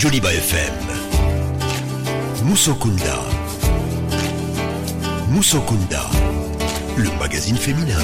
Joliba FM. Musokunda. Musokunda, le magazine féminin.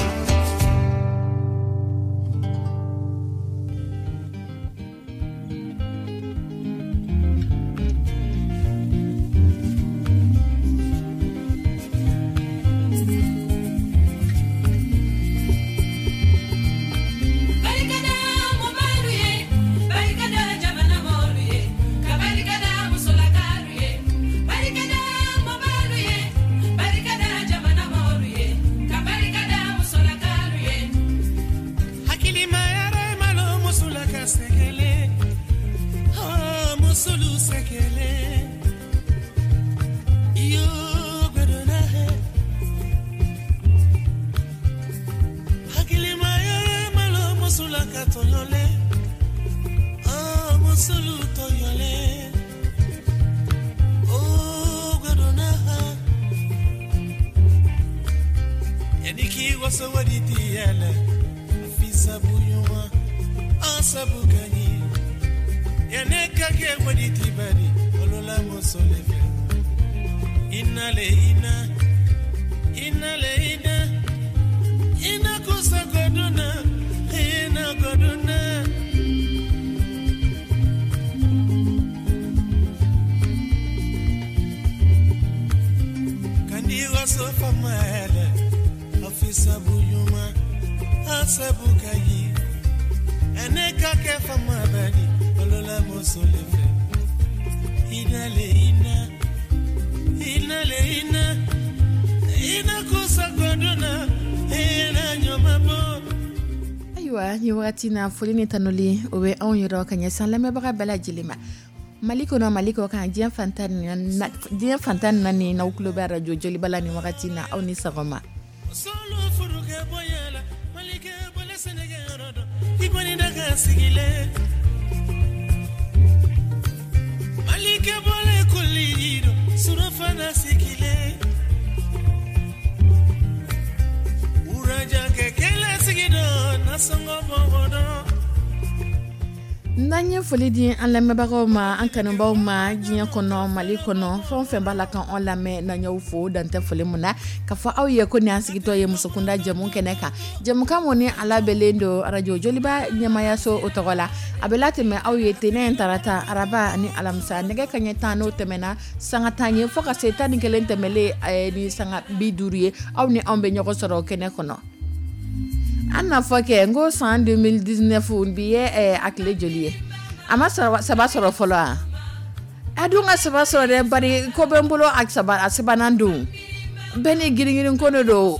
Ayiwa, ni wagati na, foli ni tanuli o bɛ anw yɔrɔ ka ɲɛsin lamɛnbaga bɛɛ lajɛlen ma, Mali kɔnɔ, Mali kɔ kan, diɲɛ fan 14. N'aw tulo bɛ arajo Joliba la ni wagati na, aw ni sɔgɔma. N'an ye foli di an lamɛnbagaw ma, an kanubaw ma, diɲɛ kɔnɔ, Mali kɔnɔ, fɛn o fɛn b'a la kan an lamɛn, n'an y'aw fo dantɛ foli mun na, ka fɔ aw ye ko nin an sigitɔ ye Musokunda jɛmu kɛnɛ kan, jɛmukan mun ni a labɛnlen don arajo Joliba ɲɛmayaso o tɔgɔ la. A bɛ latɛmɛ aw ye tɛnɛn, tarata, araba ani alamisa, nɛgɛ kaɲɛ 10 n'o tɛmɛna sanga 10 ye, fo ka se 11 tɛmɛlen ni sanga 50 ye, aw ni anw bɛ ɲɔgɔn sɔrɔ kɛnɛ kɔnɔ. An n'a fɔ kɛ n ko san 2019 bi ye a tile joli ye? A ma saba sɔrɔ fɔlɔ. A dun ka saba sɔrɔ dɛ, bari ko bɛ n bolo a saba, a sabanan don bɛɛ ni girin-girin ko de don.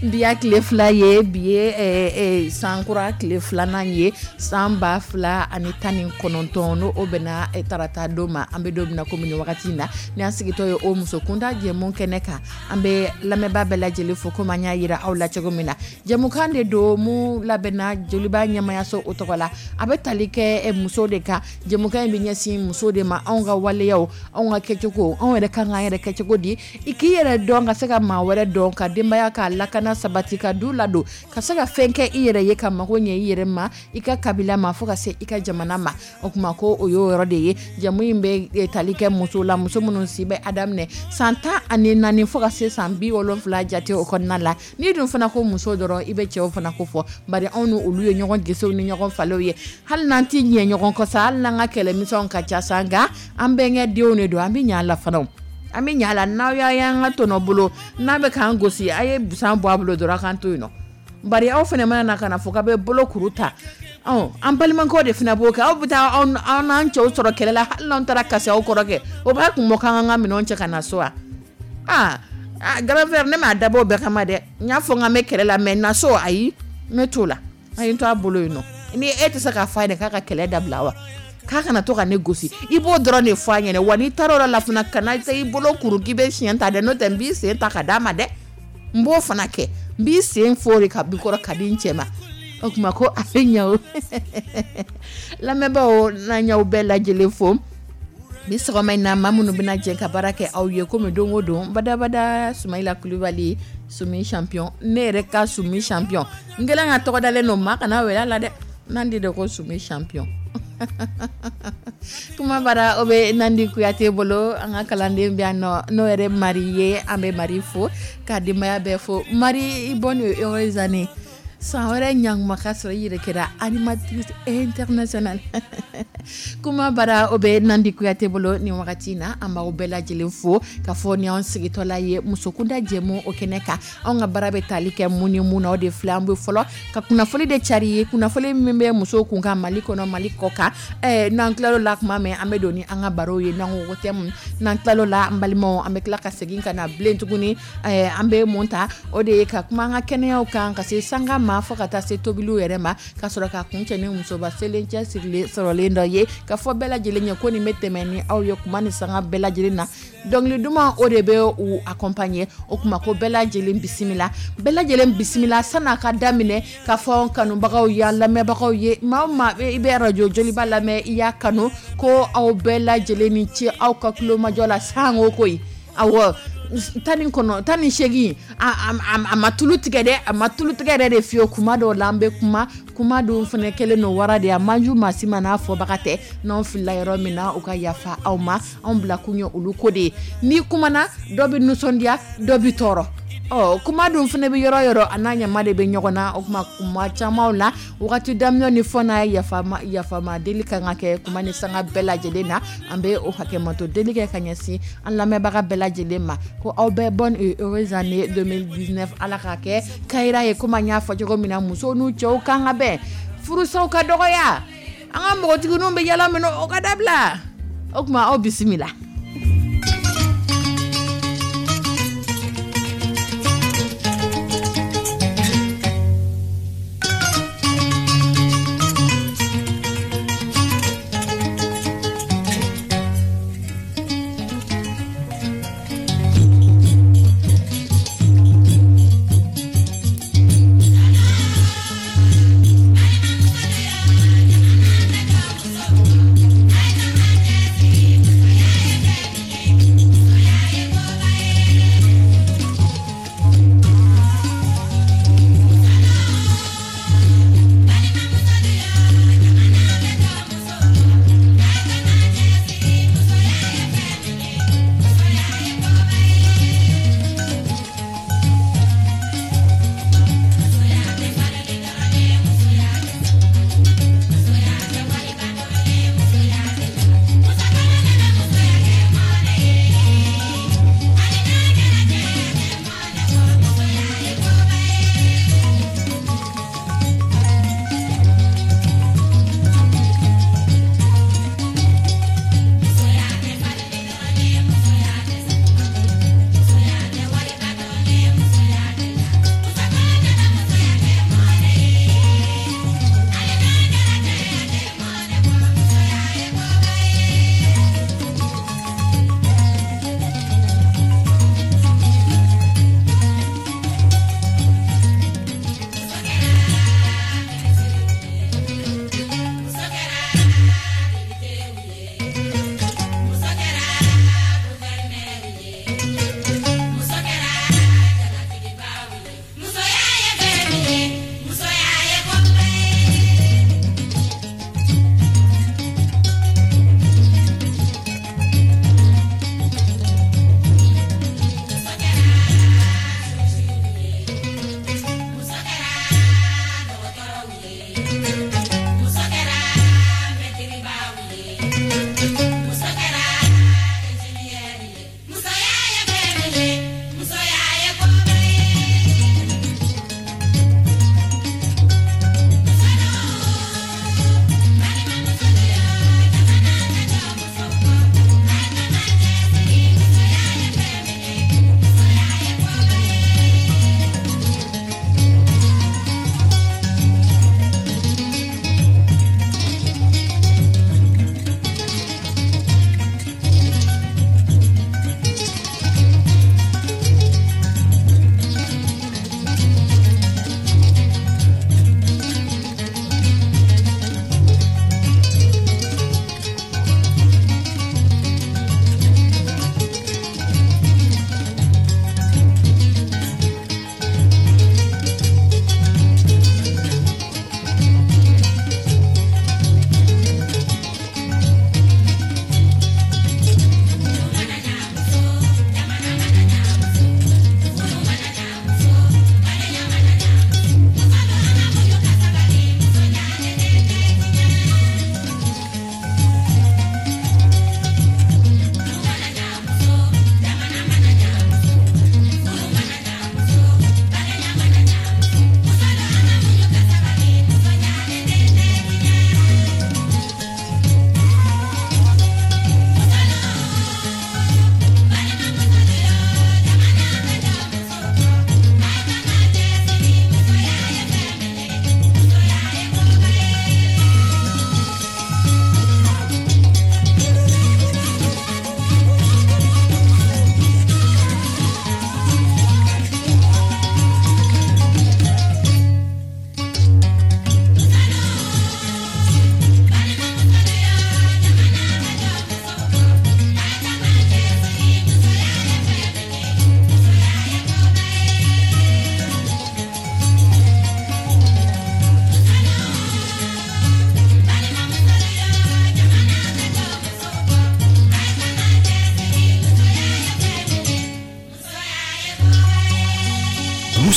Bi y'a tile 2 ye, bi ye sankura tile 2nan ye, san 2019, n'o o bɛnna tarata don ma. An bɛ don min na komi nin wagati in na, ni an sigitɔ ye o Musokunda jɛmu kɛnɛ kan, an bɛ lamɛnbaa bɛɛ lajɛlen fo. Komi an y'a yira aw la cogo min na, jɛmukan de don mun labɛnna Joliba ɲɛmayaso o tɔgɔ la. A bɛ tali kɛ muso de kan. Jɛmukan in bɛ ɲɛsin muso de ma, anw ka waleyaw, anw ka kɛcogo, anw yɛrɛ kan k'an yɛrɛ kɛcogo di, i k'i yɛrɛ dɔn ka se ka maa wɛrɛ dɔn, ka denbaya k'a lakana sabati, ka du ladon, ka se ka fɛn kɛ i yɛrɛ ye, ka mago ɲɛ i yɛrɛ ma, i ka kabila ma, fo ka se i ka jamana ma. O tuma ko o y'o yɔrɔ de ye. Jamu in bɛ tali kɛ muso la, muso minnu si bɛ a daminɛ san 14 fo ka se san 70 jate o kɔnɔna la. N'i dun fana ko muso dɔrɔn, i bɛ cɛw fana ko fɔ, bari anw ni olu ye ɲɔgɔn gesew ni ɲɔgɔn falew ye. Hali n'an tɛ ɲɛ ɲɔgɔn kɔ sa, hali n'an ka kɛlɛmisɛnw ka ca sa, nka an bɛnkɛ denw de don, an bɛ ɲɛ a la fana, an bɛ ɲɛ a la. N'aw y'a y'an ka tɔnɔ bolo n'a bɛ k'an gosi, a ye busan bɔ a bolo dɔrɔn, a k'an to yen nɔ. Bari aw fana mana na ka na fɔ k'a bɛ bolo kuru ta, an balimakɛw de fana b'o kɛ. Aw bɛ taa anw n'an cɛw sɔrɔ kɛlɛ la, hali n'anw taara kasi aw kɔrɔ kɛ, o b'a kun bɔ k'an ka minɛnw cɛ ka na so wa? Aa, grand frère, ne m'a dabɔ o bɛɛ kama dɛ. N y'a fɔ n k'an bɛ kɛlɛ la, mais na so, ayi, n bɛ t'o la, a ye n to a bolo yen nɔ. Ni e tɛ se k'a fɔ a ɲɛna k'a ka kɛlɛ dabila wa, k'a kana to ka ne gosi, i b'o dɔrɔn de fɔ a ɲɛna wa. N'i taara o yɔrɔ la fana, kana i bolo kuru k'i bɛ siɲɛ ta dɛ, n'o tɛ n b'i sen ta ka d'a ma dɛ. N b'o fana kɛ, n b'i sen fori ka bi kɔrɔ ka di n cɛ ma. O tuma ko a bɛ ɲɛ o. Lamɛnbaaw, n'an y'aw bɛɛ lajɛlen fo bi sɔgɔma in na, maa minnu bɛna jɛ ka baara kɛ aw ye komi don o don, badabada, Sumayila Kulubali, Sumi champion, ne yɛrɛ ka Sumi champion, n kɛlen ka tɔgɔ dalen don, maa kana wele a la dɛ, n'an de ko Sumi champion. Kuma bara, o bɛ Nandi Kuyate bolo. An ka kalanden bɛ yan nɔ, n'o yɛrɛ Mari ye. An bɛ Mari fo ka denbaya bɛɛ fo. Mari, bonne heureuse année. San wɛrɛ ɲankuma ka sɔrɔ i yɛrɛ kɛra animatrice internationale. Kuma bara, o bɛ Nandi Kuyate bolo nin wagati in na. An b'aw bɛɛ lajɛlen fo ka fɔ ni anw sigitɔla ye musokunda jɛmu o kɛnɛ kan. Anw ka baara bɛ tali kɛ mun ni mun na, o de filɛ. An bɛ fɔlɔ ka kunnafoni de cari ye, kunnafoni min bɛ musow kun kan Mali kɔnɔ, Mali kɔ kan. N'an tilal'o la tuma min, an bɛ don ni an ka barow ye. N'an ko ko thème, n'an tilal'o la, an balimaw, an bɛ tila ka segin ka na bilen tuguni. An bɛ mun ta? O de ye ka kuma an ka kɛnɛyaw kan, ka se sanga ma, fo ka taa se tobiliw yɛrɛ ma, ka sɔrɔ ka kuncɛ ni musoba selen cɛ sirilen sɔrɔlen dɔ ye, ka fɔ bɛɛ lajɛlen ye ko nin bɛ tɛmɛ ni aw ye kuma ni sanga bɛɛ lajɛlen na. Dɔnkili duman, o de bɛ u accompagner. O kuma ko bɛɛ lajɛlen bisimila, bɛɛ lajɛlen bisimila. San'a ka daminɛ, ka fɔ kanubagaw ye, lamɛnbagaw ye, maa o maa i bɛ radio Joliba lamɛn, i y'a kanu, ko aw bɛɛ lajɛlen ni ce aw ka tulomajɔ la sango koyi. Awɔ, 19, 18, a ma tulu tigɛ dɛ, a ma tulu tigɛ yɛrɛ de fiyewu. Kuma dɔw la, an bɛ kuma, kuma dun fana kɛlen don wara de ye, a man ju maa si ma n'a fɔbaga tɛ. N'anw filila yɔrɔ min na, u ka yafa aw ma. Anw bila kun ye olu ko de ye. N'i kumana, dɔ bɛ nisɔndiya, dɔ bɛ tɔɔrɔ. Ɔ, kuma dun fana bɛ yɔrɔ yɔrɔ, a n'a ɲama de bɛ ɲɔgɔn na. O kuma, kuma camanw la, wagati daminɛ ni fɔ n'a ye yafama yafama deli kan ka kɛ kuma ni sanga bɛɛ lajɛlen na. An bɛ o hakɛmato deli kɛ ka ɲɛsin an lamɛnbaga bɛɛ lajɛlen ma, ko aw bɛɛ, bonne et heureuse année 2019. Ala k'a kɛ kayira ye. Komi an y'a fɔ cogo min na, musow n'u cɛw kan ka bɛn, furusaw ka dɔgɔya, an ka npogotigininw bɛ yala min, o ka dabila. O tuma, aw bisimila.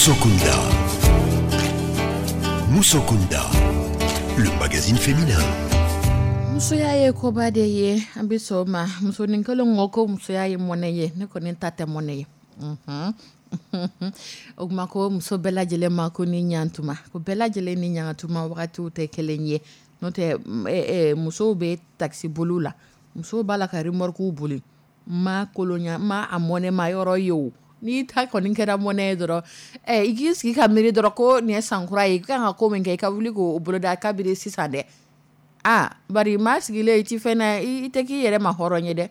Musokunda. Musokunda, le magazine féminin. Musoya ye koba de ye. An bɛ sɔn o ma. Musonin kelen ko musoya ye mɔnɛ ye. Ne kɔni ta tɛ mɔnɛ ye. O tuma ko muso bɛɛ lajɛlen ma ko ni ɲantuma, ko bɛɛ lajɛlen ni ɲantuma wagatiw tɛ kelen ye. N'o tɛ, musow bɛ taxi boliw la, musow b'a la ka remorque boli. Ma kolonya ma a mɔnɛ ma yɔrɔ ye. O n'i ta kɔni kɛra mɔnɛ ye dɔrɔn, i k'i sigi ka miiri dɔrɔn ko nin ye sankura ye, i kan ka ko min kɛ, i ka wuli k'o boloda kabini sisan dɛ. Aa, bari maa sigilen i ti fɛn na, i tɛ k'i yɛrɛ ma hɔrɔn ye dɛ.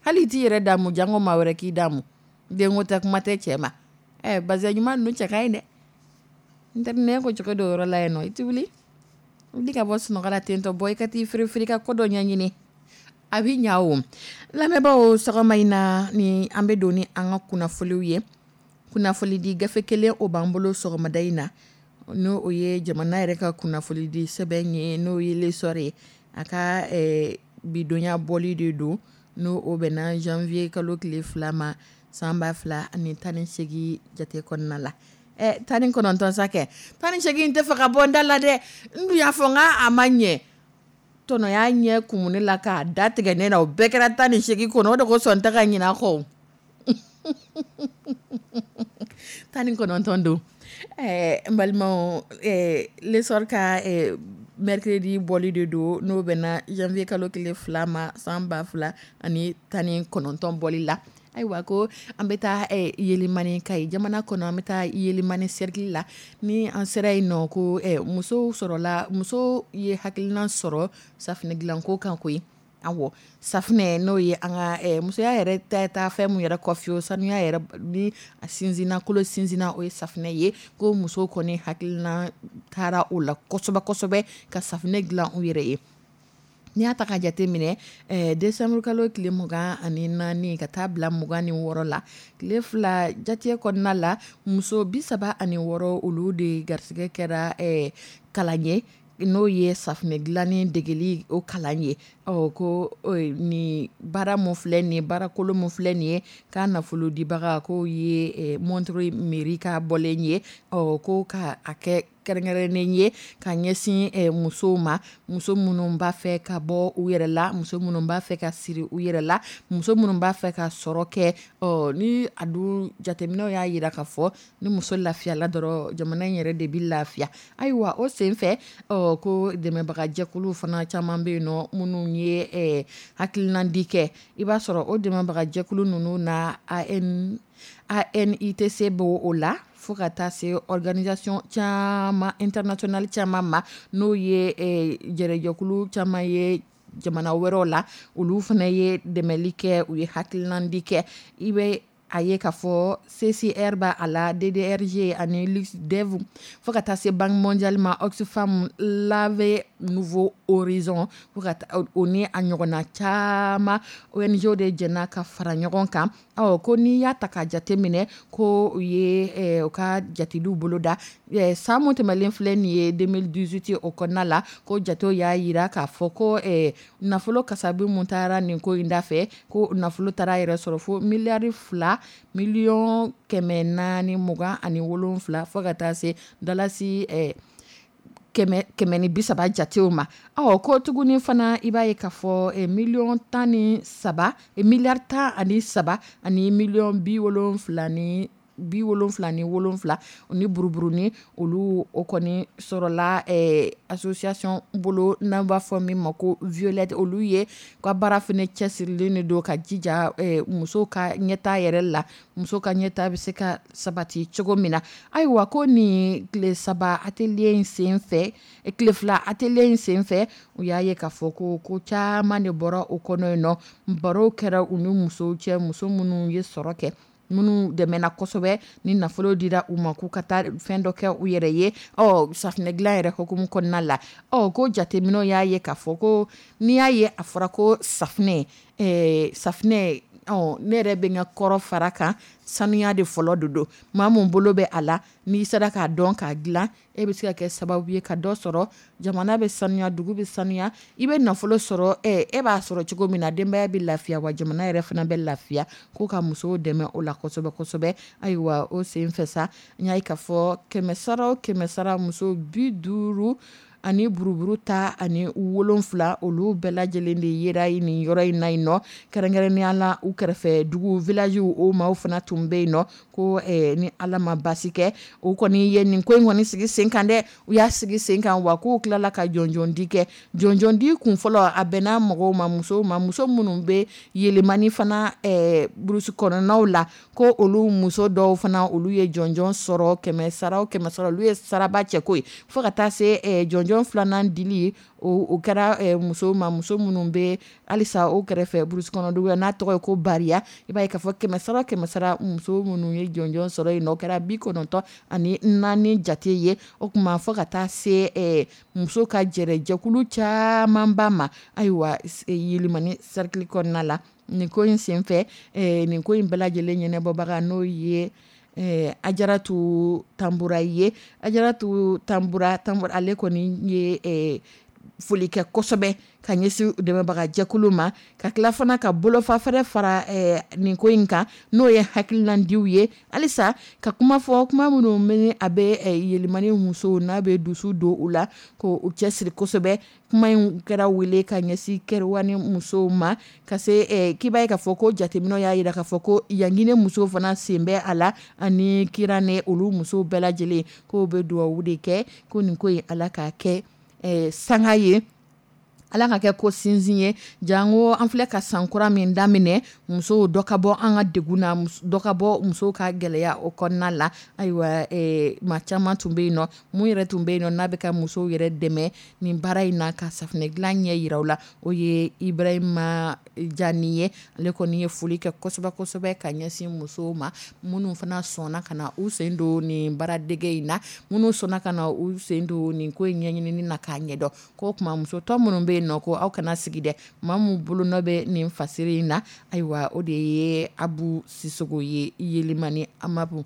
Hali i t'i yɛrɛ damu, jango maa wɛrɛ k'i damu. Denko tɛ, kuma tɛ cɛ ma. Bazɛn ɲuman ninnu cɛ ka ɲi dɛ. N tɛ ne ko cogo dɔ yɔrɔ la yen nɔ, i ti wuli wuli ka bɔ sunɔgɔ la tentɔ, bɔ i ka t'i firifiri ka ko dɔ ɲɛɲini, a bɛ ɲa. O lamɛnbaaw, sɔgɔma in na ni an bɛ don ni an ka kunnafoniw ye. Kunnafonidi gafe kelen o b'an bolo sɔgɔmada in na, n'o o ye jamana yɛrɛ ka kunnafonidi sɛbɛn ye, n'o ye L'Essor ye. A ka bidonya bɔli de don, n'o o bɛnna janvier kalo tile 2 ma, san 2018 jate kɔnɔna la. 19 sa kɛ, 18 tɛ fɛ ka bɔ n da la dɛ. N dun y'a fɔ n k'a a ma ɲɛ tɔnɔ y'a ɲɛ kumu ne la k'a da tigɛ ne na. O bɛɛ kɛra 18 kɔnɔ. O de kosɔn n tɛ ka ɲinɛ a kɔ. 19 don. N balimaw, L'Essor ka mercredi bɔli de don, n'o bɛnna janvier kalo tile 2 ma, san 2019 bɔli la. Ayiwa, ko an bɛ taa Yelimani, Kayi jamana kɔnɔ, an bɛ taa Yelimani cercle la. Ni an sera yen nɔ, ko musow sɔrɔla, muso ye hakilina sɔrɔ safinɛ dilanko kan koyi. Awɔ, safinɛ, n'o ye an ka musoya yɛrɛ ta taa fɛn mun yɛrɛ kɔ fiyewu, sanuya yɛrɛ ni a sinsinna, kolo sinsinna, o ye safinɛ ye. Ko muso kɔni hakilina taara o la kosɛbɛ kosɛbɛ ka safinɛ dilan u yɛrɛ ye. N'i y'a ta ka jate minɛ, décembre kalo tile 24 ka taa bila 26 la, tile 2 jate kɔnɔna la, muso 36, olu de garisɛgɛ kɛra kalan ye, n'o ye safinɛ dilanni degeli o kalan ye. Ɔ, ko nin baara mun filɛ nin ye, baarakolo mun filɛ nin ye, k'a nafolo dibaga k'o ye Montreuil mairie ka bɔlen ye. Ɔ, ko ka a kɛ kɛrɛnkɛrɛnnen ye ka ɲɛsin musow ma, muso minnu b'a fɛ ka bɔ u yɛrɛ la, muso minnu b'a fɛ ka siri u yɛrɛ la, muso minnu b'a fɛ ka sɔrɔ kɛ. Ɔ, ni a dun jateminɛw y'a jira k'a fɔ ni muso lafiyala dɔrɔn, jamana in yɛrɛ de bɛ lafiya. Ayiwa, o senfɛ, ɔ, ko dɛmɛbagajɛkulu fana caman bɛ yen nɔ minnu ye hakilinandi kɛ. I b'a sɔrɔ o dɛmɛbagajɛkulu ninnu na, AN ANITC b'o o la, fo ka taa se organisation caman internationale caman ma, n'o ye jɛrɛjɛkulu caman ye jamana wɛrɛw la. Olu fana ye dɛmɛli kɛ, u ye hakilinandi kɛ. I bɛ a ye k'a fɔ CCR b'a a la, DDRG ani LuxDev, fo ka taa se Banque mondiale ma, Oxfam, L'AV Nouveau Horizon, fo ka o ni a ɲɔgɔnna caman ONG de jɛna ka fara ɲɔgɔn kan. Ɔ, ko n'i y'a ta ka jate minɛ, ko u ye u ka jateliw boloda san mun tɛmɛlen filɛ nin ye, 2018, o kɔnɔna la, ko jatew y'a jira k'a fɔ ko nafolo kasabi mun taara nin ko in da fɛ, ko nafolo taara yɛrɛ sɔrɔ fo miliyari 2 miliyɔn 427, fo ka taa se dalasi 130 jatew ma. Ɔ, ko tuguni fana, i b'a ye k'a fɔ miliyɔn 13, miliyari 13 ani miliyɔn 77 ni ni buruburuni, olu o kɔni sɔrɔla association bolo n'an b'a fɔ min ma ko Violette. Olu ye ka baara fana cɛsirilen de don ka jija muso ka ɲɛta yɛrɛ la, muso ka ɲɛta bɛ se ka sabati cogo min na. Ayiwa, ko nin tile 3 atelier in sen fɛ, tile 2 atelier in sen fɛ, u y'a ye k'a fɔ ko ko caman de bɔra o kɔnɔ yen nɔ. Barow kɛra u ni musow cɛ, muso minnu ye sɔrɔ kɛ, minnu dɛmɛna kosɛbɛ ni nafolo dira u ma k'u ka taa fɛn dɔ kɛ u yɛrɛ ye. Ɔ, safinɛ dilan yɛrɛ hukumu kɔnɔna la, ɔ, ko jateminɛw y'a ye k'a fɔ ko n'i y'a ye a fɔra ko safinɛ, safinɛ Ne yɛrɛ bɛ n ka kɔrɔ fara kan, sanuya de fɔlɔ de don. Maa mun bolo bɛ a la, n'i sera k'a dɔn k'a dilan, e bɛ se ka kɛ sababu ye ka dɔ sɔrɔ. Jamana bɛ sanuya, dugu bɛ sanuya, i bɛ nafolo sɔrɔ. E b'a sɔrɔ cogo min na, denbaya bɛ lafiya, wa jamana yɛrɛ fana bɛ lafiya. Ko ka musow dɛmɛ o la kosɛbɛ kosɛbɛ. Ayiwa, o sen fɛ sa, n y'a ye k'a fɔ kɛmɛ sara o kɛmɛ sara, muso 57 olu bɛɛ lajɛlen de yera nin yɔrɔ in na yen nɔ. Kɛrɛnkɛrɛnnenya la, u kɛrɛfɛ dugu village o maaw fana tun bɛ yen nɔ. Ko ni Ala ma basi kɛ, o kɔni ye nin ko in kɔni sigi sen kan dɛ. U y'a sigi sen kan wa, k'u tilala ka jɔnjɔndi kɛ. Jɔnjɔndi kun fɔlɔ, a bɛnna mɔgɔw ma, musow ma, muso minnu bɛ Yelimani fana brousse kɔnɔnaw la, ko olu muso dɔw fana, olu ye jɔnjɔn sɔrɔ. Kɛmɛ sara o kɛmɛ sara, olu ye saraba cɛ ko ye. Fo ka taa se jɔnjɔn filanan dili, o kɛra musow ma, muso minnu bɛ halisa o kɛrɛfɛ brousse kɔnɔ dugu n'a tɔgɔ ye ko Bariya. I b'a ye k'a fɔ kɛmɛ sara o kɛmɛ sara, muso minnu ye jɔnjɔn sɔrɔ yen nɔ, o kɛra 94 jate ye. O tuma, fo ka taa se muso ka jɛrɛjɛkulu camanba ma, ayiwa, Yelimani cercle kɔnɔna la nin ko in senfɛ. Nin ko in bɛɛ lajɛlen ɲɛnabɔbaga, n'o ye Ajaratu Tanbura ye, Ajaratu Tanbura, ale kɔni ye foli kɛ kosɛbɛ ka ɲɛsin dɛmɛbagajɛkulu ma, ka tila fana ka bolofa fɛrɛ fara nin ko in kan, n'o ye hakilinadiw ye. Halisa ka kuma fɔ, kuma minnu bɛ a bɛ Yelimani musow n'a bɛ dusu don u la ko u cɛsiri kosɛbɛ. Kuma in kɛra wele ka ɲɛsin Kɛriwani musow ma, ka se k'i b'a ye k'a fɔ ko jateminɛw y'a jira k'a fɔ ko Yanginɛ musow fana sen bɛ a la, ani Kiranɛ, olu musow bɛɛ lajɛlen, k'o bɛ dugawu de kɛ ko nin ko in, Ala k'a kɛ sanga ye, Ala ka kɛ ko sinsin ye. Janko an filɛ ka sankura min daminɛ, musow dɔ ka bɔ an ka degun na, dɔ ka bɔ musow ka gɛlɛya o kɔnɔna la. Ayiwa, maa caman tun bɛ yen nɔ, mun yɛrɛ tun bɛ yen nɔ n'a bɛ ka musow yɛrɛ dɛmɛ nin baara in na, ka safunɛ dilan ɲɛ yira u la, o ye Ibrahima Jani ye. Ale kɔni ye foli kɛ kosɛbɛ kosɛbɛ ka ɲɛsin musow ma, minnu fana sɔnna ka na u sen don nin baaradege in na, minnu sɔnna ka na u sen don nin ko in ɲɛɲinini na k'a ɲɛdɔn. Ko tuma muso tɔ minnu bɛ yen nɔ, ko aw kana sigi dɛ. Maa min bolonɔ bɛ nin fasiri in na, ayiwa, o de ye Abu Sisogo ye, Yelimani Amabu.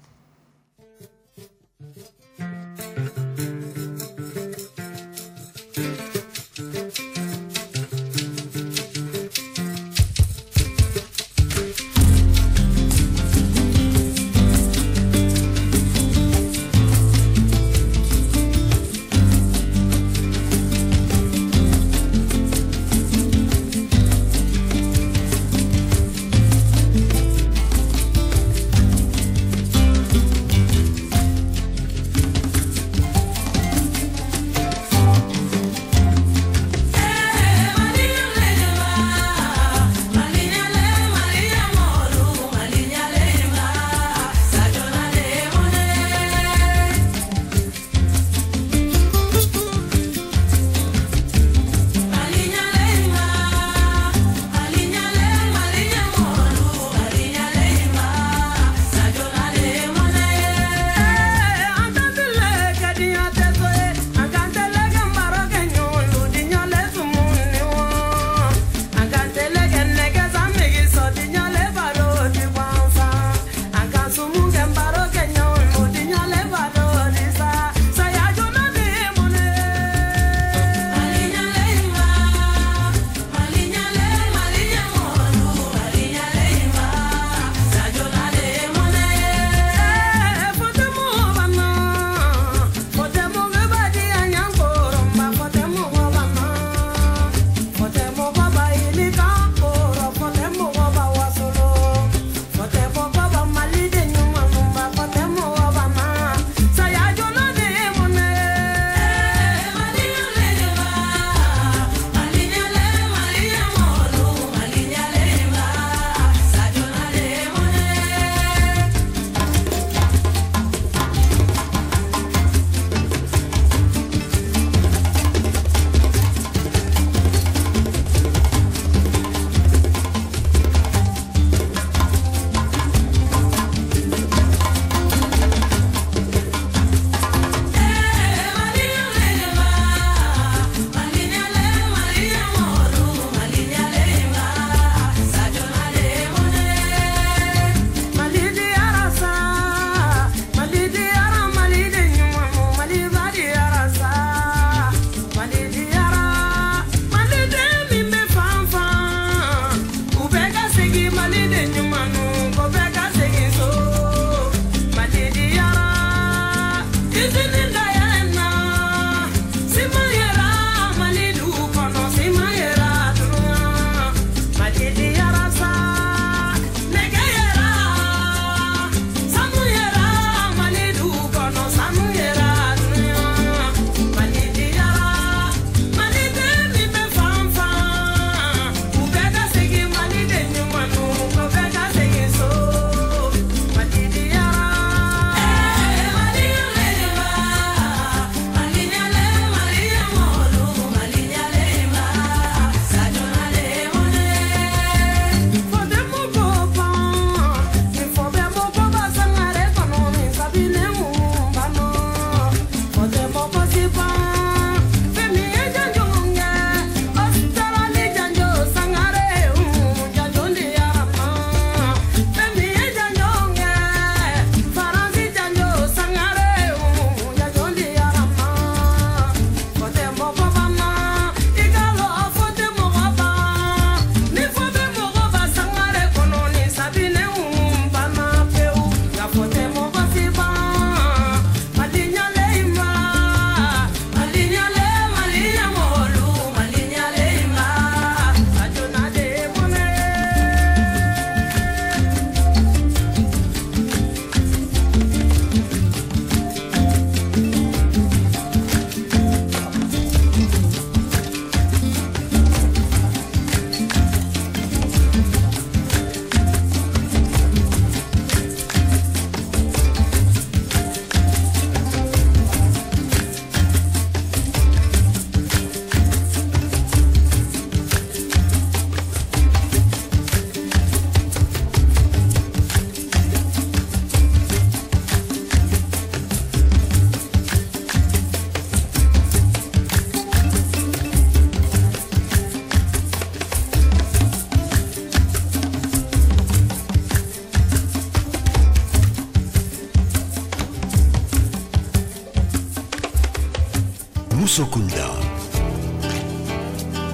Musokunda.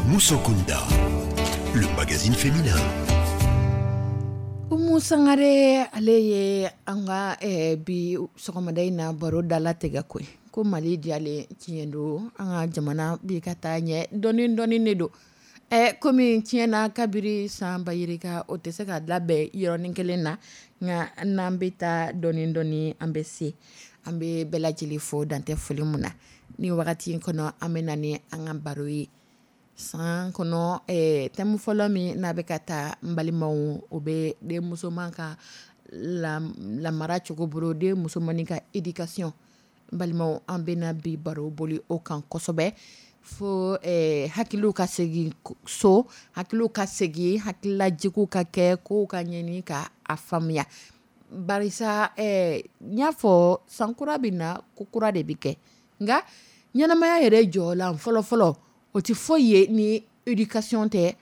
Musokunda, le magazine féminin. Umu Sangare, ale ye an ka bi sɔgɔmada in na baro dalatigɛ koyi. Ko Mali diyalen, tiɲɛ don, an ka jamana bi ka taa ɲɛ dɔɔni dɔɔni de don. Komi tiɲɛna kabiri san ba yirika, o tɛ se ka labɛn yɔrɔnin kelen na, nka n'an bɛ taa dɔɔni dɔɔni, an bɛ se. An bɛ bɛɛ lajɛlen fo dantɛ foli mun na. Ni wagati in kɔnɔ, an bɛ na ni an ka baro ye. San kɔnɔ, thème fɔlɔ min n'a bɛ ka taa, n balimaw, o bɛ den musoman ka lamara cogo bolo, den musomannin ka éducation. N balimaw, an bɛna bi baro boli o kan kosɛbɛ fo hakiliw ka segin so, hakiliw ka segin, hakililajigiw ka kɛ, kow ka ɲɛɲini ka a faamuya. Barisa n y'a fɔ, sankura bɛ na, ko kura de bɛ kɛ. Nka ɲɛnamaya yɛrɛ jɔlan fɔlɔfɔlɔ, o tɛ foyi ye ni éducation tɛ,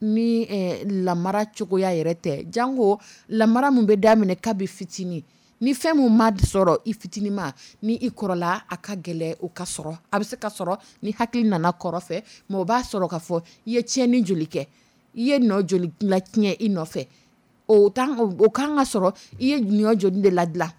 ni lamara cogoya yɛrɛ tɛ. Janko lamara min bɛ daminɛ kabi fitinin. Ni fɛn min ma sɔrɔ i fitinin ma, ni i kɔrɔla, a ka gɛlɛ o ka sɔrɔ. A bɛ se ka sɔrɔ ni hakili nana kɔrɔ fɛ, mais o b'a sɔrɔ ka fɔ i ye tiɲɛni joli kɛ, i ye nɔ joli la tiɲɛ i nɔfɛ. O o kan ka sɔrɔ i ye ɲɔ joli de ladilan.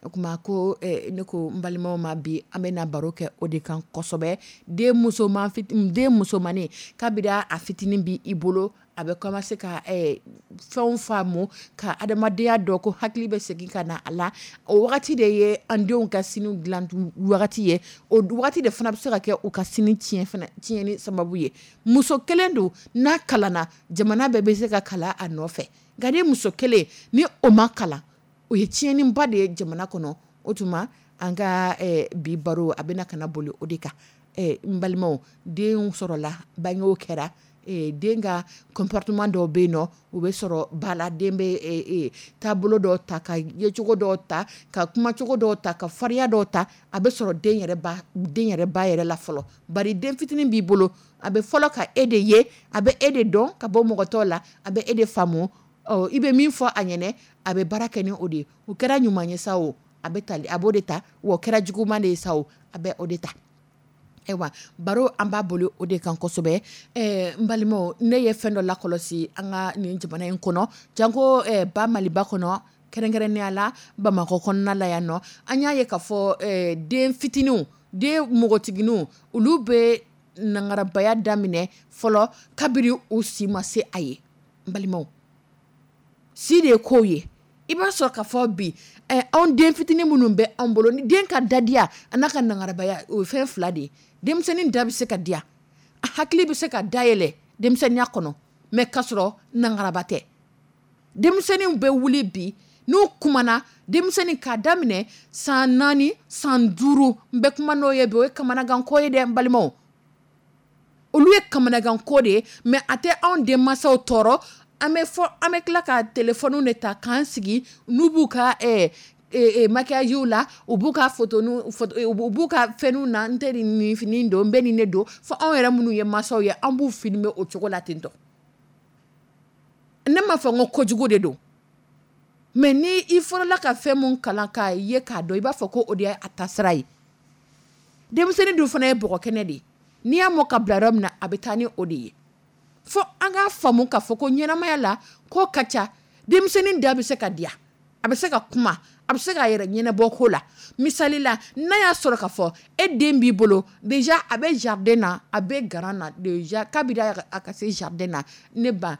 O tuma ko ne ko n balimaw ma, bi an bɛna baro kɛ o de kan kosɛbɛ. Den musoman den musomannin, kabiri a fitinin bi i bolo, a bɛ commencer ka fɛnw faamu, ka adamadenya dɔn, ko hakili bɛ segin ka na a la. O wagati de ye an denw ka sini dilan wagati ye. O wagati de fana bɛ se ka kɛ u ka sini tiɲɛ fana, tiɲɛni sababu ye. Muso kelen don, n'a kalanna, jamana bɛɛ bɛ se ka kalan a nɔfɛ. Nka ni muso kelen ni o ma kalan, o ye tiɲɛniba de ye jamana kɔnɔ. O tuma an ka bi baro, a bɛna ka na boli o de kan. N balimaw, denw sɔrɔla, bangew kɛra, den ka comportement dɔw bɛ yen nɔ, u bɛ sɔrɔ ba la. Den bɛ taabolo dɔw ta, ka yecogo dɔw ta, ka kumacogo dɔw ta, ka farinya dɔw ta. A bɛ sɔrɔ den yɛrɛ ba yɛrɛ la fɔlɔ. Bari den fitinin b'i bolo, a bɛ fɔlɔ ka e de ye, a bɛ e de dɔn ka bɔ mɔgɔ tɔw la, a bɛ e de faamu. Ɔ, i bɛ min fɔ a ɲɛnɛ, a bɛ baara kɛ ni o de ye. O kɛra ɲuman ye sa o, a bɛ tali, a b'o de ta, wa o kɛra juguman de ye sa o, a bɛ o de ta. Ayiwa, baro, an b'a boli o de kan kosɛbɛ. N balimaw, ne ye fɛn dɔ lakɔlɔsi an ka nin jamana in kɔnɔ, janko ba Maliba kɔnɔ, kɛrɛnkɛrɛnnenya la Bamakɔ kɔnɔna la yan nɔ. An y'a ye k'a fɔ den fitininw, den npogotigininw, olu bɛ nangarabaya daminɛ fɔlɔ kabiri u si ma se a ye. N balimaw, si de ye kow ye. I b'a sɔrɔ ka fɔ bi, anw den fitinin minnu bɛ anw bolo, ni den ka dadiya a n'a ka nangarabaya, o ye fɛn fila de ye. Denmisɛnnin da bɛ se ka diya, a hakili bɛ se ka dayɛlɛ denmisɛnninya kɔnɔ, mais k'a sɔrɔ nangaraba tɛ. Denmisɛnninw bɛ wuli bi, n'u kumana, denmisɛnnin k'a daminɛ san 4, san 5, n bɛ kuma n'o ye bi, o ye kamanaganko ye dɛ, n balimaw. Olu ye kamanaganko de ye, mais a tɛ anw denmansaw tɔɔrɔ. An bɛ fɔ, an bɛ tila ka téléphone de ta k'an sigi, n'u b'u ka maquillage la, u b'u ka photo, u b'u ka fɛnw na, n tɛ nin fini don, n bɛ nin de don, fo anw yɛrɛ minnu ye mansaw ye, an b'u filmer o cogo la ten tɔ. Ne m'a fɔ n ko kojugu de don, mais ni i fɔlɔla ka fɛn mun kalan k'a ye k'a dɔn, i b'a fɔ ko o de ye a taasira ye. Denmisɛnnin dun fana ye bɔgɔ kɛnɛ de ye. N'i y'a mɔ ka bila yɔrɔ min na, a bɛ taa ni o de ye. Fo an k'a faamu k'a fɔ ko ɲɛnamaya la ko ka ca. Denmisɛnnin da bɛ se ka diya, a bɛ se ka kuma, a bɛ se k'a yɛrɛ ɲɛnabɔ ko la. Misali la, n'a y'a sɔrɔ k'a fɔ e den b'i bolo déjà, a bɛ jardin na, a bɛ garan na déjà, kabiri a ka se jardin na, ne ba,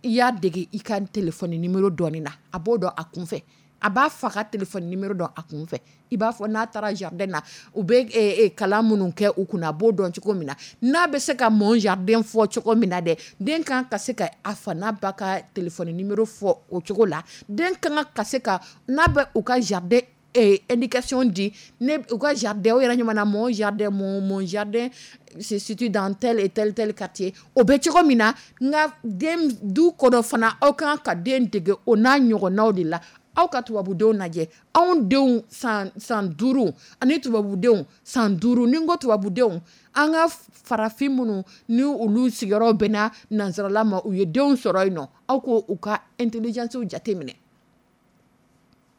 i y'a dege i ka téléphone numéro dɔɔni na, a b'o dɔn a kun fɛ. A b'a fa ka téléphone numéro dɔn a kun fɛ. I b'a fɔ n'a taara jardin na, u bɛ kalan minnu kɛ u kunna, a b'o dɔn cogo min na, n'a bɛ se ka mon jardin fɔ cogo min na dɛ, den kan ka se ka a fa n'a ba ka téléphone numéro fɔ o cogo la. Den kan ka se ka, n'a bɛ u ka jardin indication di, ne u ka jardin, o yɛrɛ ɲuman na, mon jardin, mon jardin se situe dans tel et tel tel quartier, o bɛ cogo min na. Nka den du kɔnɔ fana, aw kan ka den dege o n'a ɲɔgɔnnaw de la. Aw ka tubabudenw lajɛ, anw denw san 5 ani tubabudenw san 5. Ni n ko tubabudenw, an ka farafin minnu ni olu sigiyɔrɔ bɛnna nansarala ma, u ye denw sɔrɔ yen nɔ, aw ko u ka intelligence jateminɛ.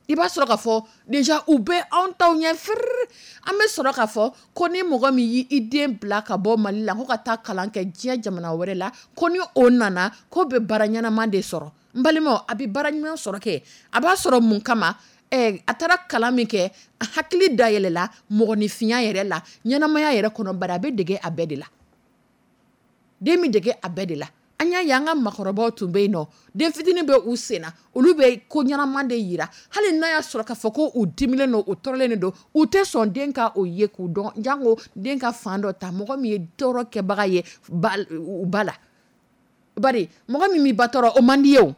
I b'a sɔrɔ k'a fɔ déjà u bɛ anw taw ɲɛ firiri. An bɛ sɔrɔ k'a fɔ ko ni mɔgɔ min y'i den bila ka bɔ Mali la ko ka taa kalan kɛ diɲɛ jamana wɛrɛ la, ko ni o nana ko bɛ baara ɲɛnama de sɔrɔ. N balimaw, a bɛ baara ɲuman sɔrɔ kɛ, a b'a sɔrɔ mun kama? A taara kalan min kɛ, a hakili dayɛlɛla mɔgɔninfinya yɛrɛ la, ɲɛnamaya yɛrɛ kɔnɔ, bari a bɛ dege a bɛɛ de la. Den bɛ dege a bɛɛ de la. An y'a ye an ka makɔrɔbaw tun bɛ yen nɔ, den fitinin bɛ u sen na, olu bɛ ko ɲɛnama de yira. Hali n'a y'a sɔrɔ k'a fɔ ko u diminen don, u tɔɔrɔlen de don, u tɛ sɔn den ka o ye k'u dɔn, janko den ka fan dɔ ta mɔgɔ min ye tɔɔrɔ kɛbaga ye u ba la. Bari mɔgɔ min b'i ba tɔɔrɔ, o man di ye o.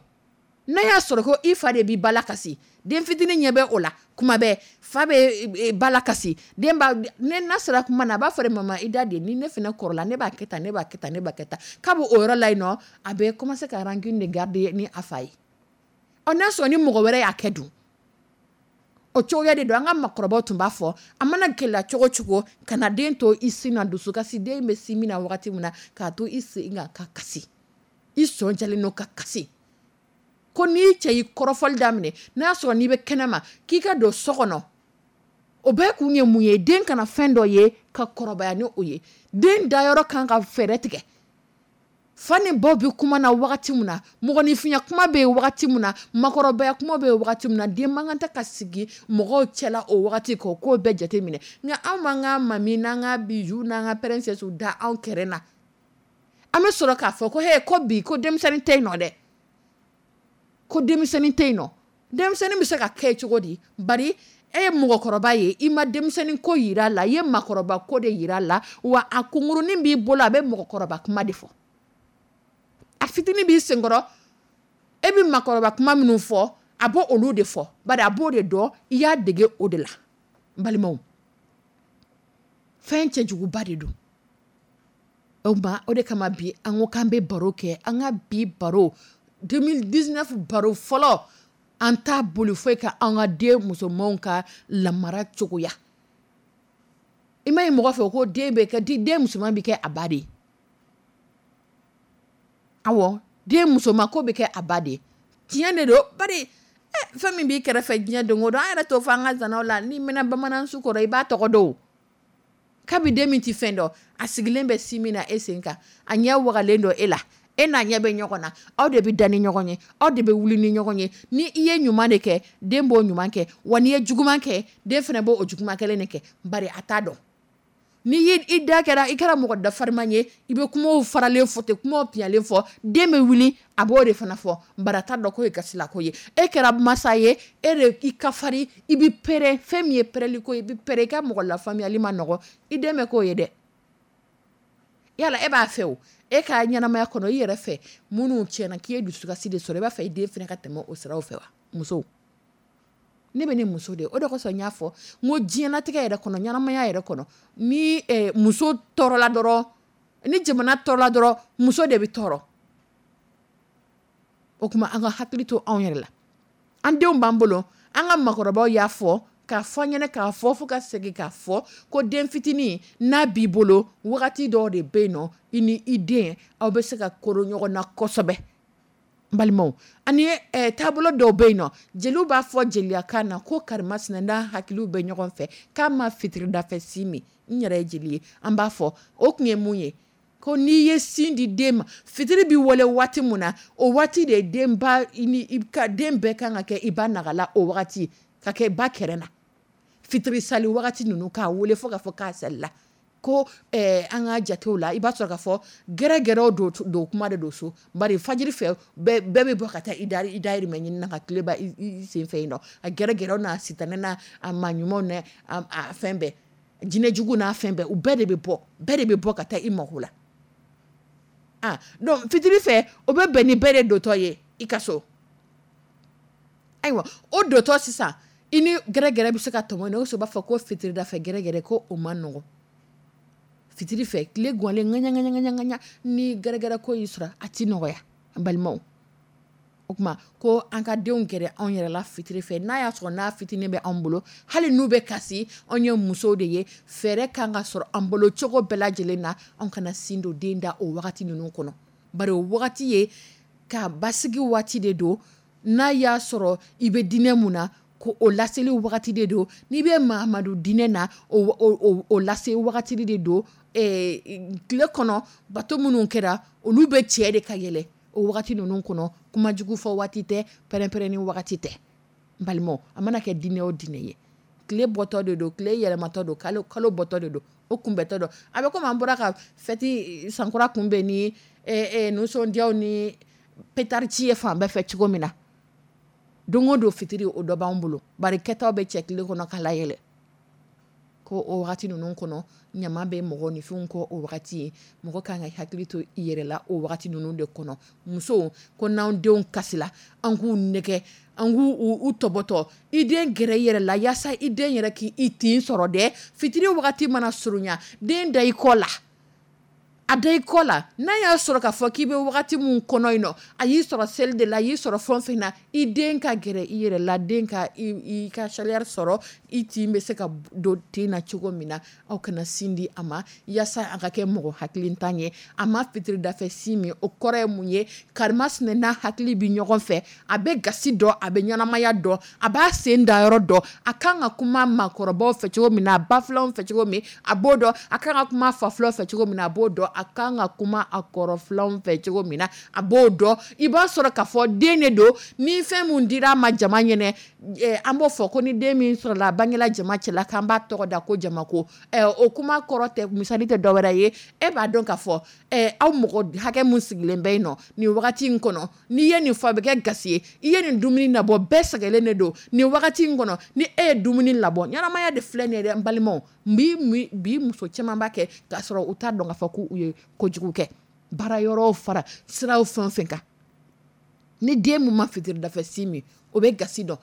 N'a y'a sɔrɔ ko i fa de b'i ba la kasi, den fitinin ɲɛ bɛ o la kuma bɛɛ, fa bɛ ba la kasi, den b'a, ne n'a sera kuma na, a b'a fɔ de mama i da de, ni ne fana kɔrɔla ne b'a kɛ tan, ne b'a kɛ tan, ne b'a kɛ tan. K'a b'o yɔrɔ la yen nɔ, a bɛ commencer ka rancune de garder ni a fa ye. Ɔ n'a sɔrɔ ni mɔgɔ wɛrɛ y'a kɛ dun, o cogoya de don. An ka makɔrɔbaw tun b'a fɔ, a mana gɛlɛya cogo cogo, kana den to i sin na, dusukasi den bɛ sin min na wagati min na, k'a to i sen kan ka kasi, i sɔn jalen don ka kasi. Ko n'i cɛ y'i kɔrɔfɔli daminɛ, n'a y'a sɔrɔ n'i bɛ kɛnɛ ma, k'i ka don so kɔnɔ, o bɛɛ kun ye mun ye? Den kana fɛn dɔ ye ka kɔrɔbaya ni o ye. Den dayɔrɔ kan ka fɛɛrɛ tigɛ. Fa ni baw bɛ kuma na wagati min na, mɔgɔninfinya kuma bɛ yen wagati min na, makɔrɔbaya kuma bɛ yen wagati min na, den man kan tɛ ka sigi mɔgɔw cɛla o wagati k'o ko bɛɛ jateminɛ. Nka anw m'an ka mami n'an ka bijou n'an ka princesse da anw kɛrɛ na, an bɛ sɔrɔ k'a fɔ ko he, ko bi ko denmisɛnnin tɛ yen nɔ dɛ, ko denmisɛnnin tɛ yen nɔ. Denmisɛnnin bɛ se ka kɛ cogo di? Bari e ye mɔgɔkɔrɔba ye, i ma denmisɛnnin ko yira a la, i ye maakɔrɔba ko de yira a la, wa a kunkurunin b'i bolo, a bɛ mɔgɔkɔrɔba kuma de fɔ. A fitinin b'i senkɔrɔ, e bɛ maakɔrɔba kuma minnu fɔ, a b'o olu de fɔ, bari a b'o de dɔn, i y'a dege o de la. N balimaw, fɛn cɛjuguba de don. O tuma, o de kama bi an ko k'an bɛ baro kɛ, an ka bi baro 2019 baro fɔlɔ, an t'a boli foyi ka an ka den musomanw ka lamara cogoya. I ma ye mɔgɔ fɛ ko den bɛ kɛ, den musoman bɛ kɛ a ba de ye. Awɔ, den musoman ko bɛ kɛ a ba de ye. Tiɲɛ de don, bari fɛn min b'i kɛrɛfɛ diɲɛ don o don, an yɛrɛ t'o fɔ an ka zanaw la, n'i mɛnna bamanan su kɔrɔ, i b'a tɔgɔ dɔn o. Kabi den min tɛ fɛn dɔn, a sigilen bɛ si min na e sen kan, a ɲɛ wagalen don e la, e n'a ɲɛ bɛ ɲɔgɔn na, aw de bɛ da ni ɲɔgɔn ye, aw de bɛ wuli ni ɲɔgɔn ye. Ni i ye ɲuman de kɛ, den b'o ɲuman kɛ, wa n'i ye juguman kɛ, den fana b'o juguman kelen de kɛ, bari a t'a dɔn. N'i ye i da kɛra, i kɛra mɔgɔ dafariman ye, i bɛ kumaw faralen fɔ ten, kumaw piyalen fɔ, den bɛ wuli, a b'o de fana fɔ, bari a t'a dɔn k'o ye gasilako ye. E kɛra masa ye, e de i ka fari, i bɛ pɛrɛn, fɛn min ye pɛrɛnli ko ye, i bɛ pɛrɛn, i ka mɔgɔ lafaamuyali ma nɔgɔ, i den bɛ k'o ye dɛ. Yala e b'a fɛ o, e ka ɲɛnamaya kɔnɔ, i yɛrɛ fɛ, minnu tiɲɛna k'i ye dusukasi de sɔrɔ, i b'a fɛ i den fana ka tɛmɛ o siraw fɛ wa? Musow, ne bɛ ne muso de ye, o de kosɔn n y'a fɔ n ko diɲɛlatigɛ yɛrɛ kɔnɔ, ɲɛnamaya yɛrɛ kɔnɔ, ni muso tɔɔrɔla dɔrɔn, ni jamana tɔɔrɔla dɔrɔn, muso de bɛ tɔɔrɔ. O tuma an ka hakili to anw yɛrɛ la. An denw b'an bolo, an ka makɔrɔbaw y'a fɔ, k'a fɔ an ɲɛna, k'a fɔ fo ka segin k'a fɔ ko den fitinin n'a b'i bolo, wagati dɔw de bɛ yen nɔ, i ni i den aw bɛ se ka koro ɲɔgɔn na kosɛbɛ. N balimaw, ani taabolo dɔw bɛ yen nɔ, jeliw b'a fɔ jeliyakan na ko karimasina n'a hakiliw bɛ ɲɔgɔn fɛ, k'a ma fitiridafɛ sin min. N yɛrɛ ye jeli ye, an b'a fɔ o kun ye mun ye? Ko n'i ye sin di den ma, fitiri bɛ wale waati mun na, o waati de den ba ni i ka den bɛɛ kan ka kɛ i ba nagala o wagati, ka kɛ ba kɛrɛ na. Fitiri sali wagati ninnu k'a wele fo k'a fɔ k'a salila. Ko an ka jatew la, i b'a sɔrɔ k'a fɔ gɛrɛgɛrɛw don kuma de don so, bari fajiri fɛ bɛɛ bɛ bɔ ka taa i dayirimɛ ɲini na ka tile ban i sen fɛ yen nɔ. A gɛrɛgɛrɛw n'a sitanɛ n'a maa ɲumanw n'a a fɛn bɛɛ, jinɛjugu n'a fɛn bɛɛ, u bɛɛ de bɛ bɔ, bɛɛ de bɛ bɔ ka taa i mako la. Donc fitiri fɛ, o bɛ bɛn ni bɛɛ de dontɔ ye i ka so. Ayiwa, o dontɔ sisan, i ni gɛrɛgɛrɛ bɛ se ka tɔmɔ, o b'a fɔ ko fitiridafɛ gɛrɛgɛrɛ ko o ma nɔgɔn. Fitiri fɛ, tile gwanlen ŋaɲa, ŋaɲa, ŋaɲa, ŋaɲa, ni gɛrɛgɛrɛ ko y'i sɔrɔ, a ti nɔgɔya, an balimaw. O tuma, ko an ka denw gɛrɛ anw yɛrɛ la fitiri fɛ, n'a y'a sɔrɔ n'a fitinin bɛ anw bolo, hali n'u bɛ kasi, anw ye musow de ye, fɛɛrɛ kan ka sɔrɔ an bolo cogo bɛɛ lajɛlen na, anw kana sin don den da o wagati ninnu kɔnɔ. Bari o wagati ye ka basigi waati de don, n'a y'a sɔrɔ i bɛ diinɛ mun na, ko o laseli wagati de don. N'i bɛ Mahamadu diinɛ na, o lase wagati de don. Tile kɔnɔ bato minnu kɛra, olu bɛ cɛ de ka yɛlɛ o wagati ninnu kɔnɔ. Kumajugu fɔ waati tɛ, pɛrɛn-pɛrɛnni wagati tɛ. N balimaw, a mana kɛ diinɛ o diinɛ ye, tile bɔtɔ de don, tile yɛlɛmatɔ don, kalo bɔtɔ de don, o kunbɛntɔ don. A bɛ komi an bɔra ka fɛti sankura kunbɛn ni nisɔndiyaw ni pétard ci ye fan bɛɛ fɛ cogo min na. Don o don fitiri o dɔ b'an bolo, bari kɛtaw bɛ cɛ tile kɔnɔ ka layɛlɛ. Ko o wagati ninnu kɔnɔ, ɲama bɛ mɔgɔninfinw kɔ o wagati ye. Mɔgɔ kan ka hakili to i yɛrɛ la o wagati ninnu de kɔnɔ. Musow ko n'anw denw kasila, an k'u nɛgɛ, an k'u u tɔbɔtɔ. I den gɛrɛ i yɛrɛ la yaasa i den yɛrɛ k'i tin sɔrɔ dɛ. Fitiri wagati mana surunya, den da i kɔ la, a da i kɔ la. N'a y'a sɔrɔ k'a fɔ k'i bɛ wagati min kɔnɔ yen nɔ, a y'i sɔrɔ seli de la, a y'i sɔrɔ fɛn fɛn na, i den ka gɛrɛ i yɛrɛ la, den ka i ka chaleur sɔrɔ, i tin bɛ se ka don tin na cogo min na. Aw kana sin di a ma yaasa a ka kɛ mɔgɔ hakilintan ye. A ma fitiri dafɛ sin min, o kɔrɔ ye mun ye? Karimasina n'a hakili bɛ ɲɔgɔn fɛ, a bɛ gasi dɔn, a bɛ ɲɛnamaya dɔn, a b'a sen da yɔrɔ dɔn, a kan ka kuma maakɔrɔbaw fɛ cogo min na, a bafilanw fɛ cogo min, a b'o dɔn, a kan ka kuma fafilanw fɛ cogo min na, a b'o dɔn, a kan ka kuma a kɔrɔfilanw fɛ cogo min na, a b'o dɔn. I b'a sɔrɔ k'a fɔ den de don, ni fɛn mun dira a ma jama ɲɛnɛ, an b'o fɔ ko ni den min sɔrɔla a bangela jama cɛla, k'an b'a tɔgɔ da ko jamako. O kuma kɔrɔ tɛ, misali tɛ dɔwɛrɛ ye. E b'a dɔn k'a fɔ aw mɔgɔ hakɛ mun sigilen bɛ yen nɔ nin wagati in kɔnɔ, n'i ye nin fɔ a bɛ kɛ gasi ye. I ye nin dumuni nabɔ, bɛɛ sɛgɛnnen de don nin wagati in kɔnɔ. Ni e ye dumuni labɔ, ɲɛnamaya de filɛ nin ye dɛ, n balimaw. Bi muso caman b'a kɛ k'a sɔrɔ u t'a dɔn k'a fɔ k'u ye kojugu kɛ. Baara yɔrɔw fara siraw fɛn fɛn kan, ni den mun ma fitiri dafɛ sin min, o bɛ gasi dɔn.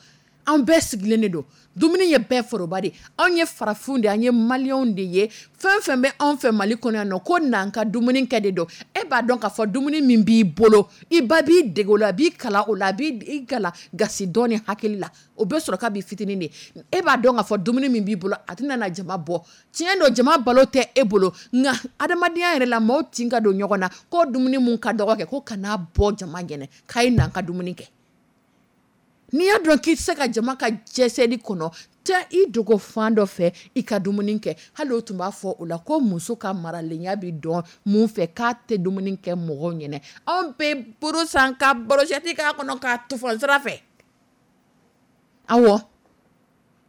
An bɛɛ sigilen de don, dumuni ye bɛɛ foroba de. Anw ye farafinw de ye, an ye maliyɛnw de ye. Fɛn fɛn bɛ anw fɛ Mali kɔnɔ yan nɔ, ko n'an ka dumuni kɛ de don. E b'a dɔn k'a fɔ dumuni min b'i bolo, i ba b'i dege o la, a b'i kalan o la, a b'i kalan gasi dɔn ni hakili la. O bɛ sɔrɔ kabi fitinin de. E b'a dɔn k'a fɔ dumuni min b'i bolo, a tɛna na jama bɔ. Tiɲɛ don, jama balo tɛ e bolo, nka adamadenya yɛrɛ la, maaw tin ka don ɲɔgɔn na. Ko dumuni mun ka dɔgɔ kɛ, ko kana bɔ jama ɲɛnɛ, k'a ye n'an ka dumuni kɛ. N'i y'a dɔn k'i tɛ se ka jama ka jɛsɛli kɔnɔ, taa i dogo fan dɔ fɛ i ka dumuni kɛ. Hali o tun b'a fɔ o la ko muso ka maralenya bɛ dɔn mun fɛ, k'a tɛ dumuni kɛ mɔgɔw ɲɛnɛ. Anw bɛ buru san ka brochette k'a kɔnɔ k'a tufan sira fɛ. Awɔ,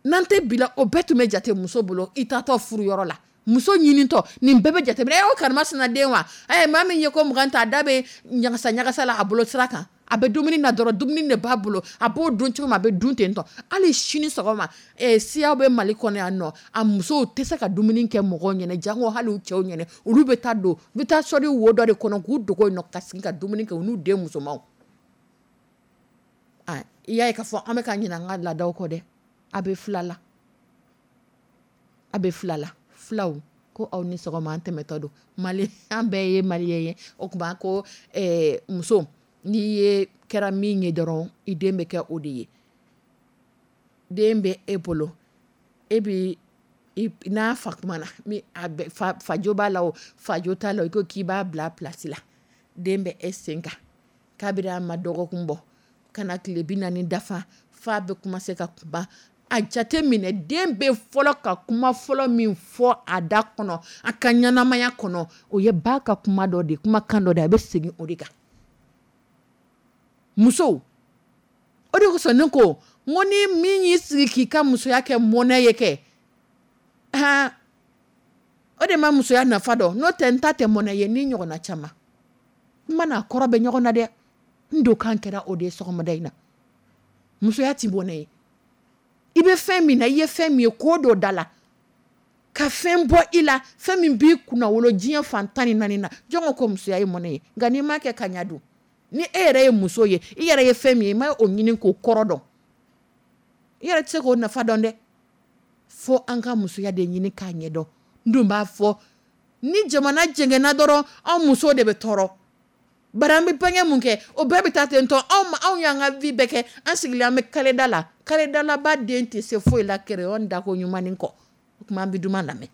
n'an tɛ bila, o bɛɛ tun bɛ jate muso bolo i taatɔ furuyɔrɔ la. Muso ɲinitɔ, nin bɛɛ bɛ jate minɛ. O karimasina den wa? Maa min ye ko 20 ta, a da bɛ ɲagasa ɲagasa la a bolo sira kan. A bɛ dumuni na dɔrɔn, dumuni de b'a bolo, a b'o dun cogo min, a bɛ dun ten tɔ. Hali sini sɔgɔma, siyaw bɛ Mali kɔnɔ yan nɔ, a musow tɛ se ka dumuni kɛ mɔgɔw ɲɛnɛ, jango hali u cɛw ɲɛnɛ. Olu bɛ taa don, u bɛ taa sɔri wo dɔ de kɔnɔ k'u dogo yen nɔ ka sigi ka dumuni kɛ u n'u den musomanw. I y'a ye k'a fɔ an bɛ ka ɲinɛ an ka laadaw kɔ dɛ. A bɛ fila la, a bɛ fila la. Filaw ko aw ni sɔgɔma, an tɛmɛtɔ don. Mali, an bɛɛ ye maliyɛn ye. O tuma ko muso, n'i ye kɛra min ye dɔrɔn, i den bɛ kɛ o de ye. Den bɛ e bolo, e bɛ n'a fa kuma na, fajo b'a la o, fajo t'a la, i ko k'i b'a bila place la. Den bɛ e sen kan kabiri a ma dɔgɔkun bɔ ka na tile 40 dafa, fa bɛ kuma se ka kuma. A jate minɛ, den bɛ fɔlɔ ka kuma fɔlɔ min fɔ a da kɔnɔ a ka ɲɛnamaya kɔnɔ, o ye ba ka kuma dɔ de, kumakan dɔ de, a bɛ segin o de kan. Musow, o de kosɔn ne ko n ko ni min y'i sigi k'i ka musoya kɛ mɔnɛ ye kɛ, han, o de ma musoya nafa dɔn. N'o tɛ, n ta tɛ mɔnɛ ye ni ɲɔgɔnna caman. Kuma n'a kɔrɔ bɛ ɲɔgɔn na dɛ. N don kan kɛra o de ye sɔgɔmada in na. Musoya ti mɔnɛ ye. I bɛ fɛn min na, i ye fɛn min ye ko dɔ da la, ka fɛn bɔ i la, fɛn min b'i kunna wolo diɲɛ fan 14 na, jɔn ko musoya ye mɔnɛ ye? Nka n'i m'a kɛ ka ɲa dun, ni e yɛrɛ ye muso ye, i yɛrɛ ye fɛn min ye, i ma o ɲini k'o kɔrɔ dɔn, i yɛrɛ tɛ se k'o nafa dɔn dɛ. Fo an ka musoya de ɲini k'a ɲɛdɔn. N dun b'a fɔ, ni jamana jɛngɛnna dɔrɔn, anw musow de bɛ tɔɔrɔ. Bari an bɛ bange mun kɛ, o bɛɛ bɛ taa ten tɔ. Anw y'an ka vie bɛɛ kɛ, an sigilen an bɛ kaleda la. Kaledalaba den tɛ se foyi la crayon dako ɲuman kɔ. O tuma an bɛ duman lamɛn.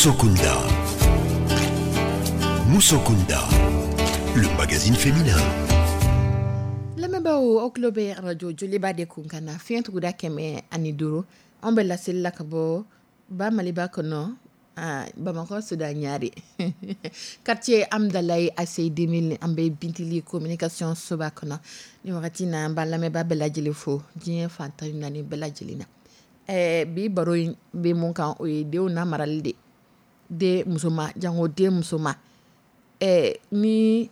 Musokunda. Musokunda, le magazine féminin. Lamɛnbaaw, aw tulo bɛ arajo Joliba de kun kan na, fiɲɛ tuguda 105. An bɛ laseli la ka bɔ ba Maliba kɔnɔ, Bamakɔ Soda Ɲare, quartier Amudalayi, ACI 2000. An bɛ Bintili communication soba kɔnɔ ni wagati na. An b'a lamɛnbaa bɛɛ lajɛlen fo diɲɛ fan 14 bɛɛ lajɛlen na. Bi baro in bɛ mun kan? O ye denw na marali de, den musoman, jango den musoman. Ni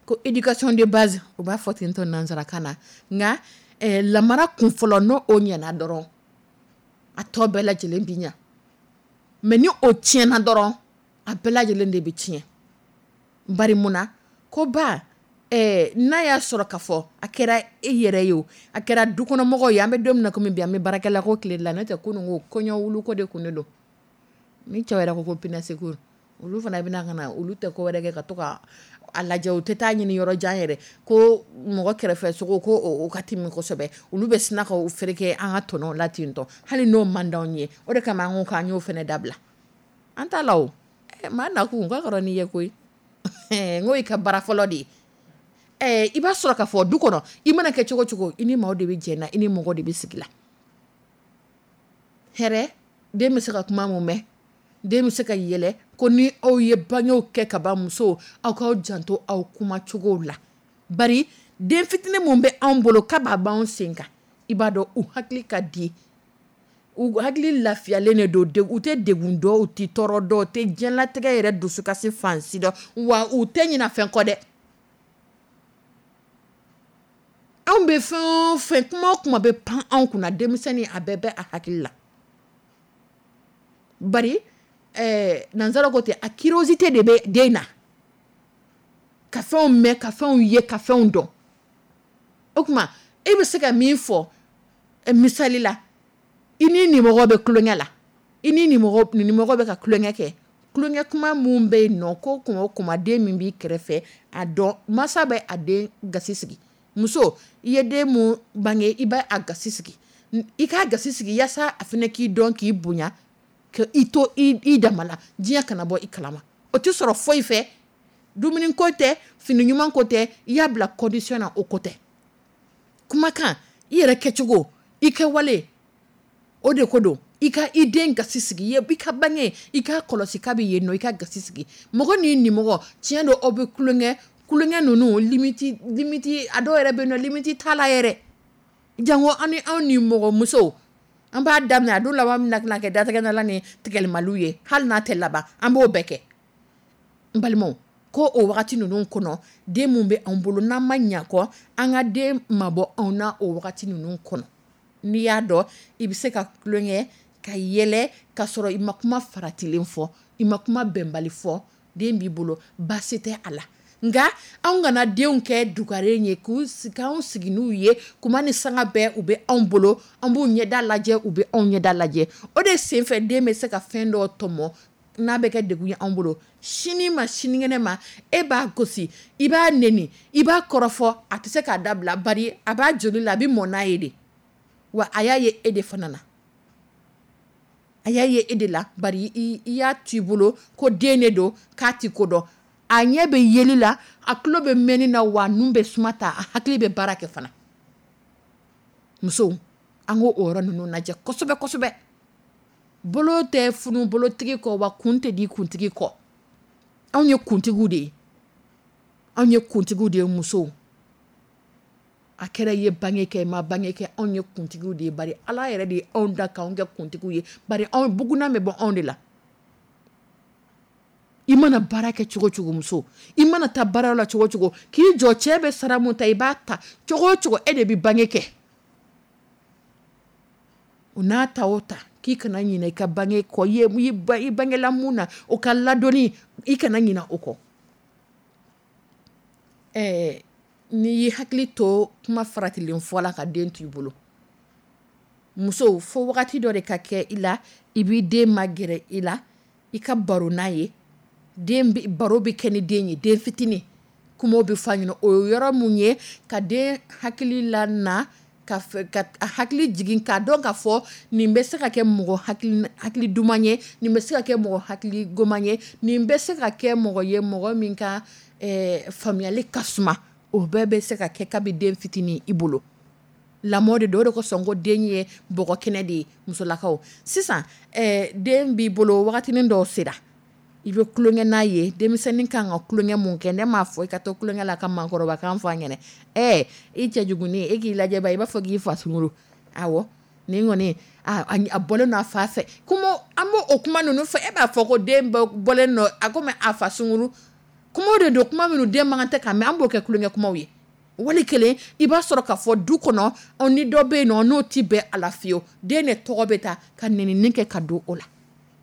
ko éducation de base, u b'a fɔ ten tɔ nansarakan na. Nka lamara kun fɔlɔ, n'o o ɲɛna dɔrɔn, a tɔ bɛɛ lajɛlen bi ɲa. Mais ni o tiɲɛna dɔrɔn, a bɛɛ lajɛlen de bɛ tiɲɛ. Bari mun na? Ko ba, n'a y'a sɔrɔ ka fɔ a kɛra e yɛrɛ ye o, a kɛra dukɔnɔmɔgɔw ye, an bɛ don min na komi bi, an bɛ baarakɛla ko tile la. N'o tɛ, kunun ko kɔɲɔ wulu ko de kun de don. Ni cɛw yɛrɛ ko ko pinɛseko, olu fana bɛna ka na, olu tɛ ko wɛrɛ kɛ ka to ka a lajɛ. U tɛ taa ɲini yɔrɔ jan yɛrɛ ko mɔgɔ kɛrɛfɛ sogo ko o ka timi kosɛbɛ. Olu bɛ sina ka fereke an ka tɔnɔw la ten tɔ, hali n'o man d'anw ye. O de kama an ko k'an y'o fana dabila, an t'a la. O maa nakun ka kɔrɔ n'i ye koyi. N ko i ka bara fɔlɔ de ye. I b'a sɔrɔ k'a fɔ du kɔnɔ, i mana kɛ cogo cogo, i ni maaw de bɛ jɛ na, i ni mɔgɔ de bɛ sigi la. Hɛrɛ, den bɛ se ka kuma mun mɛn, den bɛ se ka yɛlɛ ko ni aw ye bangew kɛ ka ban, musow, aw k'aw janto aw kumacogo la. Bari den fitinin mun bɛ anw bolo k'a b'anw sen kan, i b'a dɔn u hakili ka di, u hakili lafiyalen de don, u tɛ degun dɔn, u tɛ tɔɔrɔ dɔn, u tɛ diɲɛlatigɛ yɛrɛ dusukasi fan si dɔn, wa u tɛ ɲinɛ fɛn kɔ dɛ. Anw bɛ fɛn o fɛn, kuma o kuma bɛ pan anw kunna, denmisɛnnin a bɛɛ bɛ a hakili la. Bari nansara ko ten, a curiosité de bɛ den na, ka fɛnw mɛn, ka fɛnw ye, ka fɛnw dɔn. O tuma e bɛ se ka min fɔ misali la, i ni nimɔgɔ bɛ tulonkɛ la, i ni nimɔgɔ bɛ ka tulonkɛ kɛ, tulonkɛ kuma mun bɛ yen nɔ, ko kuma o kuma den min b'i kɛrɛfɛ, a dɔn masa bɛ a den gasi sigi. Muso, i ye den mun bange, i bɛ a gasi sigi, i k'a gasi sigi yaasa a fana k'i dɔn, k'i bonya, ka i to i dama la, diɲɛ kana bɔ i kalama. O tɛ sɔrɔ foyi fɛ, dumuni ko tɛ, fini ɲuman ko tɛ, i y'a bila condition na, o ko tɛ. Kumakan, i yɛrɛ kɛcogo, i kɛwale, o de ko don. I ka i den gasi sigi, i ka bange, i ka kɔlɔsi k'a bɛ yen nɔ, i ka gasi sigi. Mɔgɔ n'i nimɔgɔ, tiɲɛ don, aw bɛ tulonkɛ, tulonkɛ ninnu limite limite, a dɔw yɛrɛ bɛ yen nɔ, limite t'a la yɛrɛ. Jango an ni anw ni mɔgɔ musow, an b'a daminɛ, a dun laban bɛna tɛna kɛ datigɛndala ni tigɛlimaliw ye. Hali n'a tɛ laban, an b'o bɛɛ kɛ. N balimaw, ko o wagati ninnu kɔnɔ, den mun bɛ anw bolo, n'an ma ɲa kɔ an ka den mabɔ anw na o wagati ninnu kɔnɔ, n'i y'a dɔn i bɛ se ka tulonkɛ, ka yɛlɛ, ka sɔrɔ i ma kuma faratilen fɔ, i ma kuma bɛnbali fɔ, den b'i bolo, baasi tɛ a la. Nka anw kana denw kɛ dugaren ye k'anw sigi n'u ye kuma ni sanga bɛɛ. U bɛ anw bolo, an b'u ɲɛda lajɛ, u bɛ anw ɲɛda lajɛ. O de senfɛ, den bɛ se ka fɛn dɔ tɔmɔ n'a bɛ kɛ degun ye anw bolo sini ma, sinikɛnɛ ma. E b'a gosi, i b'a neni, i b'a kɔrɔfɔ, a tɛ se k'a dabila. Bari a b'a joli la, a bɛ mɔn n'a ye de. Wa a y'a ye e de fana na, a y'a ye e de la. Bari i y'a t'i bolo ko den de don, k'a ti ko dɔn. A ɲɛ bɛ yeli la, a tulo bɛ mɛnni na, wa nun bɛ suma ta, a hakili bɛ baara kɛ fana. Musow, an k'o o yɔrɔ ninnu lajɛ kosɛbɛ kosɛbɛ. Bolo tɛ funu bolotigi kɔ, wa kun tɛ di kuntigi kɔ. Anw ye kuntigiw de ye, anw ye kuntigiw de ye. Musow, a kɛra i ye bange kɛ, i ma bange kɛ, anw ye kuntigiw de ye. Bari Ala yɛrɛ de ye anw da k'anw kɛ kuntigiw ye. Bari anw bugunna bɛ bɔ anw de la. I mana baara kɛ cogo cogo, muso, i mana taa baara la cogo cogo, k'i jɔ, cɛ bɛ sara mun ta, i b'a ta cogo o cogo, e de bɛ bange kɛ. O n'a ta o ta, k'i kana ɲinɛ i ka bange kɔ. I bangela mun na, o ka ladonni, i kana ɲinɛ o kɔ. N'i y'i hakili to kuma faratilen fɔ la ka den to i bolo, muso, fo wagati dɔ de ka kɛ i la, i b'i den magɛrɛ i la, i ka baro n'a ye. Den baro bɛ kɛ ni den ye, den fitinin, kumaw bɛ fɔ a ɲɛna. O ye yɔrɔ mun ye ka den hakili la na. Ka hakili jigin k'a dɔn ka fɔ nin bɛ se ka kɛ mɔgɔ hakili duman ye, nin bɛ se ka kɛ mɔgɔ hakili goman ye, nin bɛ se ka kɛ mɔgɔ ye mɔgɔ min ka faamuyali ka suma. O bɛɛ bɛ se ka kɛ kabi den fitinin i bolo. Lamɔ de don. O de kosɔn ko den ye bɔgɔ kɛnɛ de ye. Musolakaw, sisan den b'i bolo, wagati dɔw sera, i bɛ tulonkɛ n'a ye. Denmisɛnnin kan ka tulonkɛ mun kɛ? Ne m'a fɔ i ka to tulonkɛ la ka maakɔrɔbakan fɔ a ɲɛna. I cɛjuguni, e k'i lajɛ ba, i b'a fɔ k'i fa sunguru. Awɔ, nin kɔni a bɔlen don a fa fɛ. Kuma an b'o o kuma ninnu fɔ, e b'a fɔ ko den bɔlen don a komi a fa sunguru. Kuma de don, kuma minnu den man kan tɛ ka mɛn, an b'o kɛ tulonkɛ kumaw ye. Wali kelen i b'a sɔrɔ k'a fɔ du kɔnɔ, ni dɔ bɛ yen nɔ, n'o tɛ bɛn a la fiyewu, den de tɔgɔ bɛ ta ka nɛnini kɛ ka don o la.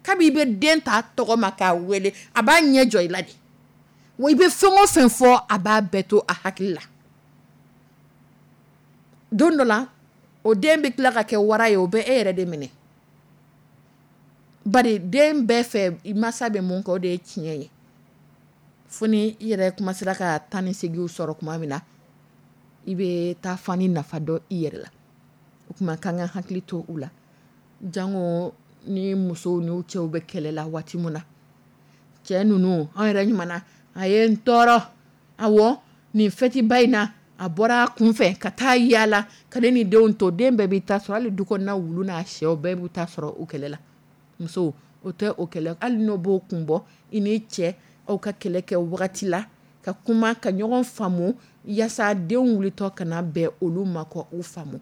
Kabi i bɛ den ta tɔgɔ ma k'a wele, a b'a ɲɛ jɔ i la de. Wa i bɛ fɛn o fɛn fɔ, a b'a bɛɛ to a hakili la. Don dɔ la, o den bɛ tila ka kɛ wara ye, o bɛ e yɛrɛ de minɛ. Bari den bɛɛ fɛ, mansa bɛ mun kɛ, o de ye tiɲɛ ye. Fo ni i yɛrɛ kuma sera ka 18 sɔrɔ tuma min na, i bɛ taa fani nafa dɔn i yɛrɛ la. O tuma k'an ka hakili to u la. Jango ni musow n'u cɛw bɛ kɛlɛ la waati min na. Cɛ ninnu, an yɛrɛ ɲuman, a ye n tɔɔrɔ. Awɔ, nin fɛtiba in na, a bɔra a kun fɛ ka taa yaala ka ne ni denw to. Den bɛɛ b'i ta sɔrɔ, hali du kɔnɔna wulu n'a sɛw bɛɛ b'u ta sɔrɔ o kɛlɛ la. Musow, o tɛ o kɛlɛ, hali n'o b'o kun bɔ, i ni cɛ aw ka kɛlɛ kɛ wagati la, ka kuma ka ɲɔgɔn faamu yaasa denw wulitɔ kana bɛn olu ma kɔ u faamu.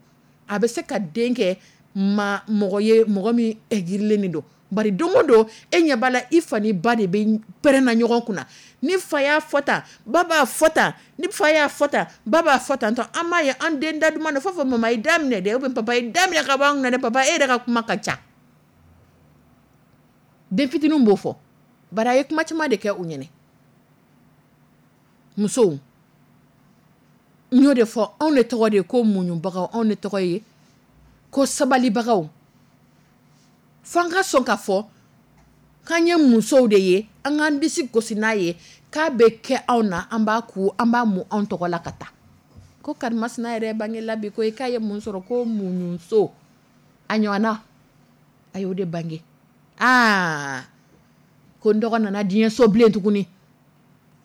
A bɛ se ka den kɛ ma mɔgɔ ye, mɔgɔ min aigri len don. Bari don o don e ɲɛ b'a la, i fa ni ba de bɛ pɛrɛnna ɲɔgɔn kunna. Ni fa y'a fɔ tan, ba b'a fɔ tan. Ni fa y'a fɔ tan, ba b'a fɔ tan. An b'a ye an den da duman na f'a fɔ mama i da minɛ dɛ, ou bien papa i da minɛ ka bɔ an kunna dɛ, papa e yɛrɛ ka kuma ka ca. Den fitininw b'o fɔ. Bari a ye kuma caman de kɛ u ɲɛna. Musow, n y'o de fɔ, anw de tɔgɔ de ye ko muɲubagaw, anw de tɔgɔ ye ko sabalibagaw. F'an ka sɔn ka fɔ k'an ye musow de ye, an k'an disi gosi n'a ye k'a bɛ kɛ anw na, an b'a ku, an b'a mu anw tɔgɔ la ka taa. Ko karimasina yɛrɛ bangela bi ko k'a ye mun sɔrɔ, ko muɲuso a ɲɔgɔnna a y'o de bange. Aa, ko n dɔgɔ nana diɲɛ so bilen tuguni.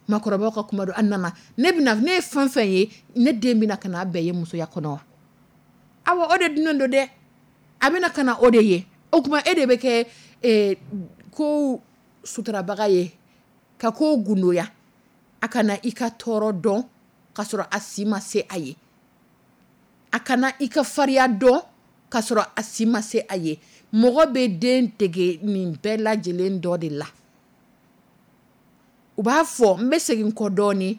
Makɔrɔbaw ka kuma don, a nana. Ne bɛna, ne ye fɛn fɛn ye, ne den bɛna ka n'a bɛɛ ye musoya kɔnɔ wa? Awɔ, o de dunnen don dɛ. A bɛna ka na o de ye. O tuma e de bɛ kɛ ko sutarabaga ye, ka ko gundoya. A kana i ka tɔɔrɔ dɔn ka sɔrɔ a si ma se a ye. A kana i ka farinya dɔn ka sɔrɔ a si ma se a ye. Mɔgɔ bɛ den dege nin bɛɛ lajɛlen dɔ de la. U b'a fɔ, n bɛ segin kɔ dɔɔnin,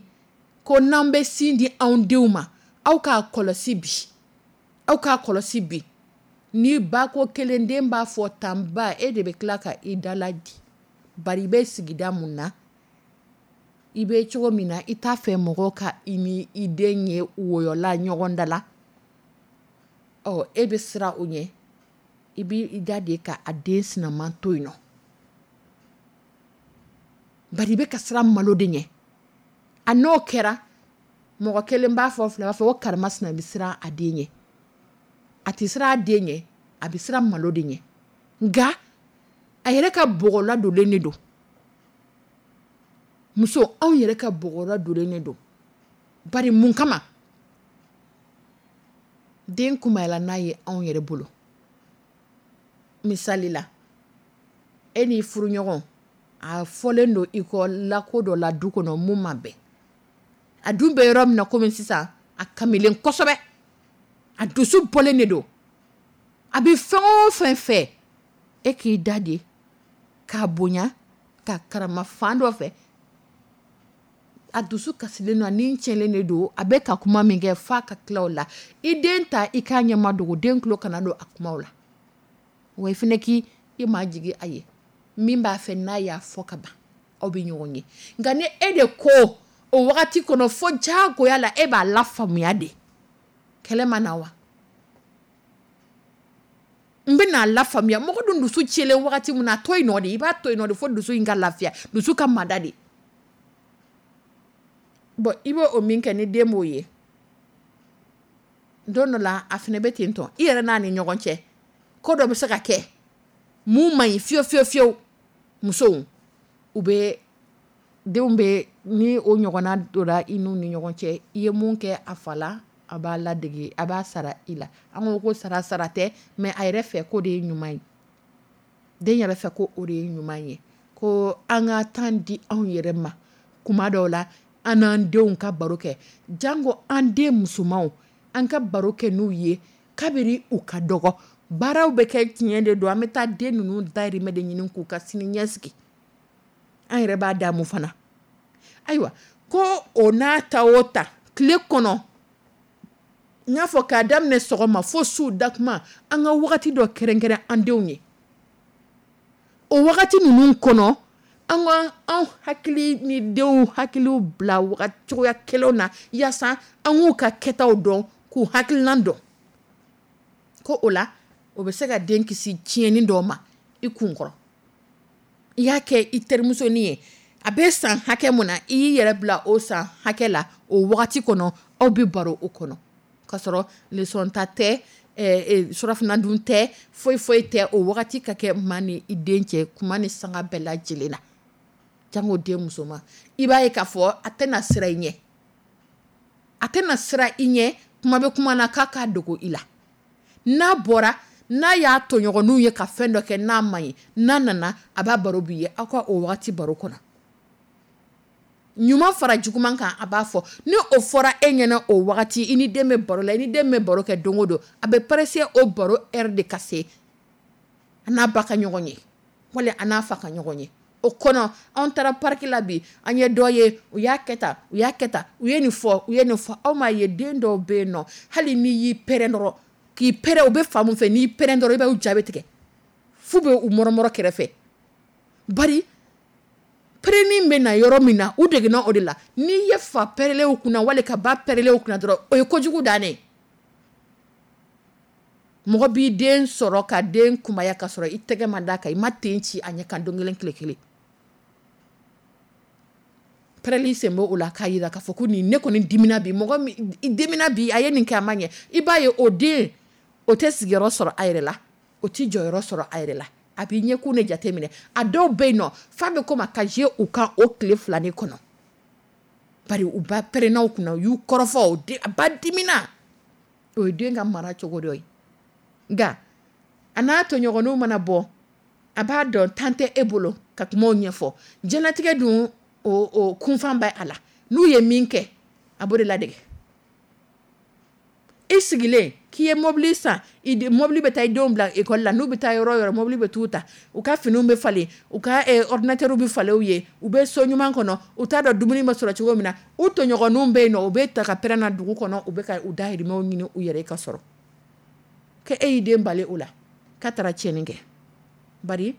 ko n'an bɛ sin di anw denw ma, aw k'a kɔlɔsi bi. Aw k'a kɔlɔsi bi. Ni ba ko kelen, den b'a fɔ tan, ba, e de bɛ tila ka i dala di. Bari i bɛ sigida mun na, i bɛ cogo min na, i t'a fɛ mɔgɔ ka i ni i den ye wɔyɔla ɲɔgɔn da la. Ɔ, e bɛ siran o ɲɛ. I b'i da de ka a den sinaman to yen nɔ. Bari i bɛ ka siran malo de ɲɛ. A n'o kɛra, mɔgɔ kelen b'a fɔ, fila b'a fɔ ko karimasina bɛ siran a den ɲɛ. A tɛ siran a den ɲɛ, a bɛ siran malo de ɲɛ. Nka a yɛrɛ ka bɔgɔla donnen de don. Muso, anw yɛrɛ ka bɔgɔla donnen de don. Bari mun kama? Den kunbayala n'a ye anw yɛrɛ bolo. Misali la, e n'i furuɲɔgɔn, a fɔlen don i kɔ lako dɔ la du kɔnɔ mun ma bɛn. A dun bɛ yɔrɔ min na komi sisan, a kamilen kosɛbɛ. A dusu bɔlen de don. A bɛ fɛn o fɛn fɛ, e k'i da de k'a bonya, k'a karama fan dɔ fɛ. A dusu kasilen don, a ni tiɲɛlen de don, a bɛ ka kuma min kɛ f'a ka tila o la. I den ta, i k'a ɲɛma dogo, den tulo kana don a kumaw la. Wa i fana k'i ma jigin a ye. Min b'a fɛ n'a y'a fɔ ka ban, aw bɛ ɲɔgɔn ye. Nka ni e de ko o wagati kɔnɔ fo diyagoya la, e b'a la faamuya de. Kɛlɛ ma na wa? N bɛna la faamuya. Mɔgɔ dun dusu tiɲɛlen wagati min na, a to yen nɔ de. I b'a to yen nɔ de fo dusu in ka lafiya, dusu ka mada de. Bon, i b'o min kɛ ni den b'o ye. Don dɔ la a fana bɛ ten tɔ, i yɛrɛ n'a ni ɲɔgɔn cɛ, ko dɔ bɛ se ka kɛ mun man ɲi fiyewu fiyewu fiyewu. Musow, u bɛ denw bɛ ni o ɲɔgɔnna donna i n'u ni ɲɔgɔn cɛ, i ye mun kɛ a fa la, a b'a ladege, a b'a sara i la. An ko ko sara sara tɛ, mais a yɛrɛ fɛ ko de ye ɲuman ye, den yɛrɛ fɛ ko o de ye ɲuman ye, ko an ka temps di anw yɛrɛ ma kuma dɔw la, an n'an denw ka baro kɛ, janko an den musomanw, an ka baro kɛ n'u ye kabini u ka dɔgɔ. Baaraw bɛ kɛ, tiɲɛ de don, an bɛ taa den ninnu dahirimɛ de ɲini k'u ka sini ɲɛsigi, an yɛrɛ b'a damu fana. Ayiwa, ko o n'a ta o ta, tile kɔnɔ, n y'a fɔ k'a daminɛ sɔgɔma fo su dakuma, an ka wagati dɔ kɛrɛnkɛrɛn an denw ye. O wagati ninnu kɔnɔ, an ka anw hakili ni denw hakiliw bila cogoya kelenw na, yaasa an k'u ka kɛtaw dɔn, k'u hakilinan dɔn. Ko o la, o bɛ se ka den kisi tiɲɛni dɔw ma i kunkɔrɔ. I y'a kɛ i terimusonin ye, a bɛ san hakɛ mun na, i y'i yɛrɛ bila o san hakɛ la o wagati kɔnɔ, aw bɛ baro o kɔnɔ, k'a sɔrɔ leçon ta tɛ, surafana dun tɛ, foyi foyi tɛ. O wagati ka kɛ maa ni i den cɛ kuma ni sanga bɛɛ lajɛlen na, jango den musoman. I b'a ye k'a fɔ a tɛna siran i ɲɛ, a tɛna siran i ɲɛ, kuma bɛ kuma na k'a k'a dogo i la. N'a bɔra, n'a y'a tɔɲɔgɔnninw ye ka fɛn dɔ kɛ n'a ma ɲi, n'a nana a b'a baro b'i ye, aw ka o wagati baro kɔnɔ, ɲuman fara juguman kan, a b'a fɔ. Ni o fɔra e ɲɛna o wagati, i ni den bɛ baro la, i ni den bɛ baro kɛ don o don, a bɛ pressé o baro heure de ka se a n'a ba ka ɲɔgɔn ye, wali a n'a fa ka ɲɔgɔn ye. O kɔnɔ, anw taara parc la bi, an ye dɔ ye, u y'a kɛ tan, u y'a kɛ tan, u ye nin fɔ, u ye nin fɔ. Aw m'a ye, den dɔw bɛ yen nɔ, hali n'i y'i pɛrɛn dɔrɔn, k'i pɛrɛn, u bɛ fa mun fɛ, n'i pɛrɛn dɔrɔn, i b'u jaabi tigɛ f'u bɛ u mɔrɔmɔrɔ kɛrɛfɛ. Bari pɛrɛnni bɛ na yɔrɔ min na, u degena o de la. N'i ye fa pɛrɛnlen kunna, wali ka ba pɛrɛnlen kunna dɔrɔn, o ye kojugu dannen ye. Mɔgɔ b'i den sɔrɔ ka den kunbaya ka sɔrɔ i tɛgɛ ma d'a kan, i ma ten ci a ɲɛ kan don kelen tile kelen. Pɛrɛnni sen b'o la k'a jira k'a fɔ ko nin ne kɔni dimina bi, mɔgɔ min dimina bi, a ye nin kɛ a ma ɲɛ. I b'a ye o den, o tɛ sigiyɔrɔ sɔrɔ a yɛrɛ la, o tɛ jɔyɔrɔ sɔrɔ a yɛrɛ la, a b'i ɲɛkun de jateminɛ. A dɔw bɛ yen nɔ, f'a bɛ komi a ka jouer u kan o tile fila de kɔnɔ, bari u ba pɛrɛnna u kunna, u y'u kɔrɔfɔ, a ba dimina. O ye den ka mara cogo dɔ ye. Nka a n'a tɔɲɔgɔnninw mana bɔ, a b'a dɔn temps tɛ e bolo ka kumaw ɲɛfɔ. Diɲɛlatigɛ dun, o kunfan bɛ a la, n'u ye min kɛ, a b'o de ladege. I sigilen k'i ye mobili san, mobili bɛ taa i denw bila école la, n'u bɛ taa yɔrɔ o yɔrɔ, mobili bɛ t'u ta, u ka finiw bɛ falen, u ka ordinateur bɛ falen u ye, u bɛ so ɲuman kɔnɔ, u t'a dɔn dumuni bɛ sɔrɔ cogo min na. U tɔɲɔgɔnninw bɛ yen nɔ, u bɛ ta ka pɛrɛn na dugu kɔnɔ, u bɛ ka u dahirimɛw ɲini u yɛrɛ ka sɔrɔ. Ko e y'i den bali o la, k'a taara tiɲɛni kɛ. Bari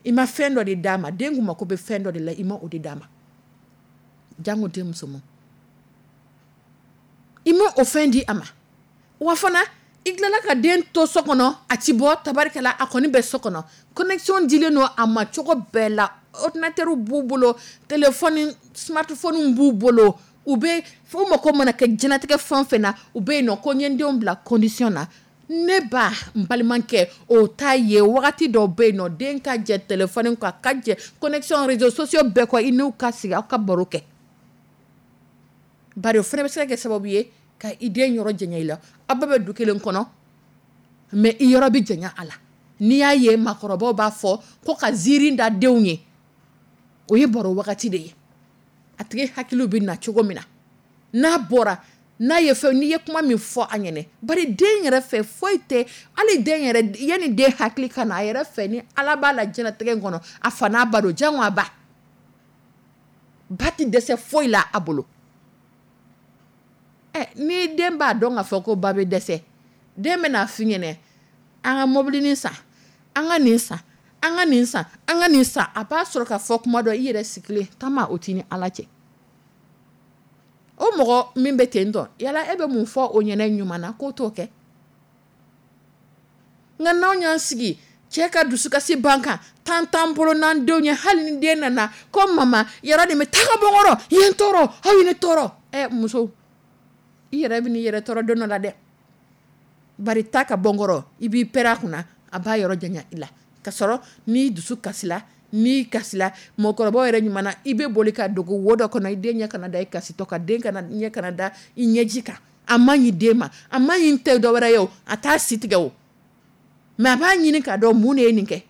i ma fɛn dɔ de d'a ma, den kun mako bɛ fɛn dɔ de la, i ma o de d'a ma. Jango den musoman, i ma o fɛn di a ma. Wa fana i tilala ka den to so kɔnɔ, a ti bɔ tabarikɛla, a kɔni bɛ so kɔnɔ. Connexion dilen don a ma cogo bɛɛ la, ordinateur b'u bolo, téléphone smartphone b'u bolo, u bɛ fo mako mana kɛ diɲɛlatigɛ fɛn o fɛn na, u bɛ yen nɔ. Ko n ye n denw bila condition na, ne ba, n balimakɛ, o t'a ye. Wagati dɔw bɛ yen nɔ, den ka jɛ téléphone kɔ, a ka jɛ connexion réseaux sociaux bɛɛ kɔ, i n'u ka sigi, aw ka baro kɛ. Bari o fana bɛ se ka kɛ sababu ye ka i den yɔrɔ janya i la. Aw bɛɛ bɛ du kelen kɔnɔ, mais i yɔrɔ bɛ janya a la. N'i y'a ye maakɔrɔbaw b'a fɔ ko ka ziiri da denw ye, o ye baro wagati de ye. A tigi hakiliw bɛ na cogo min na, n'a bɔra, n'a ye fɛn, n'i ye kuma min fɔ a ɲɛnɛ, bari den yɛrɛ fɛ foyi tɛ, hali den yɛrɛ, yanni den hakili ka na a yɛrɛ fɛ, ni Ala b'a la diɲɛlatigɛ in kɔnɔ, a fa n'a ba don, jango a ba. Ba tɛ dɛsɛ foyi la a bolo. Ni den b'a dɔn k'a fɔ ko ba bɛ dɛsɛ, den bɛna f'i ɲɛnɛ, an ka mobilinin san, an ka nin san, an ka nin san, an ka nin san. A b'a sɔrɔ k'a fɔ kuma dɔ, i yɛrɛ sigilen taama o t'i ni Ala cɛ. O mɔgɔ min bɛ ten tɔ, yala e bɛ mun fɔ o ɲɛnɛ ɲuman na k'o t'o kɛ? Nka n'anw y'an sigi cɛ ka dusukasi ban kan, tan t'an bolo n'an denw ye, hali ni den nana ko mama yɔrɔ nin bɛ taa ka bɔ n kɔrɔ, i ye n tɔɔrɔ, aw ye ne tɔɔrɔ. Muso, i yɛrɛ bɛ n'i yɛrɛ tɔɔrɔ don dɔ la dɛ. Bari taa ka bɔ n kɔrɔ, i b'i pɛrɛn a kunna, a b'a yɔrɔ janya i la. Ka sɔrɔ n'i dusu kasila, n'i kasila, mɔgɔkɔrɔbaw yɛrɛ ɲuman na, i bɛ boli ka dogo wo dɔ kɔnɔ, i den ɲɛ kana da i kasitɔ kan, den kana ɲɛ kana da i ɲɛji kan. A man ɲi den ma, a man ɲi tɛ dɔwɛrɛ ye o, a t'a si tigɛ o. Mais a b'a ɲini k'a dɔn mun de ye nin kɛ.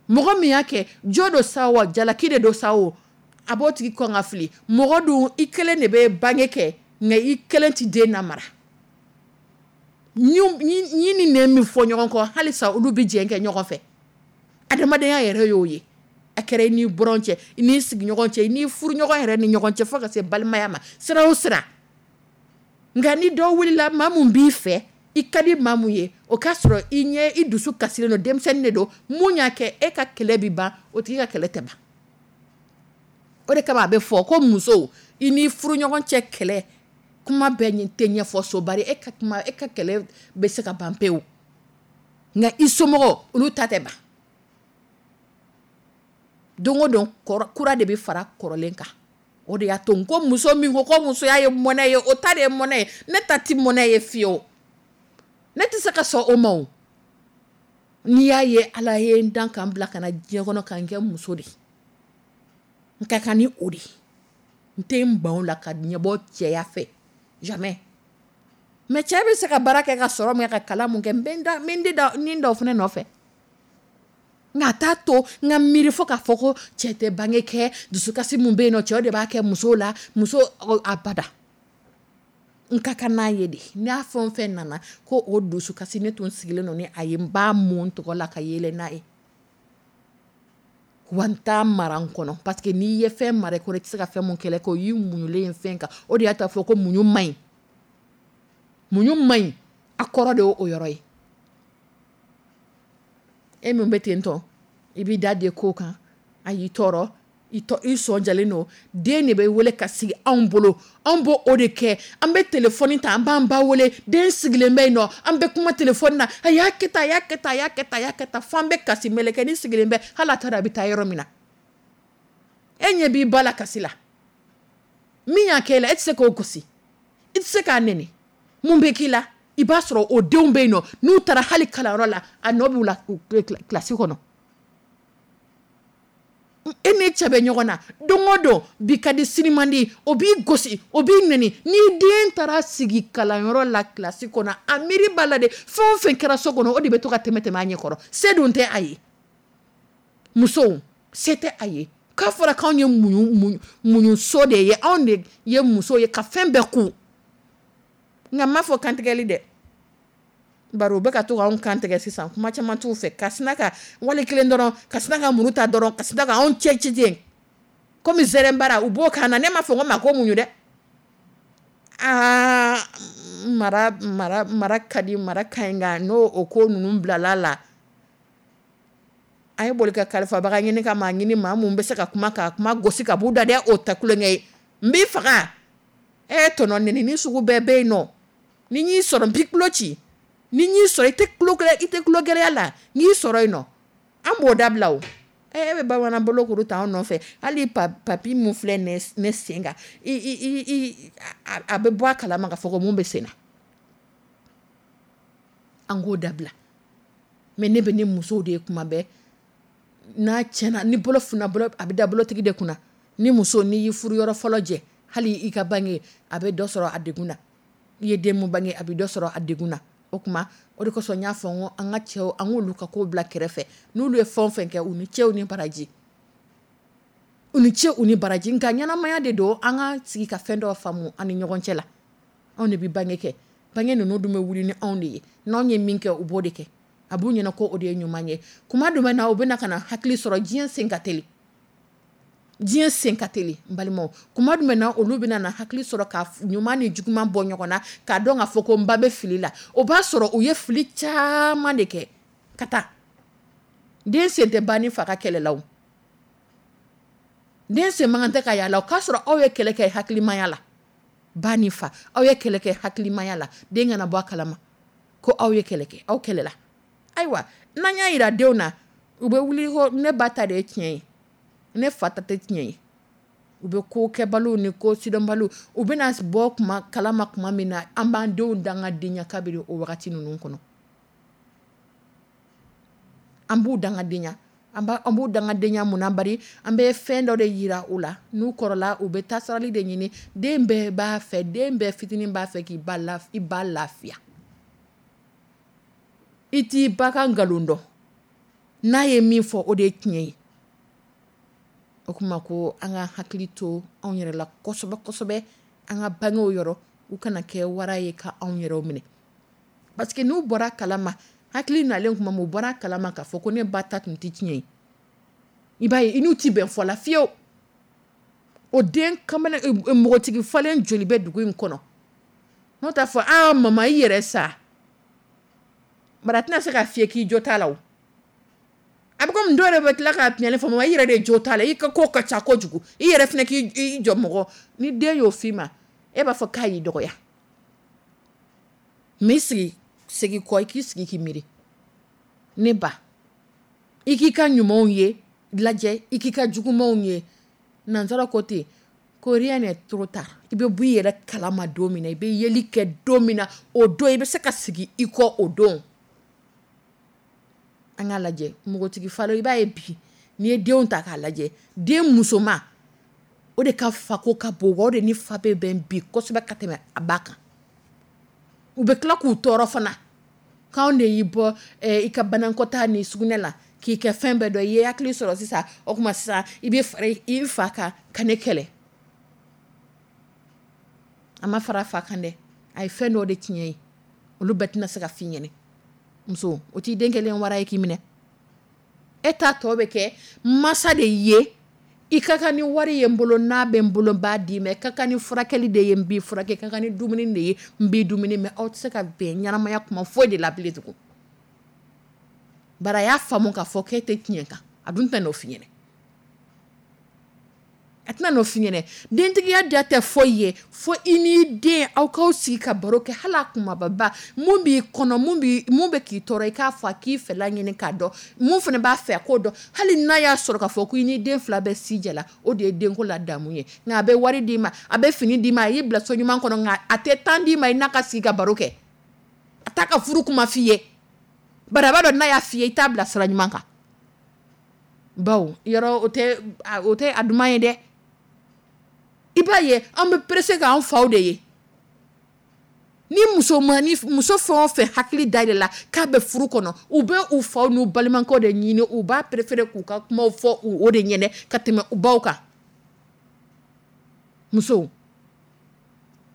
Mɔgɔ min y'a kɛ, jo don sa wa jalaki de don sa o, a b'o tigi kɔn ka fili. Mɔgɔ dun, i kelen de bɛ bange kɛ, nka i kelen tɛ den namara. Ɲin ni nɛn min fɔ ɲɔgɔn kɔ, halisa olu bɛ jɛ kɛ ɲɔgɔn fɛ. Adamadenya yɛrɛ y'o ye. A kɛra i n'i buran cɛ, i n'i sigiɲɔgɔn cɛ, i n'i furuɲɔgɔn yɛrɛ ni ɲɔgɔn cɛ, fo ka se balimaya ma, sira o sira. Nka ni dɔ wulila maa mun b'i fɛ, i ka di maa mun ye, o k'a sɔrɔ i ɲɛ i dusu kasilen don, denmisɛnnin de don, mun y'a kɛ, e ka kɛlɛ bɛ ban, o tigi ka kɛlɛ tɛ ban. O de kama a bɛ fɔ ko musow, i n'i furuɲɔgɔn cɛ kɛlɛ, kuma bɛɛ tɛ ɲɛfɔ so, bari e ka kuma, e ka kɛlɛ bɛ se ka ban pewu. Nka i somɔgɔw, olu ta tɛ ban. Don o don kura de bɛ fara kɔrɔlen kan. O de y'a to n ko muso min ko ko musoya ye mɔnɛ ye, o ta de ye mɔnɛ ye, ne ta tɛ mɔnɛ ye fiyewu. Ne tɛ se ka sɔn o ma o. N'i y'a ye Ala ye n dan ka n bila ka na diɲɛ kɔnɔ ka n kɛ muso de ye, n ka kan ni o de ye. N tɛ n ban o la ka ɲɛbɔ cɛya fɛ, jamais. Mais cɛ bɛ se ka baara kɛ ka sɔrɔ min kɛ, ka kalan mun kɛ, n bɛ n da, n bɛ n ni da o fana nɔfɛ. Nka a t'a to n ka miiri fo k'a fɔ ko cɛ tɛ bange kɛ, dusukasi mun bɛ yen nɔ, cɛw de b'a kɛ musow la, muso abada. N ka kan n'a ye de. N'a fɛn o fɛn nana ko o dusukasi, ne tun sigilen don ni a ye, n b'a mun tɔgɔ la ka yɛlɛ n'a ye. Wa n t'a mara n kɔnɔ, parce que n'i ye fɛn mara i kɔnɔ, i tɛ se ka fɛn mun kɛlɛ kɛ, o y'i muɲulen ye fɛn kan. O de y'a to a fɔ ko muɲu man ɲi. Muɲu man ɲi, a kɔrɔ de y'o yɔrɔ ye. E min bɛ ten tɔ, i b'i da de ko kan, a y'i tɔɔrɔ, i sɔn jalen don, den de bɛ wele ka sigi anw bolo, anw b'o o de kɛ, an bɛ telefɔni ta, an b'an ba wele, den sigilen bɛ yen nɔ, an bɛ kuma telefɔni na, a y'a kɛ tan, a y'a kɛ tan, a y'a kɛ tan, a y'a kɛ tan, fo an bɛ kasi, mɛlɛkɛnin sigilen bɛ, hali a t'a dɔn a bɛ taa yɔrɔ min na. E ɲɛ b'i ba la kasi la. Min y'a kɛ e la, e tɛ se k'o gosi, i tɛ se k'a nɛni. Mun bɛ k'i la? I b'a sɔrɔ o denw bɛ yen nɔ, n'u taara hali kalanyɔrɔ la, a nɔ b'u la kilasi kɔnɔ. E ni cɛ bɛ ɲɔgɔn na don o don, bi ka di sini man di, o b'i gosi, o b'i nɛni. N'i den taara sigi kalanyɔrɔ la kilasi kɔnɔ, a miiri b'a la de, fɛn o fɛn kɛra so kɔnɔ, o de bɛ to ka tɛmɛ tɛmɛ a ɲɛ kɔrɔ. Se dun tɛ a ye. Musow, se tɛ a ye. K'a fɔra k'anw ye muɲuso de ye, anw de ye muso ye ka fɛn bɛɛ kun. Nka n m'a fɔ kantigɛli dɛ. Bari u bɛ ka to k'anw kantigɛ sisan, kuma caman t'u fɛ, ka sina ka wali kelen dɔrɔn, ka sina ka muru ta dɔrɔn, ka sina ka anw cɛ ci ten. Komi zɛrɛnbara u b'o kan na, ne m'a fɔ ko maa ko muɲu dɛ. Aa, mara, mara, mara ka di, mara ka ɲi, nka n'o o ko ninnu bilala la, a ye boli ka kalifabaga ɲini ka maa ɲini, maa mun bɛ se ka kuma ka kuma gosi ka b'u da dɛ, o tɛ kulonkɛ ye. N b'i faga. E tɔnɔ nɛni ni sugu bɛɛ bɛ yen nɔ. Ni n y'i sɔrɔ n b'i tulo ci. Ni n y'i sɔrɔ i tɛ tulo gɛlɛ, i tɛ tulo gɛlɛya la, n y'i sɔrɔ yen nɔ. An b'o dabila o. E bɛ bamanan bolo kuru ta anw nɔfɛ. Hali papi mun filɛ ne sen kan, a bɛ bɔ a kalama k'a fɔ ko mun bɛ sen na. An k'o dabila. Mais ne bɛ ne musow de ye kuma bɛɛ. N'a tiɲɛna, ni bolo funna, bolo, a bɛ da bolotigi de kunna. Ni muso, n'i y'i furu yɔrɔ fɔlɔ jɛ, hali i ka bange, a bɛ dɔ sɔrɔ a degun na. I ye den mun bange, a bɛ dɔ sɔrɔ a degun na. O tuma, o de kosɔn n y'a fɔ n ko an ka cɛw, an k'olu ka ko bila kɛrɛfɛ. N'olu ye fɛn o fɛn kɛ, u ni cɛw ni baraji. U ni ce, u ni baraji. Nka ɲɛnamaya de don, an ka sigi ka fɛn dɔ faamu an ni ɲɔgɔn cɛ la. Anw de bɛ bange kɛ. Bange ninnu dun bɛ wuli ni anw de ye. N'anw ye min kɛ, u b'o de kɛ. A b'u ɲɛna ko o de ye ɲuman ye. Kuma jumɛn na, u bɛna ka na hakili sɔrɔ, diɲɛ sen ka teli. Diɲɛ sen ka teli, n balimaw. Kuma jumɛn na, olu bɛna na hakili sɔrɔ ka ɲuman ni juguman bɔ ɲɔgɔn na, k'a dɔn k'a fɔ ko n ba bɛ fili la. O b'a sɔrɔ u ye fili caman de kɛ ka taa. Den sen tɛ ba ni fa ka kɛlɛ la o. Den sen man kan tɛ ka y'a la o. K'a sɔrɔ aw ye kɛlɛ kɛ hakilimaya la. Ba ni fa, aw ye kɛlɛ kɛ hakilimaya la. Den kana bɔ a kalama ko aw ye kɛlɛ kɛ, aw kɛlɛla. Ayiwa, n'an y'a yira denw na, u bɛ wuli ko ne ba ta de ye tiɲɛ ye, ne fa ta tɛ tiɲɛ ye. U bɛ ko kɛbaliw ni ko sidɔnbaliw, u bɛna bɔ kuma kalama tuma min na, an b'an denw dangadenya kabini o wagati ninnu kɔnɔ. An b'u dangadenya, an b'u dangadenya mun na? Bari an bɛ fɛn dɔ de yira u la, n'u kɔrɔla u bɛ taasirali de ɲini. Den bɛɛ b'a fɛ, den bɛɛ fitinin b'a fɛ k'i ba i ba lafiya. I t'i ba ka nkalon dɔn, n'a ye min fɔ o de ye tiɲɛ ye. O kuma ko an ka hakili to anw yɛrɛ la kosɛbɛ kosɛbɛ, an ka bangew yɔrɔ, u kana kɛ wara ye ka anw yɛrɛ minɛ. Parce que n'u bɔra kalama, hakili nalen tuma min, u bɔra kalama k'a fɔ ko ne ba ta tun tɛ tiɲɛ ye, i b'a ye i n'u tɛ bɛn fɔ la fiyewu. O den kamalen npogotigi falen joli bɛ dugu in kɔnɔ, n'o t'a fɔ aa mama i yɛrɛ sa, bari a tɛna se k'a f'i ye k'i jo t'a la o. A bɛ komi dɔw yɛrɛ bɛ tila k'a tiɲɛni fɔ, mama i yɛrɛ de jo t'a la, i ka ko ka ca kojugu, i yɛrɛ fana k'i jɔ mɔgɔ. Ni den y'o f'i ma, e b'a fɔ k'a y'i dɔgɔya. Mais sigi segin kɔ, i k'i sigi k'i miiri, ne ba, i k'i ka ɲumanw ye lajɛ, i k'i ka jugumanw ye. Nansara ko ten ko rien n'est trop tard. I bɛ bɔ i yɛrɛ kalama don min na, i bɛ yeli kɛ don min na, o don i bɛ se ka segin i kɔ o don. An k'a lajɛ npogotigi falen, i b'a ye bi n'i ye denw ta k'a lajɛ, den musoman o de ka fako ka bon, wa o de ni fa bɛ bɛn bi kosɛbɛ ka tɛmɛ a ba kan. U bɛ tila k'u tɔɔrɔ fana, k'anw de y'i bɔ i ka banakɔtaa ni sugunɛ la k'i kɛ fɛn bɛɛ dɔn, i ye hakili sɔrɔ sisan, o tuma sisan i bɛ fara i fa kan ka ne kɛlɛ. A ma fara a fa kan dɛ, a ye fɛn dɔ de tiɲɛ ye, olu bɛɛ tɛna se ka f'i ɲɛna. Muso, o t'i den kɛlen wara ye k'i minɛ. E ta tɔ bɛ kɛ masa de ye, i ka kan ni wari ye n bolo, n'a bɛ n bolo n b'a d'i ma, i ka kan ni furakɛli de ye n b'i furakɛ, i ka kan ni dumuni de ye n b'i dumuni, mais aw tɛ se ka bɛn ɲɛnamaya kuma foyi de la bilen tugun. Bari a y'a faamu k'a fɔ k'e tɛ tiɲɛ kan, a dun tɛna n'o f'i ɲɛna. A tɛna n'o f'i ɲɛna. Dentigiya diya tɛ foyi ye fo i n'i den aw k'aw sigi ka baro kɛ, hali a kumababa, mun b'i kɔnɔ, mun bɛ k'i tɔɔrɔ, i k'a fɔ a k'i fɛla ɲini k'a dɔn, mun fana b'a fɛ a k'o dɔn. Hali n'a y'a sɔrɔ k'a fɔ ko i n'i den fila bɛɛ si jɛla, o de ye denko la damu ye. Nka a bɛ wari d'i ma, a bɛ fini d'i ma, a y'i bila so ɲuman kɔnɔ, nka a tɛ temps d'i ma i n'a ka sigi ka baro kɛ. A t'a ka furu kuma f'i ye. Bari a b'a dɔn n'a y'a f'i ye, i t'a bila sira ɲuman kan. Bawo yɔrɔ o tɛ a duman ye dɛ. I b'a ye an bɛ pressé k'an faw de ye. Ni muso fɛn o fɛn hakili dayɛlɛ la k'a bɛ furu kɔnɔ, u bɛ u faw n'u balimakɛw de ɲini, u b'a préféré k'u ka kumaw fɔ o de ɲɛnɛ ka tɛmɛ u baw kan. Musow,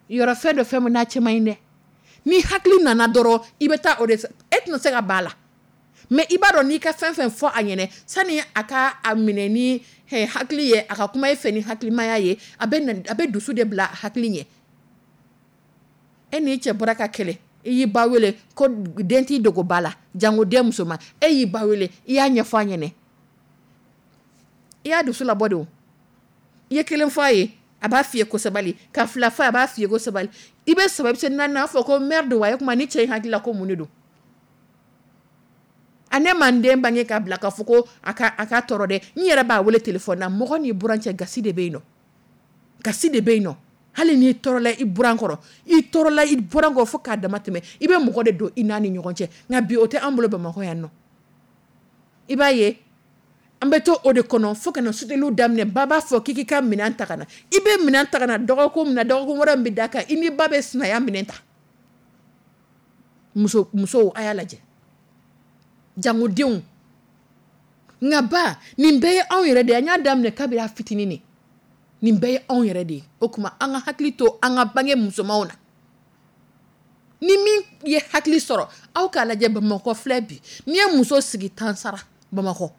yɔrɔ fɛn dɔ fɛn min n'a cɛ man ɲi dɛ. Ni hakili nana dɔrɔn, i bɛ taa o de, e tɛna se ka ban a la. Mais i b'a dɔn n'i ka fɛn fɛn fɔ a ɲɛnɛ, sani a ka a minɛ ni hakili ye, a ka kuma e fɛ ni hakilimaya ye, a bɛ dusu de bila hakili ɲɛ. E n'i cɛ bɔra ka kɛlɛ, i y'i ba wele ko den t'i dogo ba la, jango den musoman, e y'i ba wele, i y'a ɲɛfɔ a ɲɛnɛ. I y'a dusu labɔ de o. I ye kelen fɔ a ye, a b'a f'i ye ko sabali, ka fila fɔ a ye, a b'a f'i ye ko sabali. I bɛ saba, i bɛ se naani na, a fɔ ko merde wa, e kuma ni cɛ in hakili la ko mun de don? A ne ma n den bange k'a bila k'a fɔ ko a ka tɔɔrɔ dɛ. N yɛrɛ b'a wele téléphone na, mɔgɔ n'i buran cɛ gasi de bɛ yen nɔ. Gasi de bɛ yen nɔ. Hali n'i tɔɔrɔla i buran kɔrɔ, i tɔɔrɔla i buran kɔrɔ fo k'a dama tɛmɛ, i bɛ mɔgɔ de don i n'a ni ɲɔgɔn cɛ. Nka bi o tɛ an bolo Bamakɔ yan nɔ. I b'a ye an bɛ to o de kɔnɔ fo ka na suteliw daminɛ, ba b'a fɔ k'i ka minɛn ta ka na. I bɛ minɛn ta ka na dɔgɔkun min na, dɔgɔkun wɛrɛ min bɛ da kan, i ni ba bɛ sinaya minɛn ta. Musow a y'a lajɛ. Jangodenw. Nka ba, nin bɛɛ ye anw yɛrɛ de ye. An y'a daminɛ kabini a fitinin de. Nin bɛɛ ye anw yɛrɛ de ye. O tuma an ka hakili to an ka bange musomanw na. Ni min ye hakili sɔrɔ, aw k'a lajɛ Bamakɔ filɛ bi. N'i ye muso sigi tan sara Bamakɔ,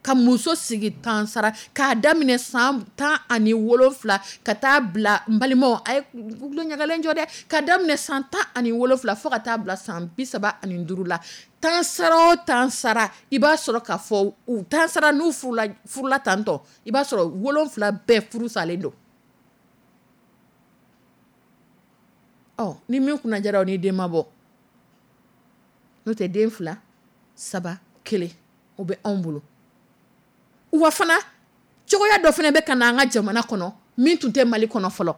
ka muso sigi tan sara k'a daminɛ san 17 ka taa bila n balimaw, a ye tulo ɲagalen jɔ dɛ, k'a daminɛ san 17 fo ka taa bila san 35 la, tan sara o tan sara, i b'a sɔrɔ k'a fɔ u tan sara n'u furula tantɔ, i b'a sɔrɔ 7 bɛɛ furu salen don. Ɔ, ni min kunna jara o ni den ma bɔ. N'o tɛ den 2, 3, 1 o bɛ anw bolo. Wa fana cogoya dɔ fana bɛ ka na an ka jamana kɔnɔ, Min tun tɛ Mali kɔnɔ fɔlɔ.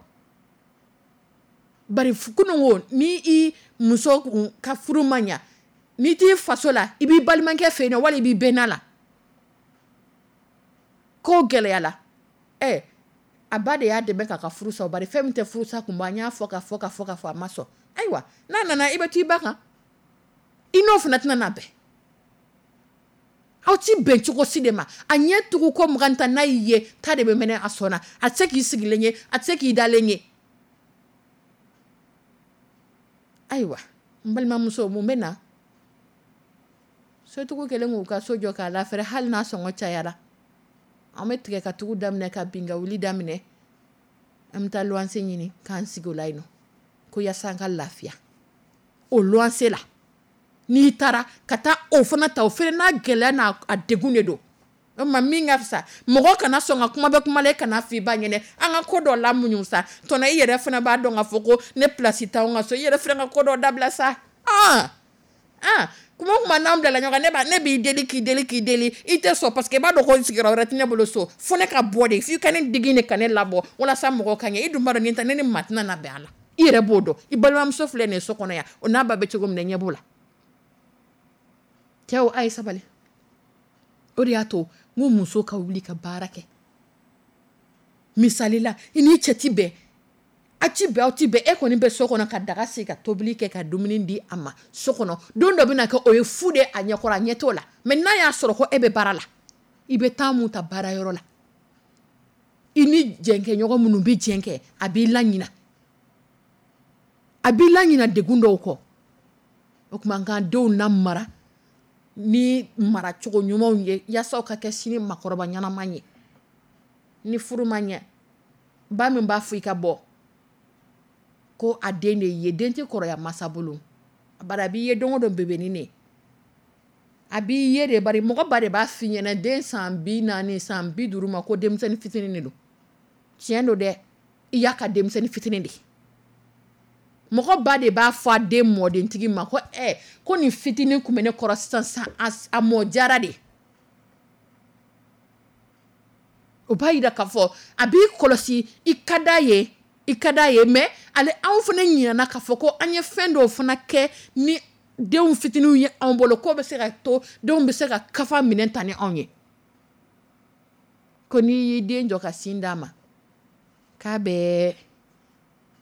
Bari kunun ko ni i muso ka furu ma ɲɛ, n'i t'i faso la, i b'i balimakɛ fɛ yen, wali i b'i bɛnna la. Ko gɛlɛyala, ɛ a ba de y'a dɛmɛ k'a ka furu sa. Bari fɛn min tɛ furusa kun bɔ, an y'a fɔ ka fɔ ka fɔ ka fɔ, a ma sɔn. Ayiwa, n'a nana, i bɛ t'i ba kan, i n'o fana tɛna na bɛn. Aw ti bɛn cogo si de ma. A ɲɛ tugu ko 20 ta, n'a y'i ye ta de bɛ mɛnɛ a sɔn na. A tɛ se k'i sigilen ye, a tɛ se k'i dalen ye. Ayiwa, n balimamuso, mun bɛ na? Sotigiw kɛlen k'u ka so jɔ k'a lafɛrɛ, hali n'a sɔngɔ cayara, an bɛ tigɛ ka tugu daminɛ, ka bin ka wuli daminɛ. An bɛ taa luwanse ɲini k'an sigi o la yen nɔ, ko yaasa an ka lafiya o luwanse la. N'i taara ka taa o fana ta, o fana n'a gɛlɛya n'a a degun de don. O tuma min ka fisa, mɔgɔ kana sɔn ka kuma bɛ kuma la, e kana fɔ i ba ɲɛnɛ. An ka ko dɔ la muɲu sa tɔnɔ. I yɛrɛ fana b'a dɔn k'a fɔ ko ne place t'anw ka so. I yɛrɛ fana ka ko dɔ dabila sa. Ah ah, kuma o kuma n'an bilala ɲɔgɔn kan, ne b'i deli, k'i deli, k'i deli, i tɛ sɔn, parce que i b'a dɔn ko sigiyɔrɔ wɛrɛ tɛ ne bolo so, fo ne ka bɔ de, f'i ka ne digi de ka ne labɔ walasa mɔgɔw ka ɲɛ. I dun b'a dɔn nin ta, ne ni maa tɛna na bɛn a la. I yɛrɛ b'o dɔn. I balimamuso filɛ nin ye so kɔnɔ yan, o n'a ba bɛ cogo min na, ɲɛ b'o la. Cɛw, a ye sabali. O de y'a to n ko muso ka wuli ka baara kɛ. Misali la, i ni cɛ ti bɛn, a ti bɛn, aw ti bɛn, e kɔni bɛ so kɔnɔ ka daga sigi, ka tobili kɛ, ka dumuni di a ma so kɔnɔ. Don dɔ bɛna kɛ, o ye fu de a ɲɛkɔrɔ, a ɲɛ t'o la. Mais n'a y'a sɔrɔ ko e bɛ baara la, i bɛ temps mun ta baarayɔrɔ la, i ni jɛnkɛɲɔgɔn minnu bɛ jɛn kɛ, a b'i laɲina, a b'i laɲina degun dɔw kɔ. O tuma an k'an denw lamara ni maracogo ɲumanw ye, yaasa ka kɛ sini makɔrɔba ɲɛnama ye. Ni furu ma ɲɛ, ba min b'a fɔ i ka bɔ ko a den de ye, den tɛ kɔrɔya masa bolo. Bari a b'i ye don o don bébé de, a b'i ye de. Bari mɔgɔ ba de b'a f'i ɲɛna, den san 40, san 50 ma, ko denmisɛnnin fitinin de don. Tiɲɛ don dɛ, i y'a ka denmisɛnnin fitinin de. Mɔgɔ ba de b'a fɔ a den mɔdentigi ma ko ɛ ko nin fitinin tun bɛ ne kɔrɔ sisan sisan, a mɔ jara de. O b'a yira k'a fɔ a b'i kɔlɔsi, i ka d'a ye, i ka d'a ye. Mais ale, anw fana ɲinɛna k'a fɔ ko an ye fɛn dɔw fana kɛ ni denw fitininw ye anw bolo, k'o bɛ se ka to denw bɛ se ka kafa minɛ ta ni anw ye. Ko n'i y'i den jɔ ka sin d'a ma, k'a bɛ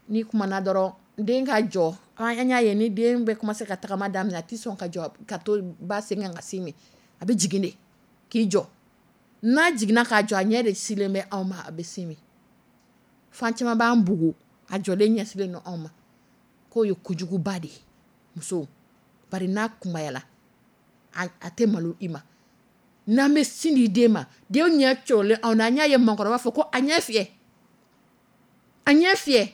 n'i kumana dɔrɔn, den ka jɔ. An y'a ye, ni den bɛ commencer ka tagama daminɛ, a tɛ sɔn ka jɔ ka to ba sen kan ka sin min, a bɛ jigin de k'i jɔ. N'a jiginna k'a jɔ, a ɲɛ de silen bɛ anw ma, a bɛ sin min. Fan caman b'an bugu, a jɔlen ɲɛsilen don anw ma, k'o ye kojuguba de ye musow. Bari n'a kunbayala, a tɛ malo i ma. N'an bɛ sin di den ma, den ɲɛ cɔrɔlen anw na, an y'a ye maakɔrɔba fɔ ko a ɲɛ fiyɛ, a ɲɛ fiyɛ.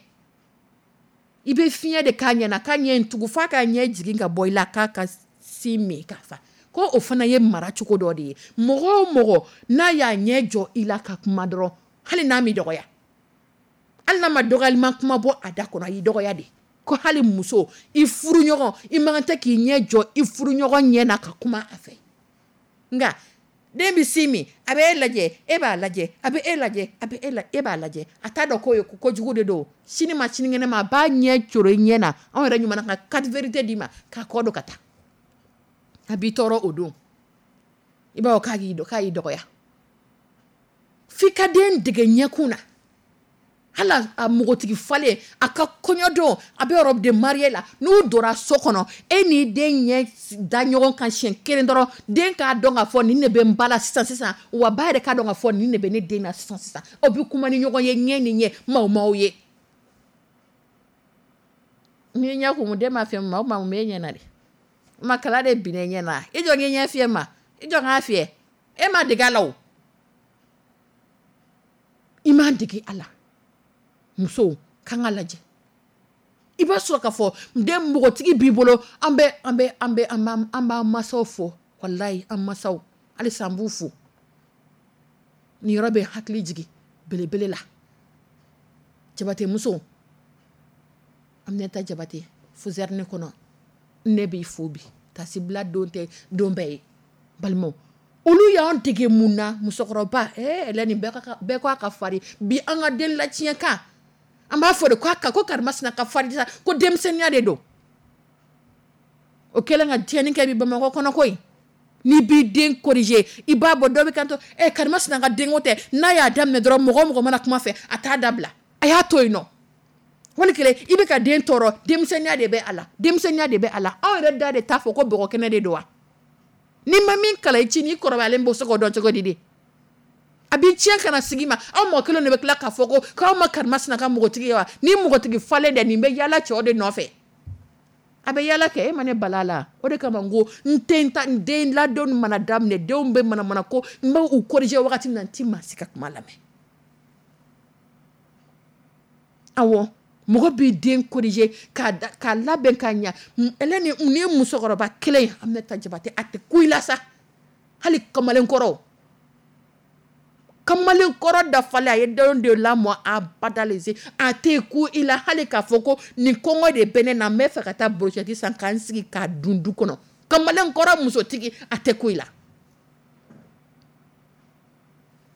I bɛ fiɲɛ de k'a ɲɛ na, k'a ɲɛ in tugu f'a ka ɲɛ jigin ka bɔ i la, k'a ka sin min k'a fa. Ko o fana ye mara cogo dɔ de ye. Mɔgɔ o mɔgɔ n'a y'a ɲɛ jɔ i la ka kuma dɔrɔn, hali n'a m'i dɔgɔya, hali n'a ma dɔgɔyalima kuma bɔ a da kɔnɔ, a y'i dɔgɔya de. Ko hali muso, i furuɲɔgɔn, i man kan tɛ k'i ɲɛ jɔ i furuɲɔgɔn ɲɛ na ka kuma a fɛ. Nka den bɛ sin min, a bɛ e lajɛ, e b'a lajɛ, a bɛ e lajɛ, a bɛ e la, e b'a lajɛ, a t'a dɔn k'o ye ko kojugu de don. Sini ma sinikɛnɛ ma, a b'a ɲɛ coro i ɲɛ na. Anw yɛrɛ ɲuman ka quatre vérités d'i ma k'a kɔ don ka taa, a b'i tɔɔrɔ o don. I b'a fɔ k'a y'i dɔgɔya. F'i ka den dege ɲɛkun na. Hali a npogotigi falen, a ka kɔɲɔ don, a bɛ robe de mariée la, n'u donna so kɔnɔ, e n'i den ɲɛ da ɲɔgɔn kan siɲɛ kelen dɔrɔn, den k'a dɔn k'a fɔ nin de bɛ n ba la sisan sisan, wa ba yɛrɛ k'a dɔn k'a fɔ nin de bɛ ne den na sisan sisan. Aw bɛ kuma ni ɲɔgɔn ye ɲɛ ni ɲɛ, maaw maaw ye. N'i ɲɛ kumu, den b'a fɛ ma, o tuma mun b'e ɲɛ na de? Ma kala de binna i ɲɛ na. I jɔ k'i ɲɛ fiyɛ ma, i jɔ k'a fiyɛ. E ma dege a la o. I m'a dege a la. Musow kan ka lajɛ. I b'a sɔrɔ k'a fɔ den npogotigi b'i bolo, an bɛ an bɛ an bɛ an b'an masaw fo, walayi an masaw halisa an b'u fo. Nin yɔrɔ bɛ hakili jigin belebele la. Jabate muso, Aminata Jabate, Fusɛrini kɔnɔ, ne b'i fo bi. Tasibila don tɛ don bɛɛ ye, balimaw. Olu y'an dege mun na? Musokɔrɔba, Hélène, bɛɛ ko a ka farin bi. An ka den latiɲɛ kan, an b'a fɔ de ko ko karimasina ka farin sa, ko denmisɛnninya de don. O kɛlen ka tiɲɛni kɛ bi Bamakɔ kɔnɔ koyi. N'i b'i den corriger, i b'a bɔ dɔ bɛ kanto ɛ karimasina ka denko tɛ. N'a y'a daminɛ dɔrɔn, mɔgɔ o mɔgɔ mana kuma fɛ, a t'a dabila, a y'a to yen nɔ. Wali kelen i bɛ ka den tɔɔrɔ, denmisɛnninya de bɛ a la, denmisɛnninya de bɛ a la. Aw yɛrɛ da de t'a fɔ ko bɔgɔ kɛnɛ de don wa? N'i ma min kalan i ci, n'i kɔrɔbayalen b'o se k'o dɔn cogo di de? A b'i tiɲɛ ka na sigi ma. Aw mɔgɔ kelen de bɛ tila k'a fɔ ko k'aw ma karimasina ka npogotigi ye wa? Ni npogotigi falen dɛ, nin bɛ yaala cɛw de nɔfɛ. A bɛ yaala kɛ, e ma ne bala la. O de kama n ko n tɛ ta n den ladon mana daminɛ, denw bɛ manamana ko n bɛ u corriger wagati min na, n ti maa si ka kuma lamɛn. Awɔ, mɔgɔ b'i den corriger k'a labɛn k'a ɲa. Hélène, nin ye musokɔrɔba kelen ye, Aminata Jabate, a tɛ ku i la sa. Hali kamalenkɔrɔ, kamalenkɔrɔ dafalen, a ye denw de lamɔ a badalese, a tɛ ku i la hali k'a fɔ ko nin kɔngɔ de bɛ ne na, n bɛ fɛ ka taa brochette san k'an sigi k'a dun du kɔnɔ. Kamalenkɔrɔ musotigi, a tɛ ku i la.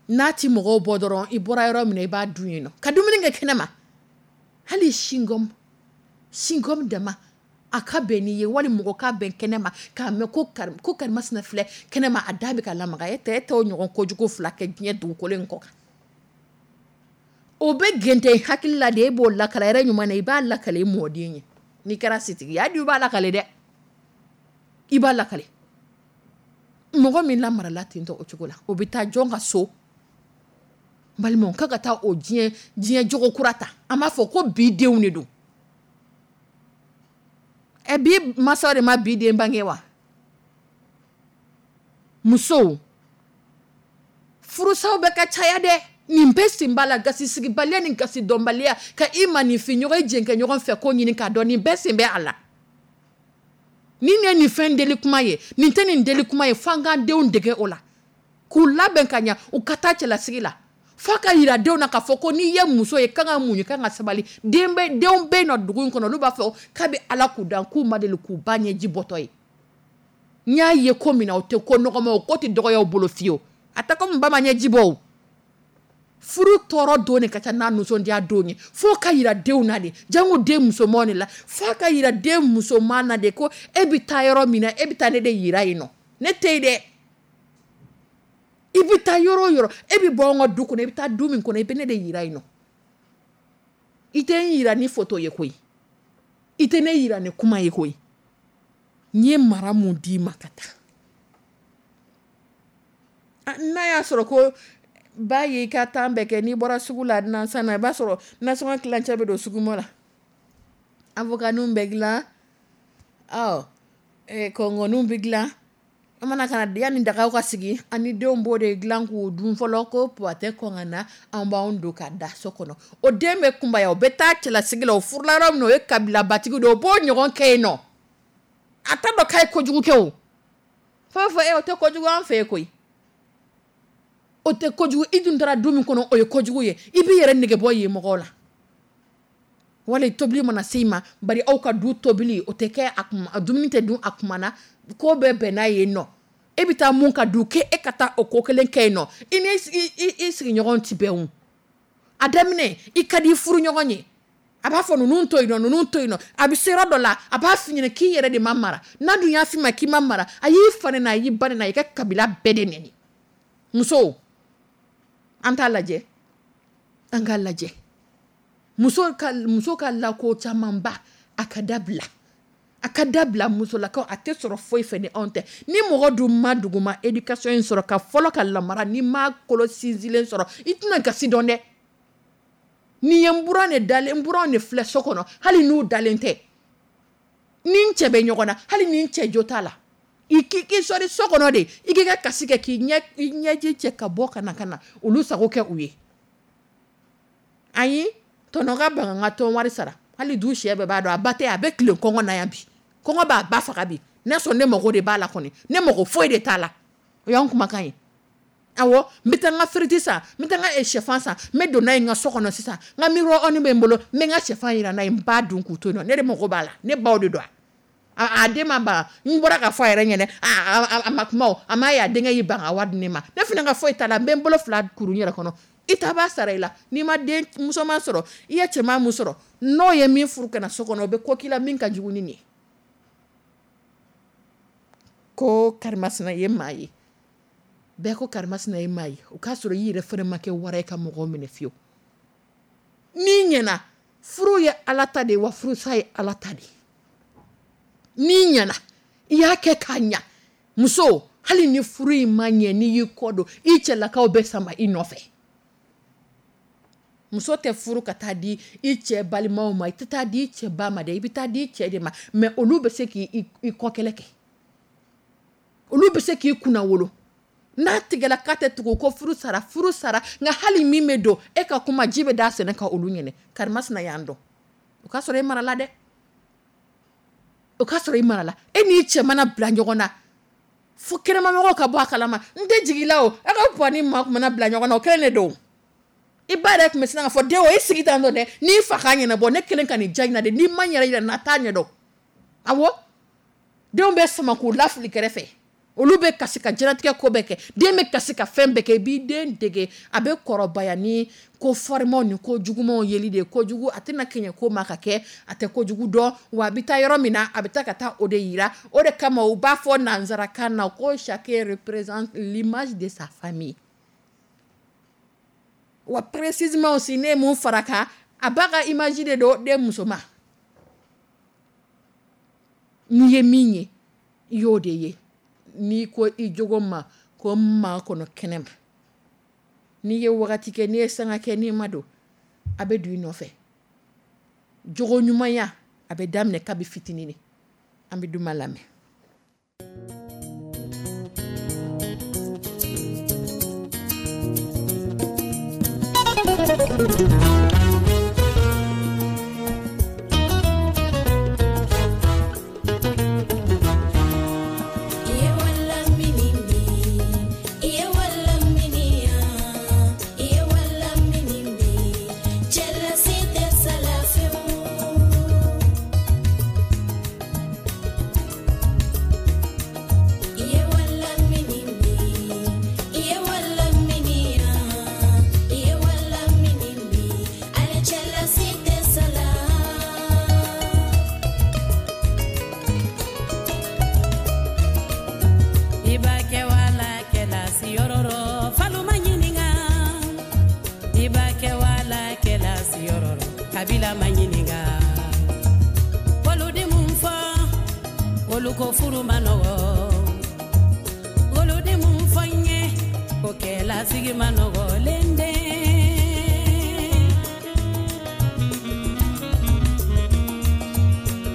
N'a ti mɔgɔw bɔ dɔrɔn, i bɔra yɔrɔ min na, i b'a dun yen nɔ, ka dumuni kɛ kɛnɛ ma. Hali chewing-gum, chewing-gum dama, a ka bɛn n'i ye, wali mɔgɔ ka bɛn kɛnɛ ma k'a mɛn ko ko karimasina filɛ kɛnɛ ma, a da bɛ ka lamaga. E tɛ, e t'o ɲɔgɔn kojugu fila kɛ diɲɛ dugukolo in kɔ kan. O bɛ gɛntɛ hakili la de, e b'o lakala yɛrɛ ɲuman na, i b'a lakale i mɔden ye. N'i kɛra sitigi ye, hali i b'a lakale dɛ, i b'a lakale. Mɔgɔ min lamarala ten tɔ o cogo la, o bɛ taa jɔn ka so? Balimaw, k'a ka taa o diɲɛ jogo kura ta. An b'a fɔ ko bi denw de don. Ɛ, bi mansaw de ma bi den bange wa? Musow, furusaw bɛ ka caya dɛ. Nin bɛɛ sen b'a la, gasisigibaliya ni gasi dɔnbaliya, ka i maaninfin ɲɔgɔn, i jɛnkɛ ɲɔgɔn fɛ ko ɲini k'a dɔn, nin bɛɛ sen bɛ a la. Nin ye nin fɛn deli kuma ye, nin tɛ nin deli kuma ye. F'an k'an denw dege o la, k'u labɛn ka ɲa, u ka taa cɛlasigi la. F'a ka yira denw na k'a fɔ ko n'i ye muso ye, kan ka muɲu, kan ka sabali. Denw bɛ yen nɔ dugu in kɔnɔ, olu b'a fɔ k'a bɛ Ala k'u dan, k'u ma deli k'u ba ɲɛji bɔtɔ ye. N y'a ye ko min na, o tɛ ko nɔgɔma, o ko tɛ dɔgɔya u bolo fiyewu. A tɛ komi ba ma ɲɛji bɔ o. Furu tɔɔrɔ don de ka ca n'a nisɔndiya don ye. F'o ka yira denw na de, jango den musomanw de la. F'a ka yira den musoman na de ko e bɛ taa yɔrɔ min na, e bɛ taa ne de yira yen nɔ, ne tɛ yen dɛ. I bɛ taa yɔrɔ o yɔrɔ, e bɛ bɔ anw ka du kɔnɔ, i bɛ taa du min kɔnɔ, i bɛ ne de yira yen nɔ. I tɛ n yira ni photo ye koyi, i tɛ ne yira ni kuma ye koyi. N ye mara mun d'i ma ka taa, n'a y'a sɔrɔ ko ba y'i ka temps bɛɛ kɛ, n'i bɔra sugu la nansan na, i b'a sɔrɔ nasɔngɔ tilancɛ bɛ don sugumɔ la, avocat bɛ dilan, ɔ kɔngɔniw bɛ dilan. An mana ka na yanni dagaw ka sigi, ani denw b'o de dilan k'o dun fɔlɔ, ko puwa tɛ kɔn ka na, an b'anw don ka da so kɔnɔ. O den bɛ kunbaya, o bɛ taa cɛlasigi la, o furula yɔrɔ min na, o ye kabilabatigi de ye, o b'o ɲɔgɔn kɛ yen nɔ. A t'a dɔn k'a ye kojugu kɛ o. F'a b'a fɔ e o tɛ kojugu an fɛ yen koyi. O tɛ kojugu, i dun taara du min kɔnɔ, o ye kojugu ye. I b'i yɛrɛ nege bɔ yen mɔgɔw la. Wali tobili mana se i ma, bari aw ka du tobili o tɛ kɛ a kuma, dumuni tɛ dun a kuma na, ko bɛɛ bɛn n'a ye nɔ. E bɛ taa mun ka du k'e ka taa o ko kelen kɛ yen nɔ, i ni i sigiɲɔgɔn ti bɛn o. A daminɛ, i ka di i furu ɲɔgɔn ye. A b'a fɔ ninnu to yen nɔ, ninnu to yen nɔ. A bɛ se yɔrɔ dɔ la, a b'a f'i ɲɛna k'i yɛrɛ de ma mara. N'a dun y'a f'i ma k'i ma mara, a y'i fa nɛni, a y'i ba nɛni, a y'i ka kabila bɛɛ de nɛni. Musow, an t'a lajɛ, an k'a lajɛ. Muso ka lako camanba, a ka dabila. A ka dabila musolakaw, a tɛ sɔrɔ foyi fɛ ni anw tɛ. Ni mɔgɔ dun ma duguma éducation in sɔrɔ ka fɔlɔ ka lamara, ni ma kolo sinsinlen sɔrɔ, i tɛna gasi dɔn dɛ. Ni ye n buran de dalen, n buran de filɛ so kɔnɔ, hali n'u dalen tɛ. Ni n cɛ bɛ ɲɔgɔn na, hali ni n cɛ jo t'a la. I k'i sɔri so kɔnɔ de, i k'i ka kasi kɛ k'i ɲɛji cɛ ka bɔ ka na ka na olu sago kɛ u ye. Ayi, tɔnɔ ka ban ka n ka tɔn wari sara. Hali du sɛ bɛɛ b'a dɔn, a ba tɛ, a bɛ tilen kɔngɔ na yan bi. Kɔngɔ b'a ba faga bi. N'a sɔrɔ ne mago de b'a la kɔni, ne mago foyi de t'a la. O y'anw kumakan ye. Awɔ, n bɛ taa n ka firiti san, n bɛ taa n ka sɛfan san, n bɛ don n'a ye n ka so kɔnɔ sisan. N ka micro-ondes bɛ n bolo, n bɛ n ka sɛfan jira n'a ye, n b'a dun k'u to yen nɔ. Ne de mago b'a la, ne baw de don. A den ma ban, n bɔra ka fɔ a yɛrɛ ɲɛnɛ, a ma kuma o, a m'a ye a denkɛ y'i ban ka wari di ne ma. Ne fana ka foyi t'a la, n bɛ n bolo fila kuru n yɛrɛ kɔnɔ. I ta b'a sara i la. N'i ma den musoman sɔrɔ, i ye cɛman mun sɔrɔ, n'o ye min furu ka na so kɔnɔ, o bɛ ko k'i la min ka jugu ni nin ye. Ko karimasina ye maa ye, bɛɛ ko karimasina ye maa ye, o k'a sɔrɔ i yɛrɛ fana ma kɛ wara ye ka mɔgɔw minɛ fiyewu. N'i ɲɛna, furu ye Ala ta de ye, wa furusa ye Ala ta de ye. N'i ɲɛna, i y'a kɛ k'a ɲa, muso, hali ni furu in ma ɲɛ, n'i y'i kɔ don, i cɛlakaw bɛ sama i nɔfɛ. Muso tɛ furu ka taa di i cɛ balimaw ma, i tɛ taa di i cɛ ba ma dɛ, i bɛ taa di i cɛ de ma. Mais olu bɛ se k'i kɔ kɛlɛ kɛ, olu bɛ se k'i kunna wolo. N'a tigɛla k'a tɛ tugu ko furu sara, furu sara. Nka hali min bɛ don e ka kuma, ji bɛ da sɛnɛ ka olu ɲɛnɛ. Karimasina y'an dɔn, o k'a sɔrɔ e marala dɛ, o k'a sɔrɔ i marala. E n'i cɛ mana bila ɲɔgɔn na fo kɛnɛmamɔgɔw ka bɔ a kalama, n tɛ jigin la o, e ka puwa ni maa mana bila ɲɔgɔn na, o kelen de don. I ba yɛrɛ tun bɛ sin k'a fɔ den o, e sigi tan dɔ dɛ, n'i fa k'a ɲɛnabɔ, ne kelen ka nin ja in na dɛ, n'i ma n yɛrɛ yira n na, a t'a ɲɛdɔn. Awɔ, denw bɛ sama k'u lafili kɛrɛfɛ, olu bɛ kasi ka diɲɛlatigɛ ko bɛɛ kɛ, den bɛ kasi ka fɛn bɛɛ kɛ. I b'i den dege, a bɛ kɔrɔbaya ni ko farimaw ni ko jugumanw yeli de ye. Kojugu a tɛna kɛɲɛ ko ma ka kɛ, a tɛ kojugu dɔn, wa a bɛ taa yɔrɔ min na, a bɛ taa ka taa o de yira. O de kama u b'a fɔ nanzarakan na ko chacun représente l'image de sa famille. Wa précisément aussi, ne ye mun fara kan, a b'a ka image de don den muso ma. N'i ye min ye, i y'o de ye. N'i ko i jogo ma ko n maa kɔnɔ kɛnɛ ma, n'i ye wagati kɛ, n'i ye sanga kɛ, n'i ma don, a bɛ don i nɔfɛ. Jogo ɲumanya a bɛ daminɛ kabi fitinin de. An bɛ duman lamɛn. Kabila ma ɲininka, olu di mun fɔ, olu ko furu ma nɔgɔ. Olu di mun fɔ n ye, ko kɛlasigi ma nɔgɔ lende.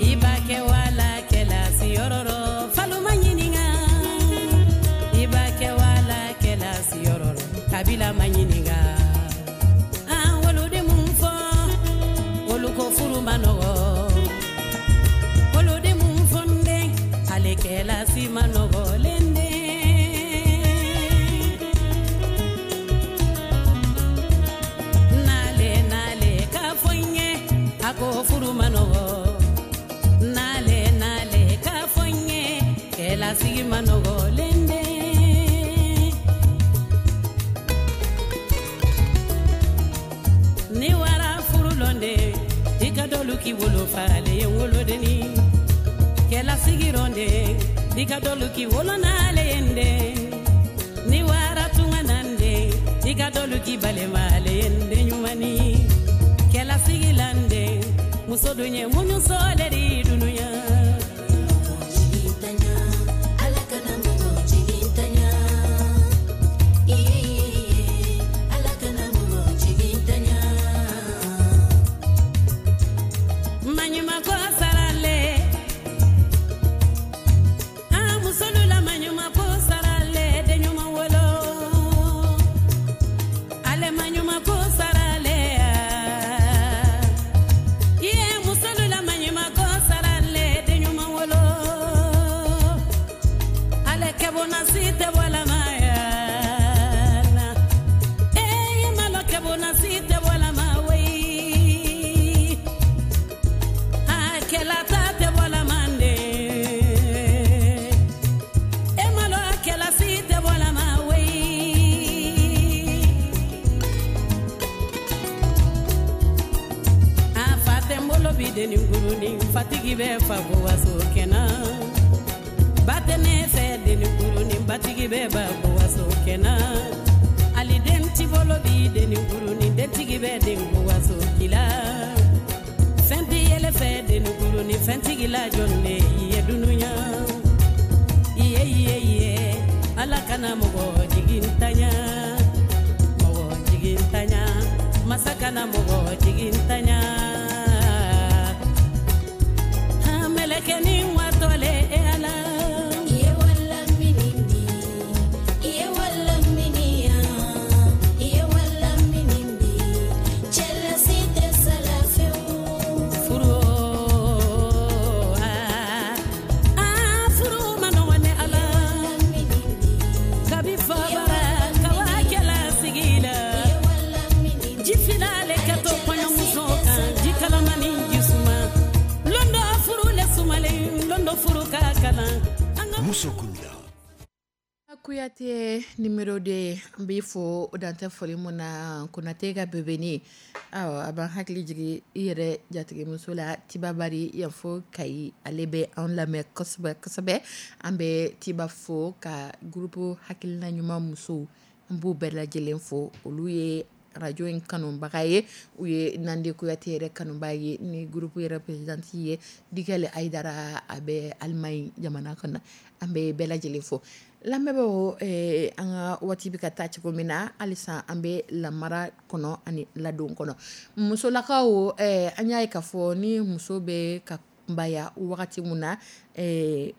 I b'a kɛ wala kɛlasi yɔrɔ rɔ, falu ma ɲininka. I b'a kɛ wala kɛlasi yɔrɔ rɔ, kabila ma ɲininka. Ko furu ma nɔgɔ, olu de mun fɔ n den, ale kɛlasi ma nɔgɔ lende. Nale nale k'a fɔ n ye, a ko furu ma nɔgɔ. Nale nale k'a fɔ n ye, kɛlasigi ma nɔgɔ lende. Ni wara furu lɔnde, i ka dɔlu k'i wolo falen ye wolodenni. Kɛlasigi rɔnde, i ka dɔlu k'i wolo n'ale ye n den. Ni wara tunga nande, i ka dɔlu k'i balima ale ye n den ɲumanni. Kɛlasigi lande, muso dun ye muɲu sɔɔlɛ di dunuya. Ala kana mɔgɔ jigintanya. Iye, iye, Ala kana mɔgɔ jigintanya. Maɲumanko sarale, an musolu la maɲumanko sarale, den ɲuman wolo. Ale maɲumanko sarale, iye musolu la maɲumanko sarale. Denikurunin, fatigi bɛ fa ko waso kɛnɛ. Ba tɛ ne fɛ denikurunin, batigi bɛ ba ko waso kɛnɛ. Ali den ti bolo bi denikurunin, dentigi bɛ den ko waso kila. Fɛn ti yɛlɛ fɛ denikurunin, fɛntigi la jɔn de ye dunuya. Iye iye iye, Ala kana mɔgɔ jigintanya, mɔgɔ jigintanya, masa kana mɔgɔ jigintanya. Mɛlɛkɛnin watɔlen e Ala. Iye wala minindi, iye wala miniya, iye wala minindi, cɛlasi tɛ sala fewu. Furu ah ah, furu ma nɔgɔn ne Ala. Minindi, Kabi fabara kawa kɛla sigi la. iye wala minindi, Ji filale ka to kɔɲɔmuso kan, ji kalamani ji suma. Londo furu le sumalen, londo furu ka kalan. An ka Muso Kunda. Kuyate numéro 2, an b'i fo o dantɛ foli mun na. Konate ka bebeni, awɔ, a b'an hakili jigin i yɛrɛ jatigimuso la, Tiba Bari yan fo Kayi. Ale bɛ an lamɛn kosɛbɛ kosɛbɛ. An bɛ Tiba fo ka groupe hakilina ɲuman musow, an b'u bɛɛ lajɛlen fo. Olu ye radio in kanubaga ye, u ye Nande Kuyate yɛrɛ kanuba ye. Ni groupe yɛrɛ présidente ye Dikɛli Ayidara, a bɛ Alimaɲi jamana kɔnɔ. An bɛ bɛɛ lajɛlen fo. Lamɛnbaaw, an ka waati bɛ ka taa cogo min na, halisa an bɛ lamara kɔnɔ ani ladon kɔnɔ. Musolakaw, an y'a ye k'a fɔ ni muso bɛ ka kunbaya wagati min na,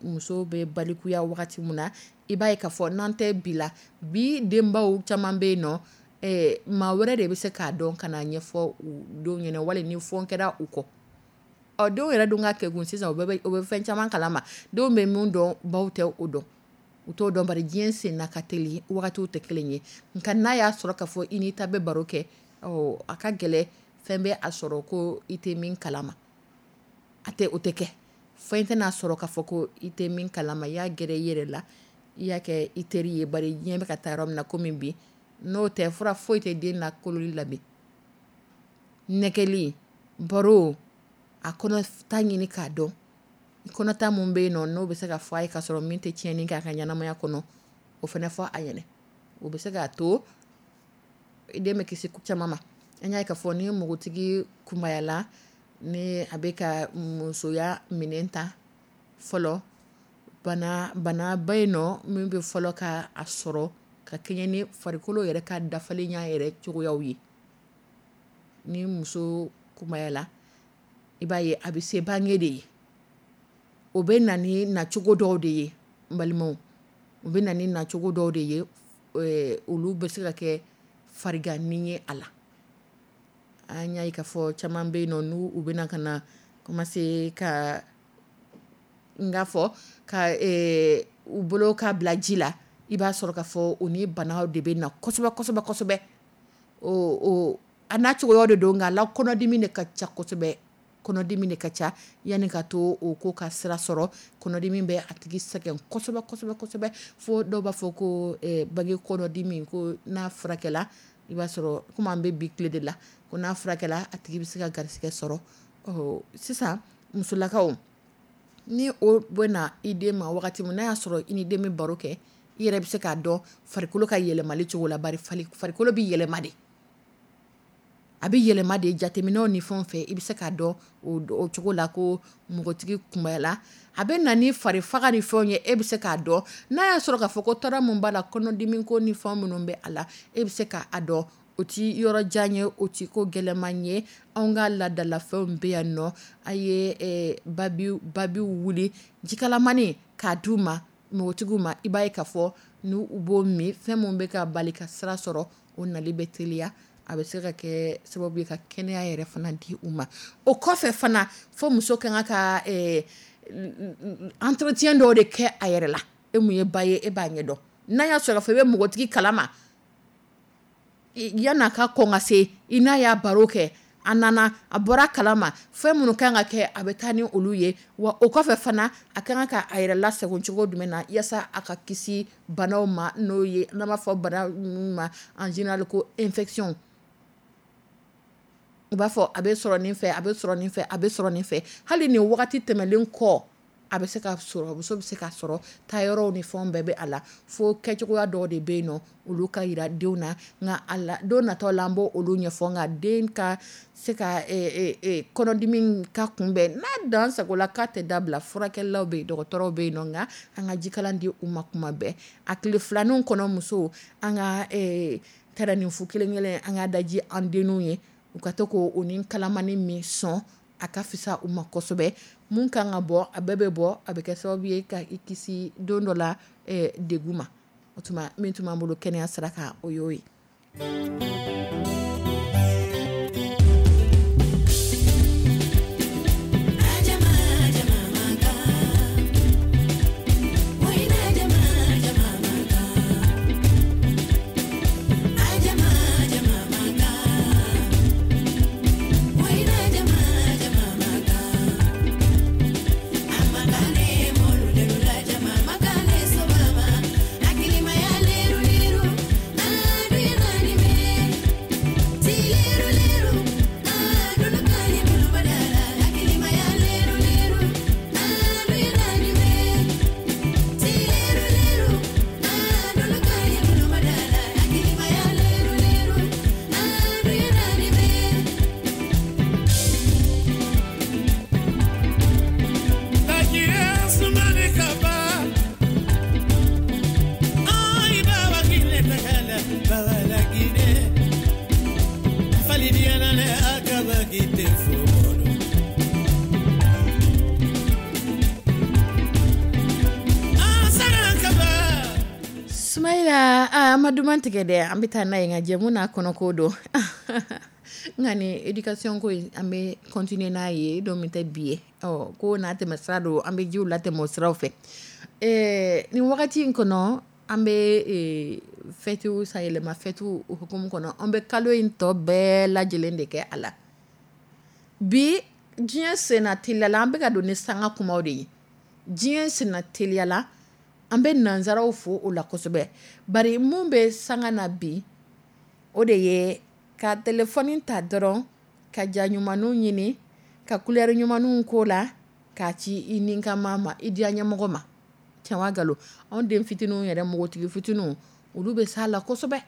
muso bɛ balikuya wagati min na, i b'a ye k'a fɔ n'an tɛ bi la, bi denbaw caman bɛ yen nɔ, maa wɛrɛ de bɛ se k'a dɔn ka na ɲɛfɔ u denw ɲɛna, wali ni fɔn kɛra u kɔ. Ɔ, denw yɛrɛ dun ka kɛgun sisan, u bɛ fɛn caman kalama. Denw bɛ mun dɔn, baw tɛ o dɔn, u t'o dɔn, bari diɲɛ senna ka teli, wagatiw tɛ kelen ye. Nka n'a y'a sɔrɔ k'a fɔ i n'i ta bɛ baro kɛ, ɔ, a ka gɛlɛ fɛn bɛ a sɔrɔ ko i tɛ min kalama. A tɛ, o tɛ kɛ. Fɛn tɛna sɔrɔ k'a fɔ ko i tɛ min kalama. I y'a gɛrɛ i yɛrɛ la, i y'a kɛ i teri ye, bari diɲɛ bɛ ka taa yɔrɔ min na komi bi, n'o tɛ fura foyi tɛ den na kololi la bi. Nɛgɛli, baro, a kɔnɔ ta ɲini k'a dɔn. Kɔnɔta mun bɛ yen nɔ, n'o bɛ se ka fɔ a ye k'a sɔrɔ min tɛ tiɲɛni k'a ka ɲɛnamaya kɔnɔ, o fana fɔ a ɲɛna. O bɛ se k'a to i den bɛ kisi ko caman ma. An y'a ye k'a fɔ ni npogotigi kunbayala, ni a bɛ ka musoya minɛn ta fɔlɔ, bana ba yen nɔ min bɛ fɔlɔ ka a sɔrɔ ka kɛɲɛ ni farikolo yɛrɛ ka dafalenya yɛrɛ cogoyaw ye. Ni muso kunbayala, i b'a ye a bɛ se bange de ye. O bɛ na ni nacogo dɔw de ye, n balimaw. O bɛ na ni nacogo dɔw de ye, olu bɛ se ka kɛ fariganni ye a la. An y'a ye k'a fɔ caman bɛ yen nɔ, n'u u bɛna ka na commencer ka n k'a fɔ ka u bolo ka bila ji la, i b'a sɔrɔ k'a fɔ u ni banaw de bɛ na kosɛbɛ kosɛbɛ kosɛbɛ. O a n'a cogoya de don, nka la kɔnɔdimi de ka ca kosɛbɛ. Kɔnɔdimi de ka ca yanni ka to o ko ka sira sɔrɔ. Kɔnɔdimi bɛ a tigi sɛgɛn kosɛbɛ kosɛbɛ kosɛbɛ, fo dɔw b'a fɔ ko bange kɔnɔdimi, ko n'a furakɛla, i b'a sɔrɔ komi an bɛ bi tile de la, ko n'a furakɛla a tigi bɛ se ka garisɛgɛ sɔrɔ. Ɔ, sisan musolakaw, ni o bɛ na i den ma wagati min n'a y'a sɔrɔ i ni den bɛ baro kɛ, i yɛrɛ bɛ se k'a dɔn farikolo ka yɛlɛmali cogo la, bari farikolo bɛ yɛlɛma de. A bɛ yɛlɛma de, jateminɛw ni fɛnw fɛ, i bɛ se k'a dɔn o cogo la ko npogotigi kunbayala. A bɛ na ni fari faga ni fɛnw ye, e bɛ se k'a dɔn. N'a y'a sɔrɔ k'a fɔ ko tɔɔrɔ min b'a la, kɔnɔdimi ko ni fɛn minnu bɛ a la, e bɛ se k'a dɔn. O ti yɔrɔ jan ye, o ti ko gɛlɛman ye. Anw ka laadalafɛnw bɛ yan nɔ. A ye babiw wuli jikalamani k'a d'u ma, npogotigiw ma. I b'a ye k'a fɔ n'u b'o min, fɛn min bɛ ka bali ka sira sɔrɔ, o nali bɛ teliya. A bɛ se ka kɛ sababu ye ka kɛnɛya yɛrɛ fana di u ma. O kɔfɛ fana, fo muso ka kan ka entretien dɔw de kɛ a yɛrɛ la. E mun ye ba ye, e b'a ɲɛdɔn. N'a y'a sɔrɔ fɔ i bɛ npogotigi kalama, yan'a ka kɔn ka se, i n'a y'a baro kɛ, a nana a bɔra kalama, fɛn minnu kan ka kɛ, a bɛ taa ni olu ye. Wa o kɔfɛ fana, a kan ka a yɛrɛ lasago cogo jumɛn na yaasa a ka kisi banaw ma, n'o ye n'an b'a fɔ bana minnu ma en général ko infection. U b'a fɔ a bɛ sɔrɔ nin fɛ, a bɛ sɔrɔ nin fɛ, a bɛ sɔrɔ nin fɛ. Hali nin wagati tɛmɛnlen kɔ, a bɛ se ka sɔrɔ, muso bɛ se ka sɔrɔ, taayɔrɔw ni fɛnw bɛɛ bɛ a la, fo kɛcogoya dɔw de bɛ yen nɔ, olu ka jira denw na. Nka a la don natɔ la, an b'o olu ɲɛfɔ. Nka den ka se ka kɔnɔdimi ka kunbɛn, n'a dan sago la k'a tɛ dabila, furakɛlaw bɛ yen, dɔgɔtɔrɔw bɛ yen nɔ. Nka an ka jikalan di u ma kuma bɛɛ. A tile filaninw kɔnɔ, musow, an ka tɛrɛnin fu kelen kelen, an ka daji an denninw ye, u ka to k'o ni kalamani min sɔn, a ka fisa u ma kosɛbɛ. Mun kan ka bɔ, a bɛɛ bɛ bɔ, a bɛ kɛ sababu ye ka i kisi don dɔ la degun ma. O tuma min tun b'an bolo kɛnɛya sira kan, o y'o ye. Sumayila, an ma duman tigɛ dɛ, an bɛ taa n'a ye nka jɛmu n'a kɔnɔko don. Nka ni éducation ko in, an bɛ continuer n'a ye don min tɛ bi ye. Ɔ ko n'a tɛmɛ sira don, an bɛ jiw latɛmɛ o siraw fɛ. Nin wagati in kɔnɔ, an bɛ fɛtiw, sanyɛlɛma fɛtiw hukumu kɔnɔ, an bɛ kalo in tɔ bɛɛ lajɛlen de kɛ a la. Bi diɲɛ senna teliya la, an bɛ ka don ni sanga kumaw de ye. Diɲɛ senna teliya la, an bɛ nansaraw fo o la kosɛbɛ. Bari mun bɛ sanga na bi, o de ye ka telefɔni ta dɔrɔn ka ja ɲumanw ɲini, ka couleur ɲumanw ko la, k'a ci i ni ka ma ma, i diya ɲɛmɔgɔ ma. Tiɲɛ wa nkalon? Anw den fitininw yɛrɛ, npogotigi fitininw, olu bɛ s'a la kosɛbɛ.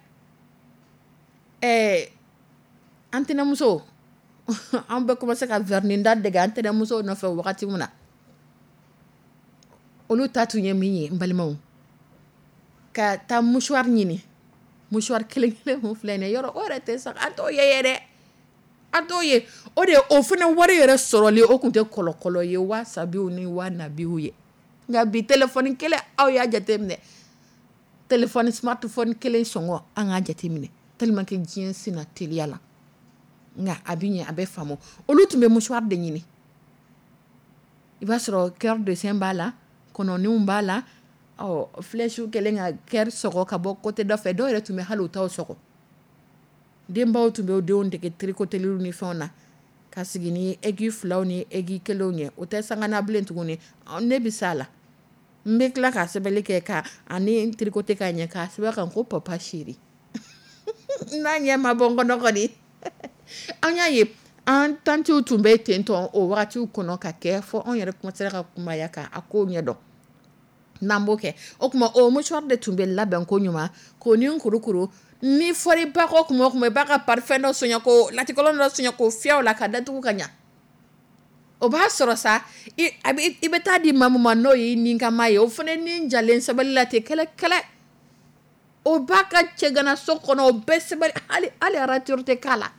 An tɛnɛmuso, an bɛ commencer ka vernis da dege an tɛnɛmuso nɔfɛ wagati min na, olu ta tun ye min ye, n balimaw, ka taa mouchoir ɲini, mouchoir kelen kelen mun filɛ nin ye, yɔrɔ o yɛrɛ tɛ sa, an t'o ye dɛ, an t'o ye. O de o fana wari yɛrɛ sɔrɔli, o tun tɛ kɔlɔkɔlɔ ye waa sabiw ni waa nabiw ye. Nka bi téléphone kelen, aw y'a jateminɛ, téléphone smartphone kelen sɔngɔ, an k'a jateminɛ tellement que diɲɛ senna teliya la. Nka a bɛ ɲɛ, a bɛ faamu. Olu tun bɛ mouchoir de ɲini, i b'a sɔrɔ cœur dessin b'a la, kɔnɔninw b'a la, ɔ flèche kɛlen ka cœur sɔgɔ ka bɔ côté dɔ fɛ. Dɔw yɛrɛ tun bɛ hali u t'aw sɔgɔ. Denbaw tun bɛ denw dege tricoteliw ni fɛnw na, ka sigi ni aiguille filaw ni aiguille kelenw ye. O tɛ sanga na bilen tuguni. Ne bɛ s'a la, n bɛ tila ka sɛbɛnni kɛ ka ani tricoter ka ɲɛ, k'a sɛbɛn kan ko papa chéri. N'a ɲɛ ma bɔ n kɔnɔ kɔni. An y'a ye an tantiw tun bɛ ten tɔn o wagatiw kɔnɔ ka kɛ fɔ anw yɛrɛ commencé ka kunbaya ka a kow ɲɛdɔn. N'an b'o kɛ, o tuma o mouchoir de tun bɛ labɛn ko ɲuman k'o ni kurukuru. Ni fɔra ba kɔ kuma o kuma, i b'a ka parfum dɔ sonya, ko latikɔlɔn dɔ sonya, k'o fiyɛ o la ka datugu ka ɲa. O b'a sɔrɔ sa i bɛ taa di maa min ma, n'o y'i ni kama ye, o fana ni jalen sabali la ten kɛlɛ kɛlɛ. O b'a ka cɛganaso kɔnɔ, o bɛɛ sɛbɛn, hali rature tɛ k'a la,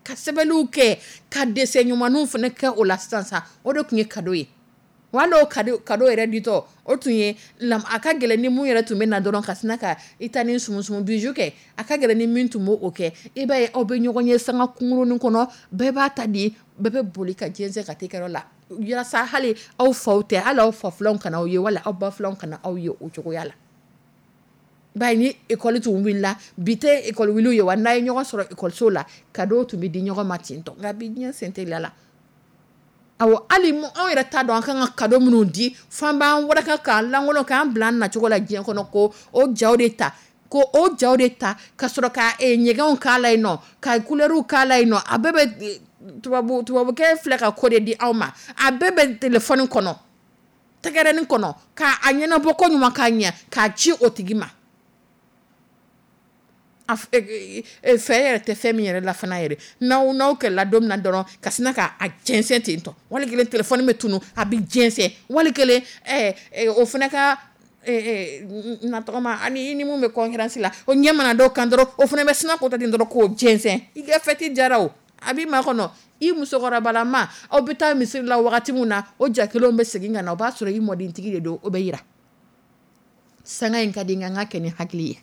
ka sɛbɛnniw kɛ, ka dessin ɲumanw fana kɛ o la sisan sa. O de tun ye cadeau ye. Wa o cadeau yɛrɛ ditɔ, o tun ye a ka gɛlɛn ni mun yɛrɛ tun bɛ na dɔrɔn ka sina ka i ta ni sumusumu bijou kɛ. A ka gɛlɛn ni min tun b'o kɛ. I b'a ye, aw bɛ ɲɔgɔn ye sanga kunkurunin kɔnɔ, bɛɛ b'a ta di, bɛɛ bɛ boli ka jɛnsɛn ka taa kɛyɔrɔ la, walasa hali aw faw tɛ, hali aw fa filanw kana aw ye, wala aw ba filanw kana aw ye o cogoya la. Bari ni école tun wulila, bi tɛ école wuli ye wa, n'a ye ɲɔgɔn sɔrɔ école so la, cadeau tun bɛ di ɲɔgɔn ma ten tɔ. Nka bi diɲɛ sen teliya la, awɔ, hali anw yɛrɛ t'a dɔn an kan ka cadeau minnu di, f'an b'an waraka k'an lankolon k'an bila an nacogo la diɲɛ kɔnɔ, ko o jaw de ta. Ko o jaw de ta ka sɔrɔ ka ɲɛgɛnw k'a la yen nɔ, ka couleurw k'a la yen nɔ. A bɛɛ bɛ tubabukɛ filɛ ka ko de di aw ma. A bɛɛ bɛ téléphone kɔnɔ, tɛgɛrɛnin kɔnɔ, k'a ɲɛnabɔ ko ɲuman k'a ɲɛ k'a ci o tigi ma. Fɛ yɛrɛ tɛ fɛn min yɛrɛ la fana yɛrɛ, n'aw kɛlɛla don min na dɔrɔn, ka sina k'a jɛnsɛn ten tɔ. Wali kelen téléphone bɛ tunun, a bɛ jɛnsɛn. Wali kelen o fana ka na tɔgɔma ani i ni mun bɛ concurrence la, o ɲɛ mana da o kan dɔrɔn, o fana bɛ sina k'o ta ten dɔrɔn k'o jɛnsɛn. I ka fête diyara o, a b'i makɔnɔ. I musokɔrɔbalama, aw bɛ taa misiri la wagati min na, o ja kelenw bɛ segin ka na, o b'a sɔrɔ i mɔdentigi de don, o bɛ yira. Sanga in ka di n ka kɛ ni hakili ye.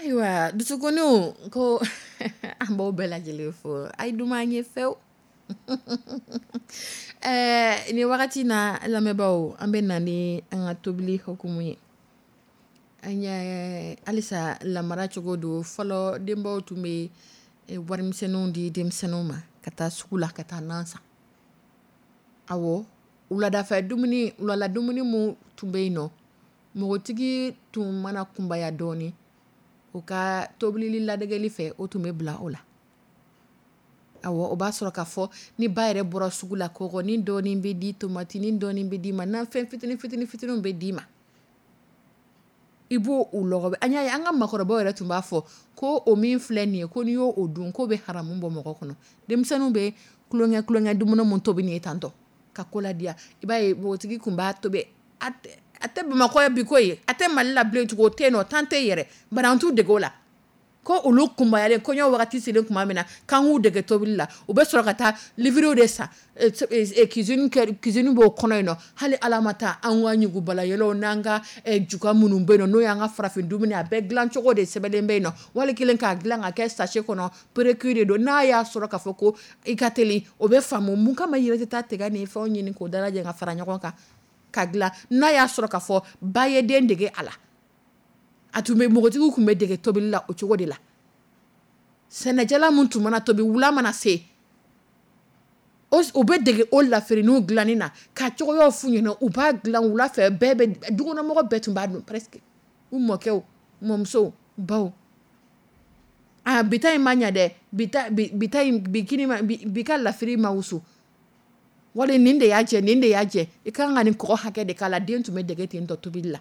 Ayiwa dusukunniw ko an b'aw bɛɛ lajɛlen fo, a ye duman ye fɛw. Ni wagati na lamɛnbaaw, an bɛ na ni an ka tobili hukumu ye. An ye halisa lamara cogo don. Fɔlɔ denbaw tun bɛ warimisɛnninw di denmisɛnninw ma ka taa sugu la ka taa nan san. Awɔ, wuladafɛ dumuni, wulala dumuni min tun bɛ yen nɔ, npogotigi tun mana kunbaya dɔɔnin, o ka tobili ladegeli fɛ, o tun bɛ bila o la. Awɔ, o b'a sɔrɔ k'a fɔ ni ba yɛrɛ bɔra sugu la, kɔgɔnin dɔɔnin bɛ di, tomatinin dɔɔnin bɛ d'i ma, nafɛn fitinin fitinin fitininw bɛ d'i ma. I b'o o lɔgɔ. An y'a ye an ka makɔrɔbaw yɛrɛ tun b'a fɔ ko o min filɛ nin ye, ko n'i y'o dun k'o bɛ haramu bɔ mɔgɔ kɔnɔ. Denmisɛnninw bɛ tulonkɛ tulonkɛ dumuni min tobi nin ye tantɔ ka ko ladiya, i b'a ye npogotigi tun b'a tobi. A tɛ Bamakɔ bi koyi, a tɛ Mali la bilen tugun, o tɛ yen nɔ, tan tɛ yen yɛrɛ, bari an t'u dege o la. Ko olu kunbayalen, kɔɲɔ wagati selen tuma min na, k'an k'u dege tobili la, u bɛ sɔrɔ ka taa livre de san, cuisine b'o kɔnɔ yen nɔ. Hali Ala ma taa an ka ɲugubalayɛlɛw n'an ka juga minnu bɛ yen nɔ, n'o y'an ka farafin dumuni a bɛɛ dilancogo de sɛbɛnlen bɛ yen nɔ. Wali kelen k'a dilan ka kɛ sachet kɔnɔ, précuit de don. N'a y'a sɔrɔ k'a fɔ ko i ka teli, o bɛ faamu. Mun kama i yɛrɛ tɛ taa tiga ni fɛnw ɲini k'o dalajɛ ka fara ɲɔgɔn kan ka dilan? N'a y'a sɔrɔ k'a fɔ ba ye den dege a la, a tun bɛ npogotigiw tun bɛ dege tobili la o cogo de la. Sɛnɛjalan min tun mana tobi wula mana se, o bɛ dege o lafiriniw dilanni na ka cogoyaw f'u ɲɛna, u b'a dilan wula fɛ, bɛɛ bɛ dukɔnɔmɔgɔ bɛɛ tun b'a dun presque. U mɔkɛw, mɔmusow, baw. Ah, bi ta in ma ɲɛ dɛ, bi ta in, bi kini ma, bi ka lafiri ma wusu. Wali nin de y'a jɛ, nin de y'a jɛ, i ka kan ka nin kɔgɔ hakɛ de k'a la. Den tun bɛ dege ten tɔ tobili la.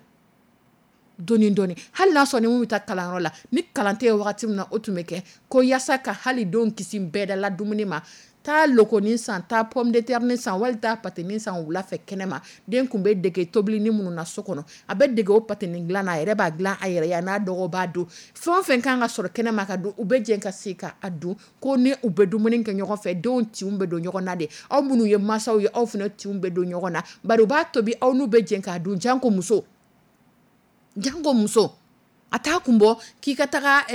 Dɔɔni dɔɔni, hali n'a sɔrɔ ni mun bɛ taa kalanyɔrɔ la, ni kalan tɛ yen wagati min na, o tun bɛ kɛ ko yaasa ka hali denw kisi bɛɛdala dumuni ma. Taa lokonin san, taa pomme de terre san, wali taa pâté san wula fɛ kɛnɛ ma. Den tun bɛ dege tobili ni minnu na so kɔnɔ, a bɛ dege o pâté dilan na, a yɛrɛ b'a dilan a yɛrɛ ye, a n'a dɔgɔw b'a dun. Fɛn o fɛn kan ka sɔrɔ kɛnɛ ma ka dun, u bɛ jɛ ka se ka a dun. Ko ni u bɛ dumuni kɛ ɲɔgɔn fɛ, denw tinw bɛ don ɲɔgɔn na de. Aw minnu ye mansaw ye, aw fana tinw bɛ don ɲɔgɔn na, bari u b'a tobi, aw n'u bɛ jɛ k'a dun. Janko muso, janko muso, a t'a kun bɔ k'i ka taga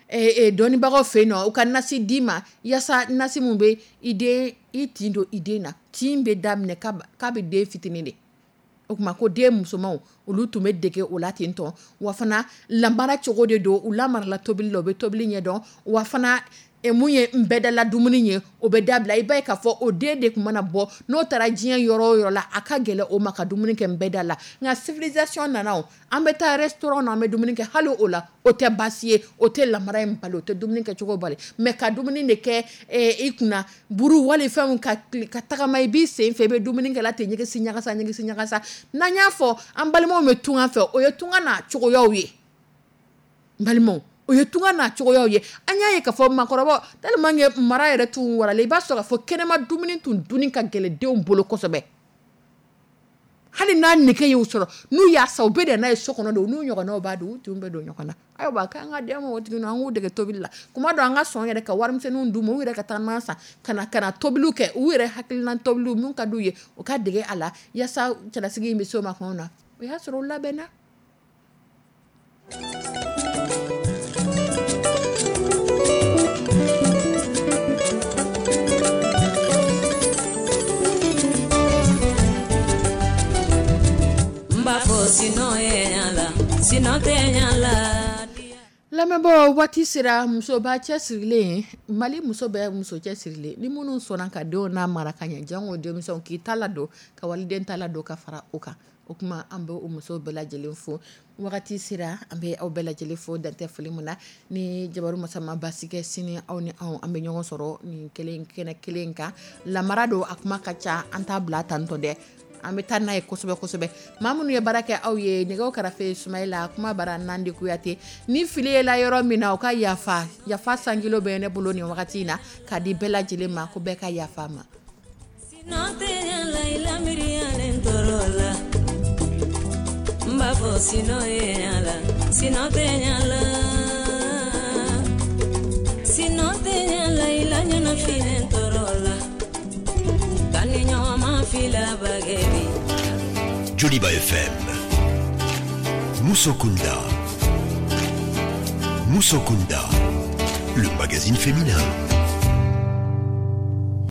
dɔnnibagaw fɛ yen nɔ, u ka nasi d'i ma, yaasa nasi mun bɛ i den, i tin don i den na. Tin bɛ daminɛ k'a bɛ den fitinin de. O tuma ko den musomanw, olu tun bɛ dege o la ten tɔn. Wa fana, lamara cogo de don, u lamarala tobili la, u bɛ tobili ɲɛdɔn. Wa fana, mun ye n bɛɛdala dumuni ye, o bɛ dabila. I b'a ye k'a fɔ o den de tun mana bɔ, n'o taara diɲɛ yɔrɔ o yɔrɔ la, a ka gɛlɛn o ma ka dumuni kɛ n bɛɛda la. Nka civilisation nana, o an bɛ taa restaurant na, an bɛ dumuni kɛ, hali o la o tɛ baasi ye, o tɛ lamara in bali, o tɛ dumuni kɛcogo bali. Mais ka dumuni de kɛ i kunna buru wali fɛnw ka ka tagama i b'i sen fɛ, i bɛ dumuni kɛ la ten, ɲɛgɛsi ɲagasa ɲɛgɛsi ɲagasa. N'an y'a fɔ an balimaw bɛ tunga fɛ, o ye tunga n'a cogoyaw ye. N balimaw, o ye tunga n'a cogoyaw ye. An y'a ye k'a fɔ maakɔrɔbaw tellement que mara yɛrɛ tun waralen, i b'a sɔrɔ k'a fɔ kɛnɛma dumuni tun dunni ka gɛlɛn denw bolo kosɛbɛ. Hali n'a nege y'u sɔrɔ, n'u y'a san, u bɛ na n'a ye so kɔnɔ de, u n'u ɲɔgɔnnaw b'a dun, u tinw bɛ don ɲɔgɔn na. Ayiwa, k'an ka den npogotigininw, an k'u dege tobili la. Kuma dɔ, an ka sɔn yɛrɛ ka warimisɛnninw d'u ma, u yɛrɛ ka taa nan san, ka na tobiliw kɛ, u yɛrɛ hakilina tobiliw mun ka d'u ye, u ka dege a la, yaasa cɛlasigi in bɛ se o ma tuma min na, o y'a sɔrɔ u labɛnna. N b'a fɔ sinɔ ye ɲa la, sinɔ tɛ ɲa la. Lamɛnbaaw, waati sera musoba cɛsirilen, Mali muso bɛɛ muso cɛsirilen, ni minnu sɔnna ka denw n'a mara ka ɲɛ, janko denmisɛnw k'i ta ladon, ka waliden ta ladon ka fara o kan. O tuma an bɛ o musow bɛɛ lajɛlen fo. Wagati sera, an bɛ aw bɛɛ lajɛlen fo dantɛ foli min na. Ni jabaru masa ma basi kɛ, sini aw ni anw, an bɛ ɲɔgɔn sɔrɔ nin kelen kɛnɛ kelen kan. Lamara don, a kuma ka ca, an t'a bila tantɔ dɛ, an bɛ taa n'a ye kosɛbɛ kosɛbɛ. Maa minnu ye baara kɛ aw ye, nɛgɛw karafe Sumayila, kuma bara Nandi Kuyate. Ni fili ye la yɔrɔ min na, o ka yafa yafa sankilo bɛ ne bolo nin wagati in na ka di bɛɛ lajɛlen ma, ko bɛɛ ka yafa ma. Sinɔ tɛ ɲa la, i lamiriyalen tɔɔrɔ la. N b'a fɔ sinɔ ye ɲa la, sinɔ tɛ ɲa la. Sinɔ tɛ ɲa la, i la ɲɛnafilɛ tɔɔrɔ la. Ka ni ɲɔgɔn ma fila bagɛri. Joliba FM. Musokunda. Musokunda. Le magazine féminin.